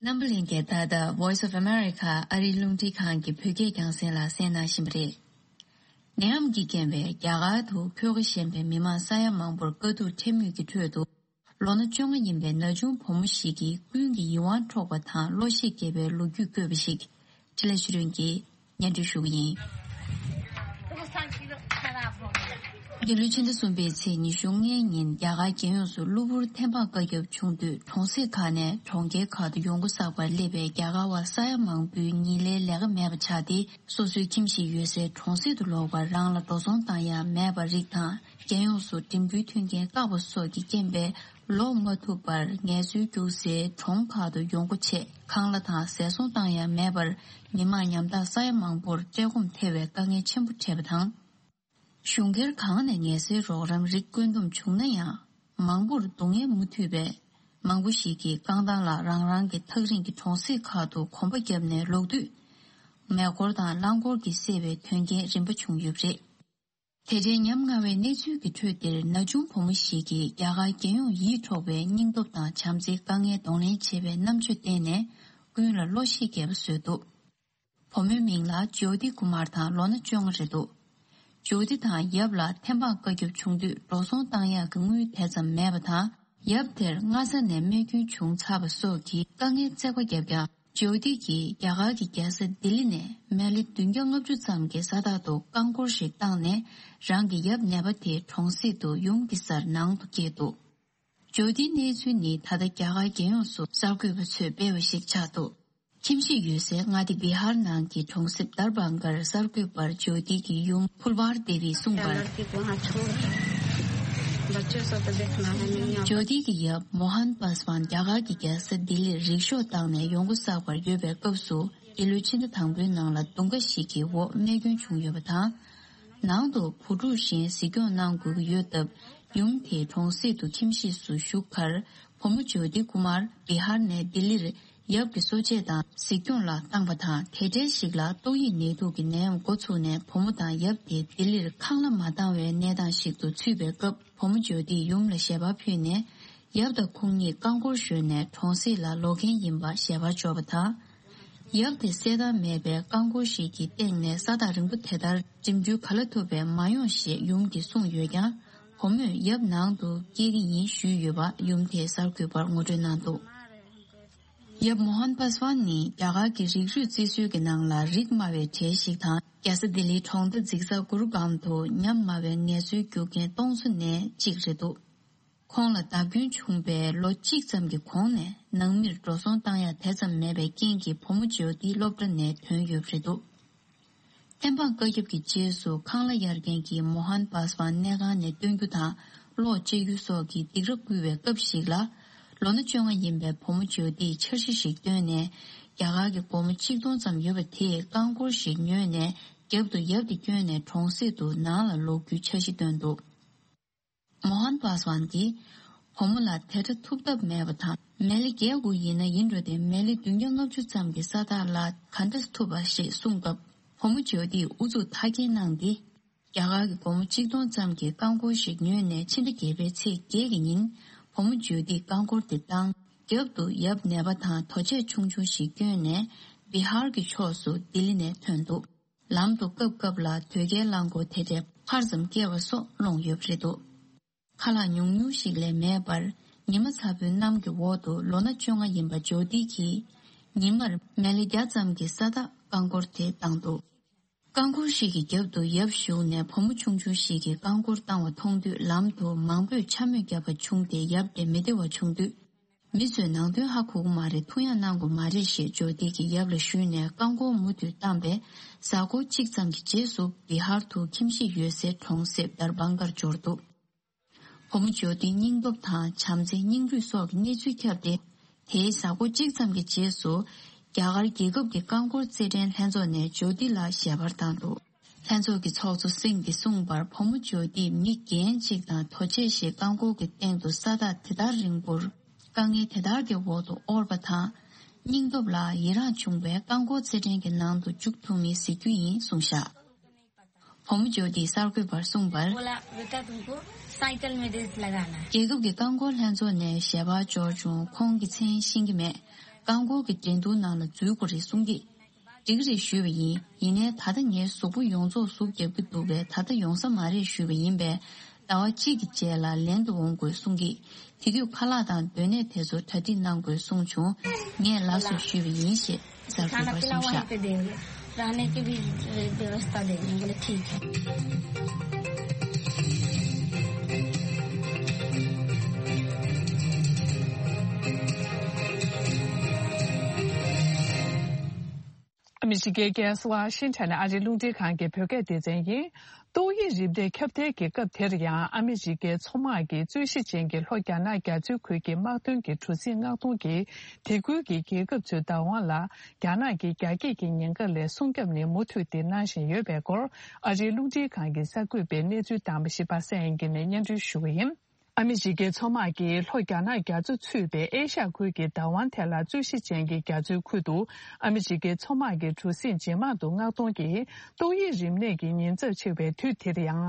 རྣམ་པ་ལྷན་རྒྱས། ད་ལྟ་Voice of America ཨ་རིའི་རླུང་འཕྲིན་ཁང་གི་བོད་སྐད་རྒྱང་སྲིང་ལ་གསན་གནང་བཞིན་པ་རེད། ནད་ཡམས་ཀྱི་རྐྱེན་པས་རྒྱ་གར་དུ་འཁོད་ཁ་ཞན་པའི་མི་མང་ས་ཡ་མང་པོར་དཀའ་སྡུག་འཕྲད་མུས་ཀྱི་ཁྲོད་དུ། ལོ་ན་བཅོ་ལྔ་ཡིན་པའི་ན་ཆུང་བུ་མོ་ཞིག་གིས་ཀུན་གྱིས་ཡིད་དབང་འཕྲོག་པ་དང་གློ་ཞེད་སྐྱེ་བའི་ལོ་རྒྱུས་བཀོད་པ་ཞིག་འཕྲིན་ལས་ཆོས་སྒྲོན་གྱིས་སྙན་སྒྲོན་ཞུ་གི་ཡིན། འདི་ལོའི་ཕྱི་ཟླ་གསུམ་པའི་ཚེས་ཉི་ཤུ་ལྔའི་ཉིན་རྒྱ་གར་རྒྱལ་ཡོངས་སུ་གློ་བུར་ཐེམ་སྤང་བཀའ་ཁྱབ་བྱུང་དུས་གྲོང་གསེབ་ཁག་ནས་གྲོང་ཁྱེར་ཁག་ཏུ་ཡོང་སྒོ་བསགས་པར་སླེབས་པའི་རྒྱ་གར་བ་ས་ཡ་མང་པོའི་ཉིན་ལའི་ལས་ཀ་མེད་པ་ཆགས་ཏེ། སོ་སོའི་ཁྱིམ་གཞིས་ཡོད་སའི་གྲོང་གསེབ་ཏུ་ལོག་པར་རང་ལ་འགྲོ་སོང་བཏང་ཡ་མེད་པ་རིགས་དང་། རྒྱལ་ཡོངས་སུ་འགྲིམ་འགྲུལ་མཐུན་རྐྱེན་བཀག་པ་སོགས་ཀྱི་རྐྱེན་པས་ལོག་མ་ཐུབ་པར་ངལ་རྩོལ་རྒྱུགས་སའི་གྲོང་ཁག་ཏུ་ཡོང་སྒོ་ཆེད་ཁང་གླ་དང་ཟས་སོང་བཏང་ཡ་མེད་པར་མི་མང་ཉམ་ཐག་ས་ཡ་མང་པོར་བཀྲེས་སྐོམ་ཐེབས་པའི་དཀའ་ངལ་ཆེན་པོ་འཕྲད་པ་དང་། གཞུང་སྒེར་གང་ནས་ངལ་སེལ་རོགས་རམ་རིགས་བཀོད་འདོམས་བྱུང་ན་ཡང་། མང་པོར་སྡུག་བསྔལ་མུ་མཐུད་པས། མང་པོ་ཞིག་གིས་རྐང་ཐང་ལ་རང་རང་གི་ཐག་རིང་གི་གྲོང་གསེབ་ཁག་ཏུ་གོམ་པ་བརྒྱབ་ནས་ལོག་དུས། མེ་འཁོར་དང་རླངས་འཁོར་གྱིས་བསད་པའི་དོན་རྐྱེན་རིམ་པ་བྱུང་ཡོད་པ་རེད། དེ་འདྲའི་ཉམ་ང་བའི་གནས་ཚུལ་གྱི་ཁྲོད་འདིར་ན་ཆུང་བུ་མོ་ཞིག་གིས་རྒྱ་གར་རྒྱལ་ཡོངས་ཡིད་འཕྲོག་པའི་སྙིང་སྟོབས་དང་བྱམས་བརྩེའི་དཀའ་ངལ་གདོང་ལེན་བྱེད་པའི་རྣམ་དཔྱོད་བསྟན་ནས་ཀུན་ལ་བློ་ཤེད་རྒྱས་པ་བཟོས་འདུག་བུ་མོའི་མིང་ལ་ཇོ་ཏི་ཀུ་མར་དང་ལོ་ན་བཅོ་ལྔ་རེད་འདུག་ཇོ་ཏི་དང་ཡབ་ལ་ཐེམ་སྤང་བཀའ་ཁྱབ་བྱུང་དུས་འགྲོ་སོང་བཏང་ཡག་གི་དངུལ་དེ་ཙམ་མེད་པ་དང་། ཡབ་དེར་སྔ་ས་ནས་རྨས་སྐྱོན་བྱུང་ཚར་བ་སོགས་ཀྱིས་དཀའ་ངལ་བརྩེགས་པ་བརྒྱབ་ཀྱང་། ཇོ་ཏི་གིས་རྒྱ་གར་གྱི་རྒྱལ་ས་ལྡི་ལི་ནས་མལ་ལེ་བདུན་བརྒྱ་ལྔ་བཅུ་ཙམ་གྱི་ས་ཐག་ཏུ་རྐང་འཁོར་ཞིག་བཏང་ནས། རང་གི་ཡབ་ནད་པ་དེ་གྲོང་གསེབ་ཏུ་ཡུམ་གྱི་སར་ནང་དུ་སྐྱེལ་འདུག་ཇོ་ཏིའི་གནས་ཚུལ་ནི་ད་ལྟ་རྒྱ་གར་རྒྱལ་ཡོངས་སུ་གསར་འགོད་པ་ཚོས་སྤེལ་བ་ཞིག་ཆགས་འདུག་ཁྱིམ་གཞིས་ཡོད་སའི་མངའ་སྡེ་བི་ཧར་ནང་གི་གྲོང་གསེབ་དར་བང་ཀར་གསར་འགོད་པར་ཇོ་ཏི་གི་ཡུམ་ཕུལ་བར་དེ་བིས་གསུངས་པར། ཇོ་ཏི་གི་ཡབ་མོ་ཧན་པ་སི་ཝན་རྒྱ་གར་གྱི་རྒྱལ་ས་ལྡི་ལིར་རིག་ཤོག་བཏང་ནས་ཡོང་སྒོ་བསགས་པར་ཡོད་པའི་སྐབས་སུ། འདི་ལོའི་ཕྱི་ཟླ་དང་པོའི་ནང་ལ་རྡུང་ཁ་ཞིག་གི་འོག་རྨས་སྐྱོན་བྱུང་ཡོད་པ་དང་། ནང་དུ་བུ་ཕྲུག་གཞན་གཟིགས་སྐྱོང་གནང་དགོས་ཀྱི་ཡོད་སྟབས། ཡུམ་དེ་གྲོང་གསེབ་ཏུ་ཁྱིམ་གཞིས་སུ་བཞུགས་ཁར། བུ་མོ་ཇོ་ཏི་ཀུ་མར་བི་ཧར་ནས་ལྡི་ལིར་ཡབ་ཀྱི་གསོ་དཔྱད་དང་གཟིགས་སྐྱོང་ལ་བཏང་པ་དང་། དེ་འབྲེལ་ཞིག་ལ་ཏོག་དབྱིབས་ནད་དུག་གི་ནད་ཡམས་འགོ་ཚུགས་ནས། བུ་མོ་དང་ཡབ་དེ་ལྡི་ལིར་ཁང་གླ་མ་བཏང་བའི་གནས་སྟངས་ཤིག་ཏུ་ཚུད་པའི་སྐབས། བུ་མོ་ཇོ་ཏིས་ཡུམ་ལ་ཞལ་པར་ཕུལ་ནས། ཡབ་དང་ཁོང་གཉིས་རྐང་འཁོར་ཞོན་ནས་གྲོང་གསེབ་ལ་ལོག་མཁན་ཡིན་པ་ཞལ་པར་འབྱོར་བ་དང་། ཡབ་དེ་གསལ་ཐང་མེད་པའི་རྐང་འཁོར་ཞིག་གི་སྟེང་ནས་ས་ཐག་རིང་པོ་དེ་ལྟར་འགྲིམ་འགྲུལ་ག་ལ་ཐུབ་པས་མ་ཡོང་ཞེས་ཡུམ་གྱིས་གསུངས་ཡོད་ཀྱང་། བུ་མོས་ཡབ་ནང་དུ་སྐྱེལ་གྱི་ཡིན་ཞུས་ཡོད་པ་ཡུམ་དེས་གསར་འགོད་པར་ངོ་སྤྲོད་གནང་འདུག་ཡབ་མོ་ཧན་པ་སི་ཝན་ནི་རྒྱ་གར་གྱི་རིགས་རུས་རྩིས་སྲོལ་གྱི་ནང་ལ་རིགས་དམའ་བའི་གྲས་ཤིག་དང་། རྒྱལ་ས་ལྡི་ལིའི་གྲོང་རྡལ་འཛིན་ས་གུར་གྷམ་དུ་ཉམས་དམའ་བའི་ངལ་རྩོལ་རྒྱུག་མཁན་སྟོང་ཚོ་ནས་གཅིག་རེད་འདུག་ཁོང་ལ་བརྡབ་སྐྱོན་བྱུང་བའི་ལོ་གཅིག་ཙམ་གྱི་གོང་ནས་ནང་མིར་འགྲོ་སོང་བཏང་ཡ་དེ་ཙམ་མེད་པའི་རྐྱེན་གྱིས་བུ་མོ་ཇོ་ཏི་སློབ་གྲྭ་ནས་ཐོན་ཡོད་པ་རེད་འདུག་ཐེམ་སྤང་བཀའ་ཁྱབ་ཀྱི་རྗེས་སུ་ཁང་གླ་གཡར་མཁན་གྱིས་མོ་ཧན་པ་སི་ཝན་གནས་ཁང་ནས་བཏོན་རྒྱུ་དང་གློག་བཅད་རྒྱུ་སོགས་ཀྱི་སྡིགས་ར་བསྐུལ་བའི་སྐབས་ཤིག་ལ། ལོ་ན་བཅོ་ལྔ་ཡིན་པའི་བུ་མོ་ཇོ་ཏིས་འཆར་གཞི་ཞིག་བཏོན་ནས། རྒྱ་གར་གྱི་སྒོར་མོ་གཅིག་སྟོང་ཙམ་ཡོད་པ་དེས་རྐང་འཁོར་ཞིག་ཉོས་ནས། རྒྱབ་ཏུ་ཡབ་དེ་བསྐྱོན་ནས་གྲོང་གསེབ་ཏུ་ནང་ལ་ལོག་རྒྱུའི་འཆར་གཞི་བཏོན་འདུག་མོ་ཧན་པ་སི་ཝན་གྱིས། བུ་མོ་ལ་དེ་འདྲ་ཐུབ་ཐབས་མེད་པ་དང་། མལ་ལེ་བརྒྱད་དགུ་ཡིན་ན་ཡིན་འགྲོ་སྟེ། མལ་ལེ་བདུན་བརྒྱ་ལྔ་བཅུ་ཙམ་གྱི་ས་ཐག་ལ་ག་འདྲ་ཐུབ་པ་ཞེས་གསུངས་སྐབས། བུ་མོ་ཇོ་ཏིས་ཨུ་ཚུགས་མཐའ་སྐྱེལ་གནང་སྟེ། རྒྱ་གར་གྱི་སྒོར་མོ་གཅིག་སྟོང་ཙམ་གྱི་རྐང་འཁོར་ཞིག་ཉོས་ནས། ཕྱི་ཟླ་བརྒྱད་པའི་ཚེས་བརྒྱད་ཀྱི་ཉིན། བུ་མོ་ཇོ་ཏིས་རྐང་འཁོར་དེ་བཏང་། རྒྱབ་ཏུ་ཡབ་ནད་པ་དང་དོ་ཆས་ཆུང་ཆུང་ཞིག་བསྐྱོན་ནས། བི་ཧར་གྱི་ཕྱོགས་སུ་ལྡི་ལི་ནས་ཐོན་འདུག་ལམ་དུ་སྐབས་སྐབས་ལ་དོས་སྐྱེལ་རླངས་འཁོར་དེ་འདྲའི་ཕར་ཙམ་བསྐྱལ་བ་སོགས་སློང་ཡོད་པ་རེད་འདུག་ཁ་ལག་ཉུང་ཉུང་ཞིག་ལས་མེད་པར། ཉི་མ་ཚ་པོའི་གནམ་གྱི་འོག་ཏུ་ལོ་ན་བཅོ་ལྔ་ཡིན་པ་ཇོ་ཏི་གིས། ཉི་མར་མལ་ལེ་བརྒྱ་ཙམ་གྱི་ས་ཐག་རྐང་འཁོར་དེ་བཏང་འདུག་རྐང་འཁོར་ཞིག་གི་རྒྱབ་ཏུ་ཡབ་བཞུགས་ནས། བུ་མོ་ཆུང་ཆུང་ཞིག་གིས་རྐང་འཁོར་བཏང་བ་མཐོང་དུས། ལམ་དུ་མང་པོས་འཕྱ་སྨོད་བརྒྱབ་པ་བྱུང་སྟེ། ཡབ་དེ་མི་བདེ་བ་བྱུང་དུས། མི་ཚོས་ནང་དོན་ཧ་གོ་གི་མ་རེད། ཐུགས་ཡངས་གནང་དགོས་མ་རེད་ཞེས་ཇོ་ཏི་གིས་ཡབ་ལ་ཞུས་ནས། རྐང་འཁོར་མུ་མཐུད་བཏང་པས། གཟའ་འཁོར་གཅིག་ཙམ་གྱི་རྗེས་སུ་བི་ཧར་དུ་ཁྱིམ་གཞིས་ཡོད་སའི་གྲོང་གསེབ་དར་བང་ཀར་འབྱོར་འདུག་བུ་མོ་ཇོ་ཏིའི་སྙིང་སྟོབས་དང་། བྱམས་བརྩེ། སྙིང་རུས་སོགས་ཀྱི་གནས་ཚུལ་ཁྱབ་སྟེ། དེའི་གཟའ་འཁོར་གཅིག་ཙམ་གྱི་རྗེས་སུ། རྒྱ་གར་རྒྱལ་ཁབ་ཀྱི་རྐང་འཁོར་རྩེད་འགྲན་ལྷན་ཚོགས་ནས་ཇོ་ཏི་ལ་ཞལ་པར་བཏང་འདུག་ལྷན་ཚོགས་ཀྱི་ཚོགས་གཙོ་སིང་གིས་གསུངས་པར། བུ་མོ་ཇོ་ཏིས་མི་རྒན་གཅིག་དང་དོ་ཆས་ཤིག་རྐང་འཁོར་གྱི་སྟེང་དུ་ས་ཐག་དེ་ལྟར་རིང་པོར། དཀའ་ངལ་དེ་ལྟར་གྱི་འོག་ཏུ་དབོར་བ་དང་། སྙིང་སྟོབས་ལ་ཡི་རངས་བྱུང་བས། རྐང་འཁོར་རྩེད་འགྲན་གྱི་ནང་དུ་འཇུག་ཐུབ་མིན་གཟིགས་རྒྱུ་ཡིན་གསུངས་བཞག་བུ་མོ་ཇོ་ཏིས་གསར་འགོད་པར་གསུངས་པར། बोला, "बेटा, तुमको साइकिल में रेस लगाना है।" རྒྱལ་ཁབ་ཀྱི་རྐང་འཁོར་ལྷན་ཚོགས་ནས་ཞལ་པར་འབྱོར་བྱུང་། ཁོང་གི་མཚན་ཤེས་ཀྱི་མེད། རྐང་འཁོར་གྱི་འགྲན་བསྡུར་ནང་ལ་འཛུལ་དགོས་རེད་གསུང་གིས། འགྲིག་གི་རེད་ཞུས་པ་ཡིན། ཡིན་ནའི་ད་ལྟ་ངའི་གཟུགས་པོ་ཡོངས་རྫོགས་ཟུག་རྒྱབ་ཀྱི་འདུག་པས། ད་ལྟ་ཡོང་ས་མ་རེད་ཞུས་པ་ཡིན་པས། ཟླ་བ་གཅིག་གི་རྗེས་ལ་ལེན་དུ་འོང་དགོས་གསུང་གིས། དེ་དུས་ཁ་ལག་དང་སྡོད་གནས་དེ་ཚོ་གྲ་སྒྲིག་གནང་དགོས་གསུངས་བྱུང་། ངས་ལགས་སོ་ཞུས་པ་ཡིན་ཞེས་གསར་འགོད་པར་གསུངས་བཞག रहने की भी व्यवस्था देंगे।" बोले, "ठीक है।" ཨ་མི་རི་ཀའི་རྒྱལ་ས་ཝ་ཤིང་ཊོན་ནས་ཨ་རིའི་རླུང་འཕྲིན་ཁང་གི་བོད་སྐད་སྡེ་ཚན་ཡིན། ཏོག་དབྱིབས་རིམས་ནད་ཁྱབ་གདལ་གྱི་སྐབས་དེར་ཡང་ཨ་མི་རི་ཀའི་མཚོ་དམག་གིས་རྩོད་གཞི་ཅན་གྱི་ལྷོ་རྒྱ་ནག་རྒྱ་མཚོའི་ཁུལ་གྱི་དམག་དོན་གྱི་གྲུ་གཟིངས་མངགས་གཏོང་གིས་དེ་ཁུལ་གྱི་རྒྱལ་ཁབ་ཚོའི་བདག་དབང་ལ་རྒྱ་ནག་གིས་རྒྱ་སྐྱེད་ཀྱི་ཉེན་ཁ་ལས་སྲུང་སྐྱོབ་ནི་མུ་མཐུད་དེ་གནང་བཞིན་ཡོད་པའི་སྐོར་ཨ་རིའི་རླུང་འཕྲིན་ཁང་གི་གསར་འགོད་པས་གནས་ཚུལ་བཏང་བ་ཞིག་པ་སངས་དབྱངས་སྐྱིད་ནས་སྙན་སྒྲོན་ཞུ་བ་ཡིན། ཨ་མི་རི་ཀའི་མཚོ་དམག་གིས་ལྷོ་རྒྱ་ནག་རྒྱ་མཚོ་ཚུད་པའི་ཨེ་ཤ་ཡ་ཁུལ་གྱི་བདག་དབང་ཐད་ལ་རྩོད་གཞི་ཅན་གྱི་རྒྱ་མཚོའི་ཁུལ་དུ་ཨ་མི་རི་ཀའི་མཚོ་དམག་གི་གྲུ་གཟིངས་ཇེ་མང་དུ་མངགས་གཏོང་གིས་ཏོག་དབྱིབས་རིམས་ནད་ཀྱི་ཉེན་ཚབས་ཆེ་བའི་དུས་དེར་ཡང་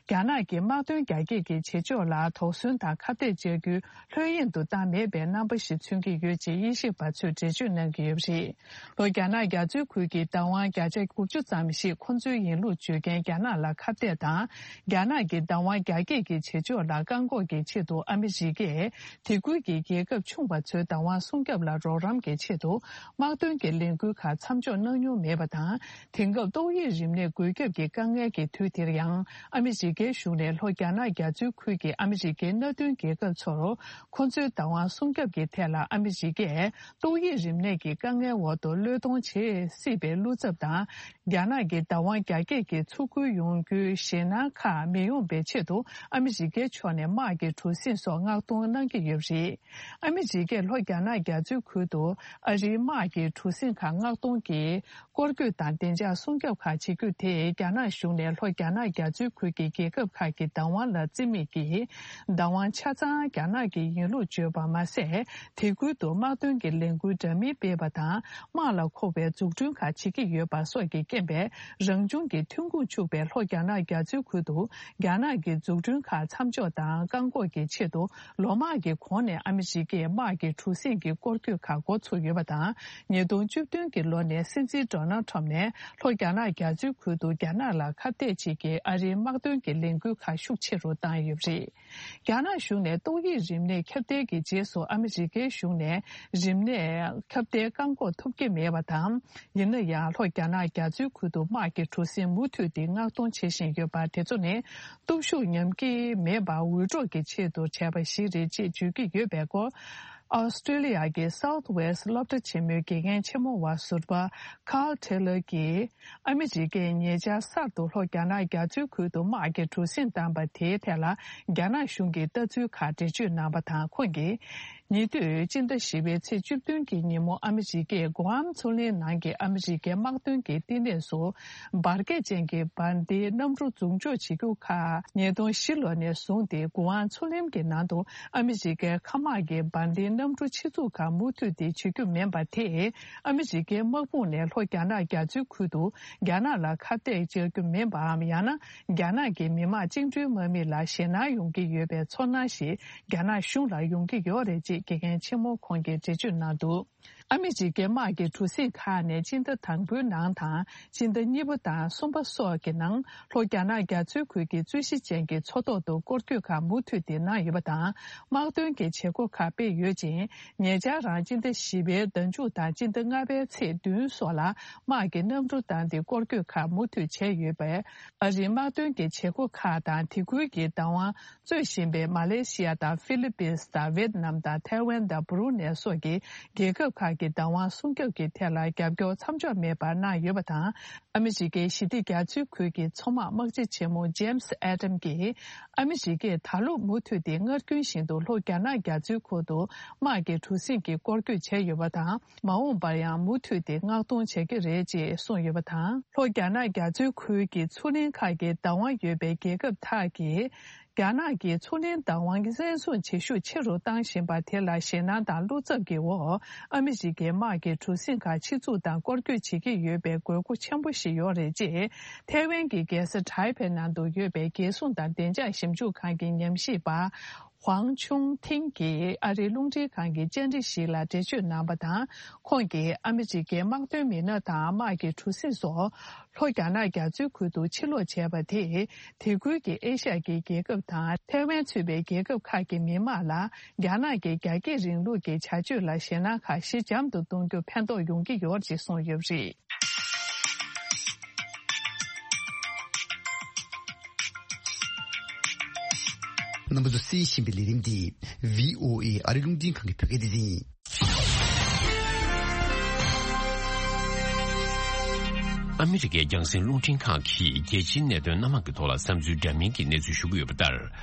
རྒྱ་ནག་གི་དམག་དོན་རྒྱ་སྐྱེད་ཀྱི་བྱེད་ཕྱོགས་ལ་དོགས་ཟོན་དང་ཁ་གཏད་བཅག་རྒྱུ་ལྷོད་གཡེང་དུ་བཏང་མེད་པའི་རྣམ་པ་ཞིག་མཚོན་གྱི་ཡོད་ཅེས་དབྱེ་ཞིབ་པ་ཚོས་འགྲེལ་བརྗོད་གནང་གི་ཡོད་པ་རེད། ལྷོ་རྒྱ་ནག་རྒྱ་མཚོའི་ཁུལ་གྱི་བདག་དབང་བརྒྱ་ཆ་དགུ་བཅུ་ཙམ་ཞིག་ཁོ་ཚོའི་ཡིན་ལུགས་བརྗོད་མཁན་རྒྱ་ནག་ལ་ཁ་གཏད་དང་། རྒྱ་ནག་གི་བདག་དབང་རྒྱ་སྐྱེད་ཀྱི་བྱེད་ཕྱོགས་ལ་བཀག་འགོག་གི་ཆེད་དུ་ཨ་མི་རི་ཀས་དེ་ཁུལ་གྱི་རྒྱལ་ཁབ་ཆུང་བ་ཚོའི་བདག་དབང་སྲུང་སྐྱོབ་ལ་རོགས་རམ་གྱི་ཆེད་དུ་དམག་དོན་གྱི་ལས་འགུལ་ཁག་མཚམས་འཇོག་གནང་མྱོང་མེད་པ་དང་། དེང་སྐབས་ཏོག་དབྱིབས་རིམས་ནད་འགོས་ཁྱབ་ཀྱི་དཀའ་ངལ་གྱི་དུས་དེར་ཡང་ཨ་མི་རི་ཀའི་གཞུང་ནས་ལྷོ་རྒྱ་ནག་རྒྱ་མཚོའི་ཁུལ་གྱི་ཨ་མི་རི་ཀའི་མནའ་མཐུན་རྒྱལ་ཁབ་ཚོར་ཁོ་ཚོའི་བདག་དབང་སྲུང་སྐྱོབ་ཀྱི་ཐད་ལ་ཨ་མི་རི་ཀས། ཏོག་དབྱིབས་རིམས་ནད་ཀྱི་དཀའ་ངལ་འོག་ཏུ་བློས་གཏོང་བྱེད་སྲིད་པའི་བློ་འཚབ་དང་། རྒྱ་ནག་གི་བདག་དབང་རྒྱ་སྐྱེད་ཀྱི་ཚུར་རྒོལ་ཡོང་རྒྱུའི་ཞེད་སྣང་ཁག་མི་ཡོང་བའི་ཆེད་དུ་ཨ་མི་རི་ཀའི་ཕྱོགས་ནས་དམག་གི་གྲུ་གཟིངས་སོགས་མངགས་གཏོང་གནང་གི་ཡོད་པ་རེད། ཨ་མི་རི་ཀས་ལྷོ་རྒྱ་ནག་རྒྱ་མཚོའི་ཁུལ་དུ་ཨ་རིའི་དམག་གི་གྲུ་གཟིངས་ཁག་མངགས་གཏོང་གིས་སྐོར་སྐྱོད་དང་བདེ་འཇགས་སྲུང་སྐྱོབ་ཁག་བྱེད་རྒྱུ་དེས་རྒྱ་ནག་གཞུང་ནས་ལྷོ་རྒྱ་ནག་རྒྱ་མཚོའི་ཁུལ་གྱི་རྒྱལ་ཁབ་ཁག་གི་བདག་དབང་ལ་བརྩི་མེད་ཀྱིས། བདག་དབང་ཆ་ཚང་རྒྱ་ནག་གི་ཡིན་ལུགས་བརྗོད་པ་མ་ཟད། དེ་ཁུལ་དུ་དམག་དོན་གྱི་ལས་འགུལ་འདྲ་མིན་སྤེལ་བ་དང་། དམག་ལ་མཁོ་བའི་འཛུགས་སྐྲུན་ཁག་བྱེད་ཀྱི་ཡོད་པ་སོགས་ཀྱི་རྐྱེན་པས། རང་བྱུང་གི་ཐོན་ཁུངས་ཕྱུག་པའི་ལྷོ་རྒྱ་ནག་རྒྱ་མཚོའི་ཁུལ་དུ། རྒྱ་ནག་གི་འཛུགས་སྐྲུན་ཁག་མཚམས་འཇོག་དང་བཀག་འགོག་གི་ཆེད་དུ། ལོ་མང་གི་གོང་ནས་ཨ་མི་རི་ཀས་དམག་གི་གྲུ་གཟིངས་ཀྱི་སྐོར་སྐྱོད་ཁག་འགོ་ཚུགས་ཡོད་པ་དང་། ཉིས་སྟོང་བཅུ་བདུན་གྱི་ལོ་ནས་སྲིད་འཛིན་ཌོ་ནལ་ཁྲོམ་ནས་ལྷོ་རྒྱ་ནག་རྒྱ་མཚོའི་ཁུལ་དུ་རྒྱ་ནག་ལ་ཁ་གཏད་བྱེད་ཀྱི་ཨ་རིའི་དམག་དོན་གྱི་ལས་འགུལ་ཁག་ཤུགས་ཆེ་རུ་བཏང་ཡོད་པ་རེད། རྒྱ་ནག་གཞུང་ནས་ཏོག་དབྱིབས་རིམས་ནད་ཁྱབ་གདལ་གྱི་རྗེས་སུ་ཨ་མི་རི་ཀའི་གཞུང་ནས་རིམས་ནད་ཁྱབ་གདལ་བཀག་འགོག་ཐུབ་ཀྱི་མེད་པ་དང་། ཡིན་ན་ཡང་ལྷོ་རྒྱ་ནག་རྒྱ་མཚོའི་ཁུལ་དུ་དམག་གི་གྲུ་གཟིངས་མུ་མཐུད་དེ་མངགས་གཏོང་བྱེད་བཞིན་ཡོད་པ་དེ་ཚོ་ནི་སྟོབས་ཤུགས་ཉམས་ཀྱི་མེད་པར་འུད་སྒྲོག་གི་ཆེད་དུ་བྱས་པ་ཞིག་རེད་ཅེས་བརྗོད་ཀྱི་ཡོད་པའི་སྐོར། ཨོ་སི་ཀྲི་ལི་ཡ་གི་South West སློབ་གྲྭ་ཆེན་མོའི་དགེ་རྒན་ཆེན་མོ་བ་ཟུར་པ་Carl Taylor གྱིས། ཨ་མི་རི་ཀས་ཉེ་ཆར་གསར་དུ་ལྷོ་རྒྱ་ནག་རྒྱ་མཚོའི་ཁུལ་དུ་དམག་གི་གྲུ་གཟིངས་བཏང་པ་དེའི་ཐད་ལ་རྒྱ་ནག་གཞུང་གི་ལྟ་ཚུལ་ཁག་འགྲེལ་བརྗོད་གནང་བ་དང་། ཁོང་གིས། ཉེ་དུས་སྤྱི་ཟླ་བཞི་པའི་ཚེས་བཅུ་བདུན་གྱི་ཉིན་མོ་ཨ་མི་རི་ཀས་གུ་ཨམ་མཚོ་གླིང་ནང་གི་ཨ་མི་རི་ཀའི་དམག་དོན་གྱི་བསྟི་གནས་སུ་འབར་གས་ཅན་གྱི་འབར་མདེལ་གནམ་གྲུ་འཛུགས་འཇོག་བྱེད་རྒྱུ་ཁག་ཉིས་སྟོང་བཞི་ལོ་ནས་བཟུང་སྟེ་གུ་ཨམ་མཚོ་གླིང་གི་ནང་དུ་ཨ་མི་རི་ཀའི་མཁའ་དམག་གི་འབར་མདེལ་གནམ་གྲུ་ཆེད་འཛུགས་ཁག་མུ་མཐུད་དེ་བྱེད་རྒྱུ་མིན་པ་དེས། ཨ་མི་རི་ཀའི་དམག་དཔུང་ནས་ལྷོ་རྒྱ་ནག་རྒྱ་མཚོའི་ཁུལ་དུ་རྒྱ་ནག་ལ་ཁ་གཏད་གཅོག་རྒྱུ་མིན་པའམ། ཡང་ན་རྒྱ་ནག་གི་མི་དམངས་བཅིངས་འགྲོལ་དམག་མི་ལ་ཞེད་སྣང་ཡོང་གི་ཡོད་པའི་ཚོར་སྣང་ཞིག་རྒྱ་ནག་གཞུང་ལ་ཡོང་གི་ཡོད་རེད་ཅེས་དགེ་རྒན་ཆེན་མོ་ཁོང་གིས་འགྲེལ་བརྗོད་གནང་འདུག་ཨ་མི་རི་ཀའི་དམག་གི་གྲུ་གཟིངས་ཁག་ནས་སྤྱི་ཟླ་དང་པོའི་ནང་དང་སྤྱི་ཟླ་གཉིས་པ་དང་གསུམ་པ་སོགས་ཀྱི་ནང་ལྷོ་རྒྱ་ནག་རྒྱ་མཚོའི་ཁུལ་གྱི་རྩོད་གཞི་ཅན་གྱི་མཚོ་ཐོག་ཏུ་སྐོར་སྐྱོད་ཁག་མུ་མཐུད་དེ་གནང་ཡོད་པ་དང་། དམག་དོན་གྱི་བྱེད་སྒོ་ཁག་སྤེལ་ཡོད་ཅིང་། ཉེ་ཆར་རང་སྤྱི་ཟླ་བཞི་པའི་ཟླ་མཇུག་དང་སྤྱི་ཟླ་ལྔ་པའི་ཚེས་བདུན་སོགས་ལ་དམག་གི་གནམ་གྲུ་བཏང་སྟེ་སྐོར་སྐྱོད་ཁག་མུ་མཐུད་བྱས་ཡོད་པས། ཨ་རིའི་དམག་དོན་གྱི་བྱེད་སྒོ་ཁག་དང་དེ་ཁུལ་གྱི་བདག་དབང་རྩོད་བཞིན་པའི་མ་ལེ་ཤི་ཡ་དང་ཧྥི་ལི་པིན་དང་ཝེད་ནམ་དང་ཐའེ་ཝན་དང་སྦ་རུ་ནེ་སོགས་ཀྱི་རྒྱལ་ཁབ་ཁག་གི་བདག་དབང་སྲུང་སྐྱོབ་ཀྱི་ཐད་ལ་རྒྱབ་སྐྱོར་མཚམས་འཇོག་མེད་པར་གནང་ཡོད་པ་དང་། ཨ་མི་རི་ཀའི་ཞི་བདེ་རྒྱ་མཚོའི་ཁུལ་གྱི་མཚོ་དམག་དམག་སྤྱི་ཆེན་མོ་ཇེམ་སི་ཨེ་ཏམ་གྱིས། ཨ་མི་རི་ཀས་ད་ལོ་མུ་མཐུད་དེ་སྔར་རྒྱུན་བཞིན་དུ་ལྷོ་རྒྱ་ནག་རྒྱ་མཚོའི་ཁུལ་དུ་དམག་གི་གྲུ་གཟིངས་ཀྱི་སྐོར་སྐྱོད་བྱས་ཡོད་པ་དང་། མ་འོངས་པར་ཡང་མུ་མཐུད་དེ་མངགས་གཏོང་བྱེད་ཀྱི་རེད་ཅེས་གསུངས་ཡོད་པ་དང་། ལྷོ་རྒྱ་ནག་རྒྱ་མཚོའི་ཁུལ་གྱི་མཚོ་གླིང་ཁག་གི་བདག་དབང་ཡོད་པའི་རྒྱལ་ཁབ་ཁག་གིས། རྒྱ་ནག་གིས་མཚོ་གླིང་བདག་དབང་བཙན་བཟུང་བྱེད་ཤུགས་ཆེ་རུ་བཏང་བཞིན་པ་དེ་ལ་ཞེད་སྣང་དང་བློ་འཚབ་ཀྱི་འོག་ཨ་མི་རི་ཀའི་དམག་གི་གྲུ་གཟིངས་ཁག་ཆེད་འཛུགས་དང་སྐོར་སྐྱོད་བྱེད་ཀྱི་ཡོད་པའི་དགོས་མཁོ་ཆེན་པོ་ཞིག་ཡོད་རེད་ཅེས། ཐའེ་ཝན་གྱི་རྒྱལ་ས་ཏའེ་པེ་ནང་དུ་ཡོད་པའི་རྒྱལ་སྲུང་དང་བདེ་འཇགས་ཞིབ་འཇུག་ཁང་གི་ཉམས་ཞིབ་པ། ཧུའང་ཆུང་ཐིང་གིས་ཨ་རིའི་རླུང་འཕྲིན་ཁང་གི་བཅར་འདྲི་ཞིག་ལ་འགྲེལ་བརྗོད་གནང་བ་དང་། ཁོང་གིས་ཨ་མི་རི་ཀའི་དམག་དོན་མི་སྣ་དང་དམག་གི་གྲུ་གཟིངས་སོགས་ལྷོ་རྒྱ་ནག་རྒྱ་མཚོའི་ཁུལ་དུ་ཕྱིར་ལོག་བྱས་པ་དེས། དེ་ཁུལ་གྱི་ཨེ་ཤ་ཡ་གི་རྒྱལ་ཁབ་དང་ཐའེ་ཝན་ཚུད་པའི་རྒྱལ་ཁབ་ཁག་གི་མི་དམངས་ལ་རྒྱ་ནག་གི་རྒྱ་སྐྱེད་རིང་ལུགས་ཀྱི་བྱ་སྤྱོད་ལ་ཞེད་སྣང་ཁག་ཞི་འཇམ་དུ་གཏོང་རྒྱུ་ཕན་ཐོགས་ཡོང་གི་ཡོད་ཅེས་གསུངས་ཡོད་པ་རེད། རྣམ་པ་ཚོ་གསན་བཞིན་པའི་ལས་རིམ་འདི་བྷི་ཨོ་ཨེ་ཨ་རི་རླུང་འཕྲིན་ཁང་གི་བོད་སྐད་སྡེ་ཚན་ཡིན། ཨ་མི་རི་ཀའི་རྒྱང་སྲིང་རླུང་འཕྲིན་ཁང་གིས་རྒྱལ་སྤྱིའི་གནད་དོན་སྣ་མང་གི་ཐོག་ལ་བསམ་ཚུལ་འདྲ་མིན་གྱི་གནས་ཚུལ་ཞུ་གི་ཡོད་པ་ལྟར།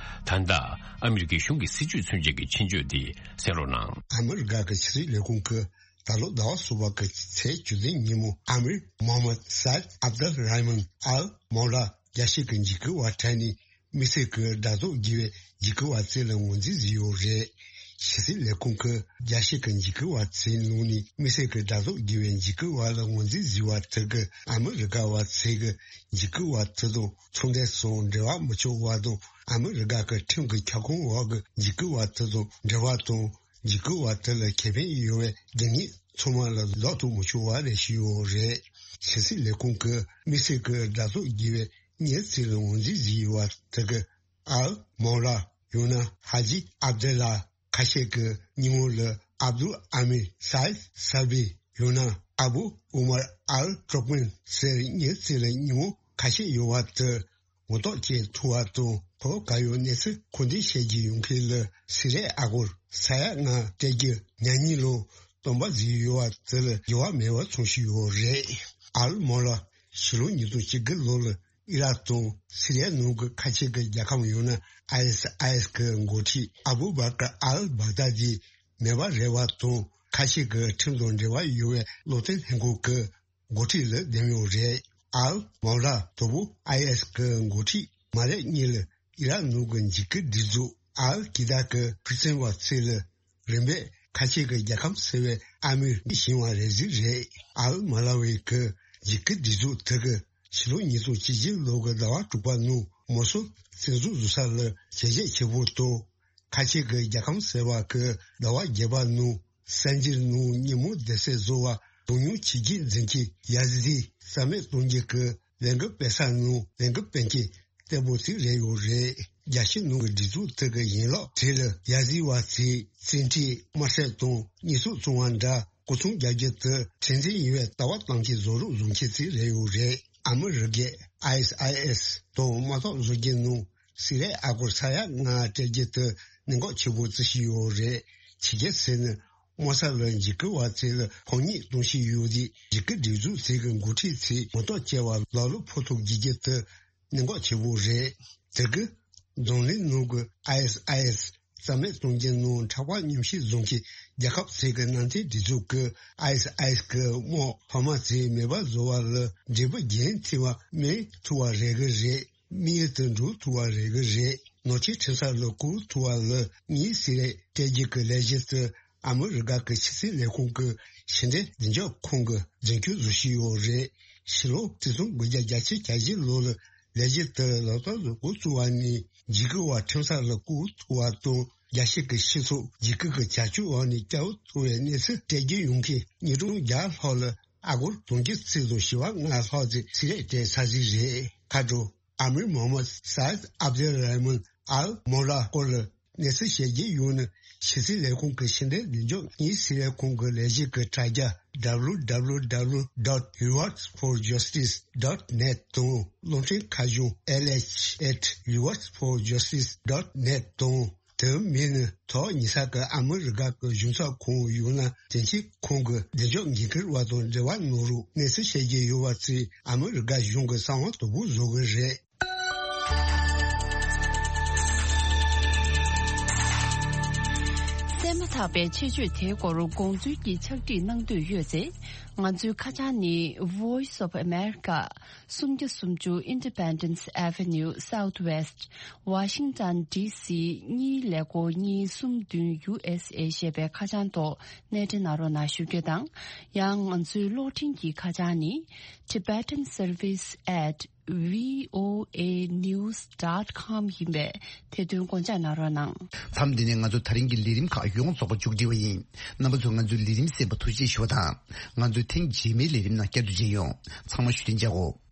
ད་ལྟ་ཨ་མི་རི་ཀའི་གཞུང་གི་སྲིད་བྱུས་མཚོན་ཆེད་ཀྱི་ཆེད་བརྗོད་དེ་གསན་རོགས་གནང་། ཨ་མི་རི་ཀ་གི་ཕྱི་སྲིད་ལས་ཁུངས་ཀྱིས་ད་ལོ་ཟླ་བ་གསུམ་པ་གི་ཚེས་བཅུ་བདུན་ཉིན་མོ། ཨ་མིར་མོ་ཧམ་མད་སཱ་ཨིད་ཨབ་དུལ་ར་ཧི་མན་ཨལ་མོ་ལ་རྒྱལ་སྤྱི་གི་འཇིགས་སྐུལ་བ་ཁྲིད་ནས། དམིགས་བསལ་གྱི་དགྲ་ཟླ་དགེ་བའི་འཇིགས་སྐུལ་བ་ཚོ་ལ་ངོས་འཛིན་བཟོས་ཡོད་རེད། ཕྱི་སྲིད་ལས་ཁུངས་ཀྱིས་རྒྱལ་སྤྱི་གི་འཇིགས་སྐུལ་བ་ཚོའི་ནང་ནས་དམིགས་བསལ་གྱི་དགྲ་ཟླ་དགེ་བའི་འཇིགས་སྐུལ་བ་ལ་ངོས་འཛིན་བཟོས་པ་དེ་གིས་ཨ་མི་རི་ཀ་བ་ཚོས་ཀྱི་འཇིགས་སྐུལ་བ་དེ་དང་ཚོང་འབྲེལ་སོགས་འབྲེལ་བ་མི་ཆོག་པ་དང་། ཨ་མི་རི་ཀ་གི་ཁྲིམས་ཀྱི་ཁྱབ་ཁོངས་འོག་གི་འཇིགས་སྐུལ་བ་དེ་དང་འབྲེལ་བ་དང་། འཇིགས་སྐུལ་བ་དེ་ལ་ཁེ་ཕན་ཡོད་པའི་སྡུག་བསྔལ་ཚང་མ་ལ་ལོག་ཐུབ་མི་ཆོག་པ་རེད་ཞུས་ཡོད་རེད། ཕྱི་སྲིད་ལས་ཁུངས་ཀྱིས་དམིགས་བསལ་གྱི་དགྲ་ཟླ་དགེ་བའི་མི་ཚོ་ལ་ངོས་འཛིན་བཟོས་ཡོད་པ་དེ་གིས། ཨལ་མོ་ལ། ཡང་ན་ཧ་ཇི་ཨབ་དེ་ལ། ཁ་ཤས་ཀྱི་སྙིང་བོ་ལ་ཨབ་དུལ་ཨ་མིར་སཱ་ཨིད་སཱལ་བི། ཡང་ན་ཨ་བུ་ཨུ་མར་ཨལ་ཏུར་ཀྨན་ཟེར་མི་ཚོ་ལ་སྙིང་བོ་ཁ་ཤས་ཡོད་པ་དེ་ངོ་ཐོག་བཅད་ཐུབ་པ་དང་། ཁོ་ག་ཡོད་གནས་ཚུལ་མཁོ་འདོན་བྱེད་རྒྱུ་ཡོང་མཁན་ལ་སི་རེ་ཨ་སྒོར་ས་ཡ་ལྔ་སྤྲད་རྒྱུ་ཉག་ཉིས་ལོ་སྟོན་པ་བཟོས་ཡོད་པ་དེ་ལ་འགྱུར་བ་མེད་པ་མཚོན་བཞིན་ཡོད་རེད། ཨལ་མོ་ལ་ཕྱི་ལོ་ཉིས་སྟོང་བཅུ་དགུ་ལོ་ལ་ཨི་རག་དང་སི་རི་ཡའི་ནང་གི་ཁ་ཆེ་གི་རྒྱལ་ཁབ་ཡང་ན་ཨའི་ཨེས་ཨའི་ཨེས་གི་འགོ་ཁྲིད་ཨ་བུ་བྷ་ཀར་ཨལ་བྷག་དཱ་དི་མེད་པ་རེད་པ་དང་། ཁ་ཆེ་གི་ཁྲིམས་དང་འབྲེལ་བ་ཡོད་པའི་བློ་མཐུན་ལྷན་ཁང་གི་འགོ་ཁྲིད་ལ་འདེམས་ཡོད་རེད། ཨལ་མོ་ལ་དང་པོ་ཨའི་ཨེས་གི་འགོ་ཁྲིད་མ་རེབ་གཉིས་ལ་ཨི་རག་ནང་གི་འཇིགས་སྐུལ་སྒྲིག་འཛུགས་ཨལ་ཀི་ད་གི་ཕུགས་བཙན་བ་ཚོ་ལ་རིམ་པས་ཁ་ཆེ་གི་རྒྱལ་ཁམས་ཟེར་བའི་ཨ་མིར་བཞེངས་པ་རེད་ཟེར་རེད། ཨལ་མོ་ལ་བའི་གི་འཇིགས་སྐུལ་སྒྲིག་འཛུགས་དེ་གི་ཕྱི་ལོ་ཉིས་སྟོང་བཅུ་བཞི་ལོ་གི་ཟླ་བ་དྲུག་པ་ནང་མོ་སུལ་བཙན་འཛུལ་བཟོ་ས་ལ་བྱས་རྗེས་ཆེ་པོ་དང་། ཁ་ཆེ་གི་རྒྱལ་ཁམས་ཟེར་བ་གི་ཟླ་བ་བརྒྱད་པ་ནང་གསར་འགྱུར་ནང་ཉིན་མོ་བསྡད་སའི་བཟོ་བ་གདོང་མྱོང་བྱས་རྗེས་འཛིན་གྱི་ཡ་ཟི་དི་རྩ་མེད་གཏོང་རྒྱུ་གི་ལས་འགུལ་སྤེལ་ས་ནང་ལས་འགུལ་སྤེལ་མཁན་བརྟན་པོ་ཞིག་རེད་ཡོད་རེད། རྒྱལ་སྤྱི་ནང་གི་སྒྲིག་འཛུགས་དེ་གི་ཡན་ལག་དེ་ལ་ཡ་ཟི་བ་ཚོས་བཙན་ཁྲིད་དམར་གསོད་དང་ཉེས་གསོག་བཙོང་བ་འདྲ་སྐུ་ཚོང་རྒྱག་རྒྱུ་དེ་མཁྲེགས་འཛིན་ཡིན་པའི་ལྟ་བ་བཏང་གི་བཟོ་རོགས་བཟོ་མཁན་ཞིག་རེད་ཡོད་རེད། ཨ་མི་རི་ཀའི་ཨའི་ཨེས་ཨའི་ཨེས་དང་དམག་འཐབ་བཟོ་རྒྱུ་ནང་སི་རེ་ཨ་སྒོར་ས་ཡ་ལྔ་སྤྲད་རྒྱུ་དེ་གནད་འགག་ཆེ་པོ་བརྩི་བཞིན་ཡོད་རེད། ཆི་གེ་ཟེར་ནི། དམག་ས་ལ་འཇིགས་སྐུལ་བ་ཚོ་ལ་ཕོག་ཉེས་གཏོང་བཞིན་ཡོད་དུས་འཇིགས་སྐུལ་སྒྲིག་འཛུགས་ཚོ་གི་འགོ་ཁྲིད་ཚོས་ངོ་ཐོག་བཅར་བ་ལ་ལོ་ཕོག་ཐུག་བགྱིད་རྒྱུ་དེ་གནད་འགག་ཆེ་པོ་རེད། དེ་གི་འཛམ་གླིང་ནང་གི་ཨའི་ཨེས་ཨའི་ཨེས་རྩ་མེད་གཏོང་རྒྱུ་ནང་ཕྲག་པ་ཉམས་ཞིབ་བཟོ་མཁན་རྒྱལ་ཁབ་ཚོ་གི་མནའ་མཐུན་སྒྲིག་འཛུགས་ཀྱི་ཨའི་ཨེས་ཨའི་ཨེས་གི་དམག་འཕར་མ་ཚོས་མེད་པ་བཟོ་བ་ལ་འབྲས་བུ་རྒྱུན་མཐུད་པ་སྨིན་ཐུབ་པ་རེད་གི་རེད། དམིགས་ཡུལ་དུ་འགྲོ་ཐུབ་པ་རེད་གི་རེད། ནོར་འཁྲུལ་ཁྲིམས་སར་ལ་བཀོད་ཐུབ་པ་ལ་ངེས་ཟེར་རེད། སྤྲད་རྒྱུ་གི་ལས་གཞི་དེ་ཨ་མི་རི་ཀ་གི་ཕྱི་སྲིད་ལས་ཁུངས་ཀྱི་ཕྱི་འབྲེལ་བདེ་འཇགས་ཁང་གིས་རྫུན་སྐྱོན་བཟོ་བཞིན་ཡོད་རེད། ཕྱི་ལོ་ཆིག་སྟོང་དགུ་བརྒྱ་བརྒྱད་ཅུ་གྱ་བཞི་ལོ་ལ་ལས་གཞི་དེ་ལག་བསྟར་དུ་འགོ་བཙུགས་པ་ནས་འཇིགས་སྐུལ་བ་ཁྲིམས་སར་ལ་བཀོད་ཐུབ་པ་དང་། རྒྱལ་སྤྱི་གི་སྤྱི་ཚོགས་འཇིགས་སྐུལ་གྱི་བྱ་སྤྱོད་འོག་ནས་བསྐྱལ་ཐུབ་པའི་གནས་ཚུལ་སྤྲད་རྒྱུ་ཡོང་མཁན་ཉིས་སྟོང་བརྒྱ་ལྷག་ལ་ཨ་སྒོར་དོན་གཅིག་ཚེག་དང་བཞི་བ་ལྔ་ལྷག་ཙམ་ཞིག་རེད་སྤྲད་ཚར་གྱི་རེད། ཁ་དྲོ། ཨ་མིར་མོ་ཧམ་མད་སཱ་ཨིད་ཨབ་དེ་ར་ཧི་མན་ཨལ་མོ་ལ་སྐོར་ལ་གནས་ཚུལ་བཤད་རྒྱུ་ཡོད་ན། ཕྱི་སྲིད་ལས་ཁུངས་ཀྱི་ཕྱི་འབྲེལ་བདེ་འཇགས་ངེས་ཟེར་བའི་ཁང་གི་ལས་གཞི་གི་དྲ་རྒྱ་W W W dot rewards for justice dot net དང་། གློག་འཕྲིན་ཁ་བྱང་L H at rewards for justice dot net དང་། དེ་མིན་ན་ཐོག་ཉེ་ས་གི་ཨ་མི་རི་ཀ་གི་གཞུང་ཚབ་ཁང་ཡང་ན་དོན་གཅོད་ཁང་གི་བདེ་འཇགས་འགན་འཁུར་བ་དང་འབྲེལ་བ་གནང་རོགས། གནས་ཚུལ་བཤད་རྒྱུ་ཡོད་པ་ཚོས་ཨ་མི་རི་ཀ་གཞུང་གི་གསང་བ་དོད་པོ་བཟོ་གི་རེད། གསན་མ་ཐག་པའི་ཆེད་བརྗོད་དེའི་སྐོར་དགོངས་ཚུལ་གྱི་ཕྱག་བྲིས་གནང་འདོད་ཡོད་ཚེ། ང་ཚོའི་ཁ་བྱང་ནི། Voice of America། སུམ་བརྒྱ་སུམ་ཅུ་Independence Avenue Southwest Washington D C གཉིས་ཀླད་ཀོར་གཉིས་གསུམ་བདུན་U S A ཞེས་པའི་ཁ་བྱང་ཐོག་གནས་འདྲེན་གནང་རོགས་གནང་ཞུ་རྒྱུ་དང་། ཡང་ང་ཚོའི་གློག་འཕྲིན་གྱི་ཁ་བྱང་ནི། Tibetan Service at V O A news dot com ཡིན་པས་དེ་དོན་དགོངས་འཇགས་གནང་རོགས་གནང་། མཚམས་འདི་ནས་ང་ཚོ་ད་རིང་གི་ལས་རིམ་ཁག་ཡོངས་རྫོགས་པ་མཇུག་སྒྲིལ་བ་ཡིན། རྣམ་པ་ཚོས་ང་ཚོའི་ལས་རིམ་གསན་པར་ཐུགས་རྗེ་ཆེ་ཞུ་བ་དང་། ང་ཚོའི་ཐེངས་རྗེས་མའི་ལས་རིམ་ནང་བསྐྱར་དུ་མཇལ་ཡོང་། ཚང་མ་བཞུགས་གདན་འཇགས་སྒོ།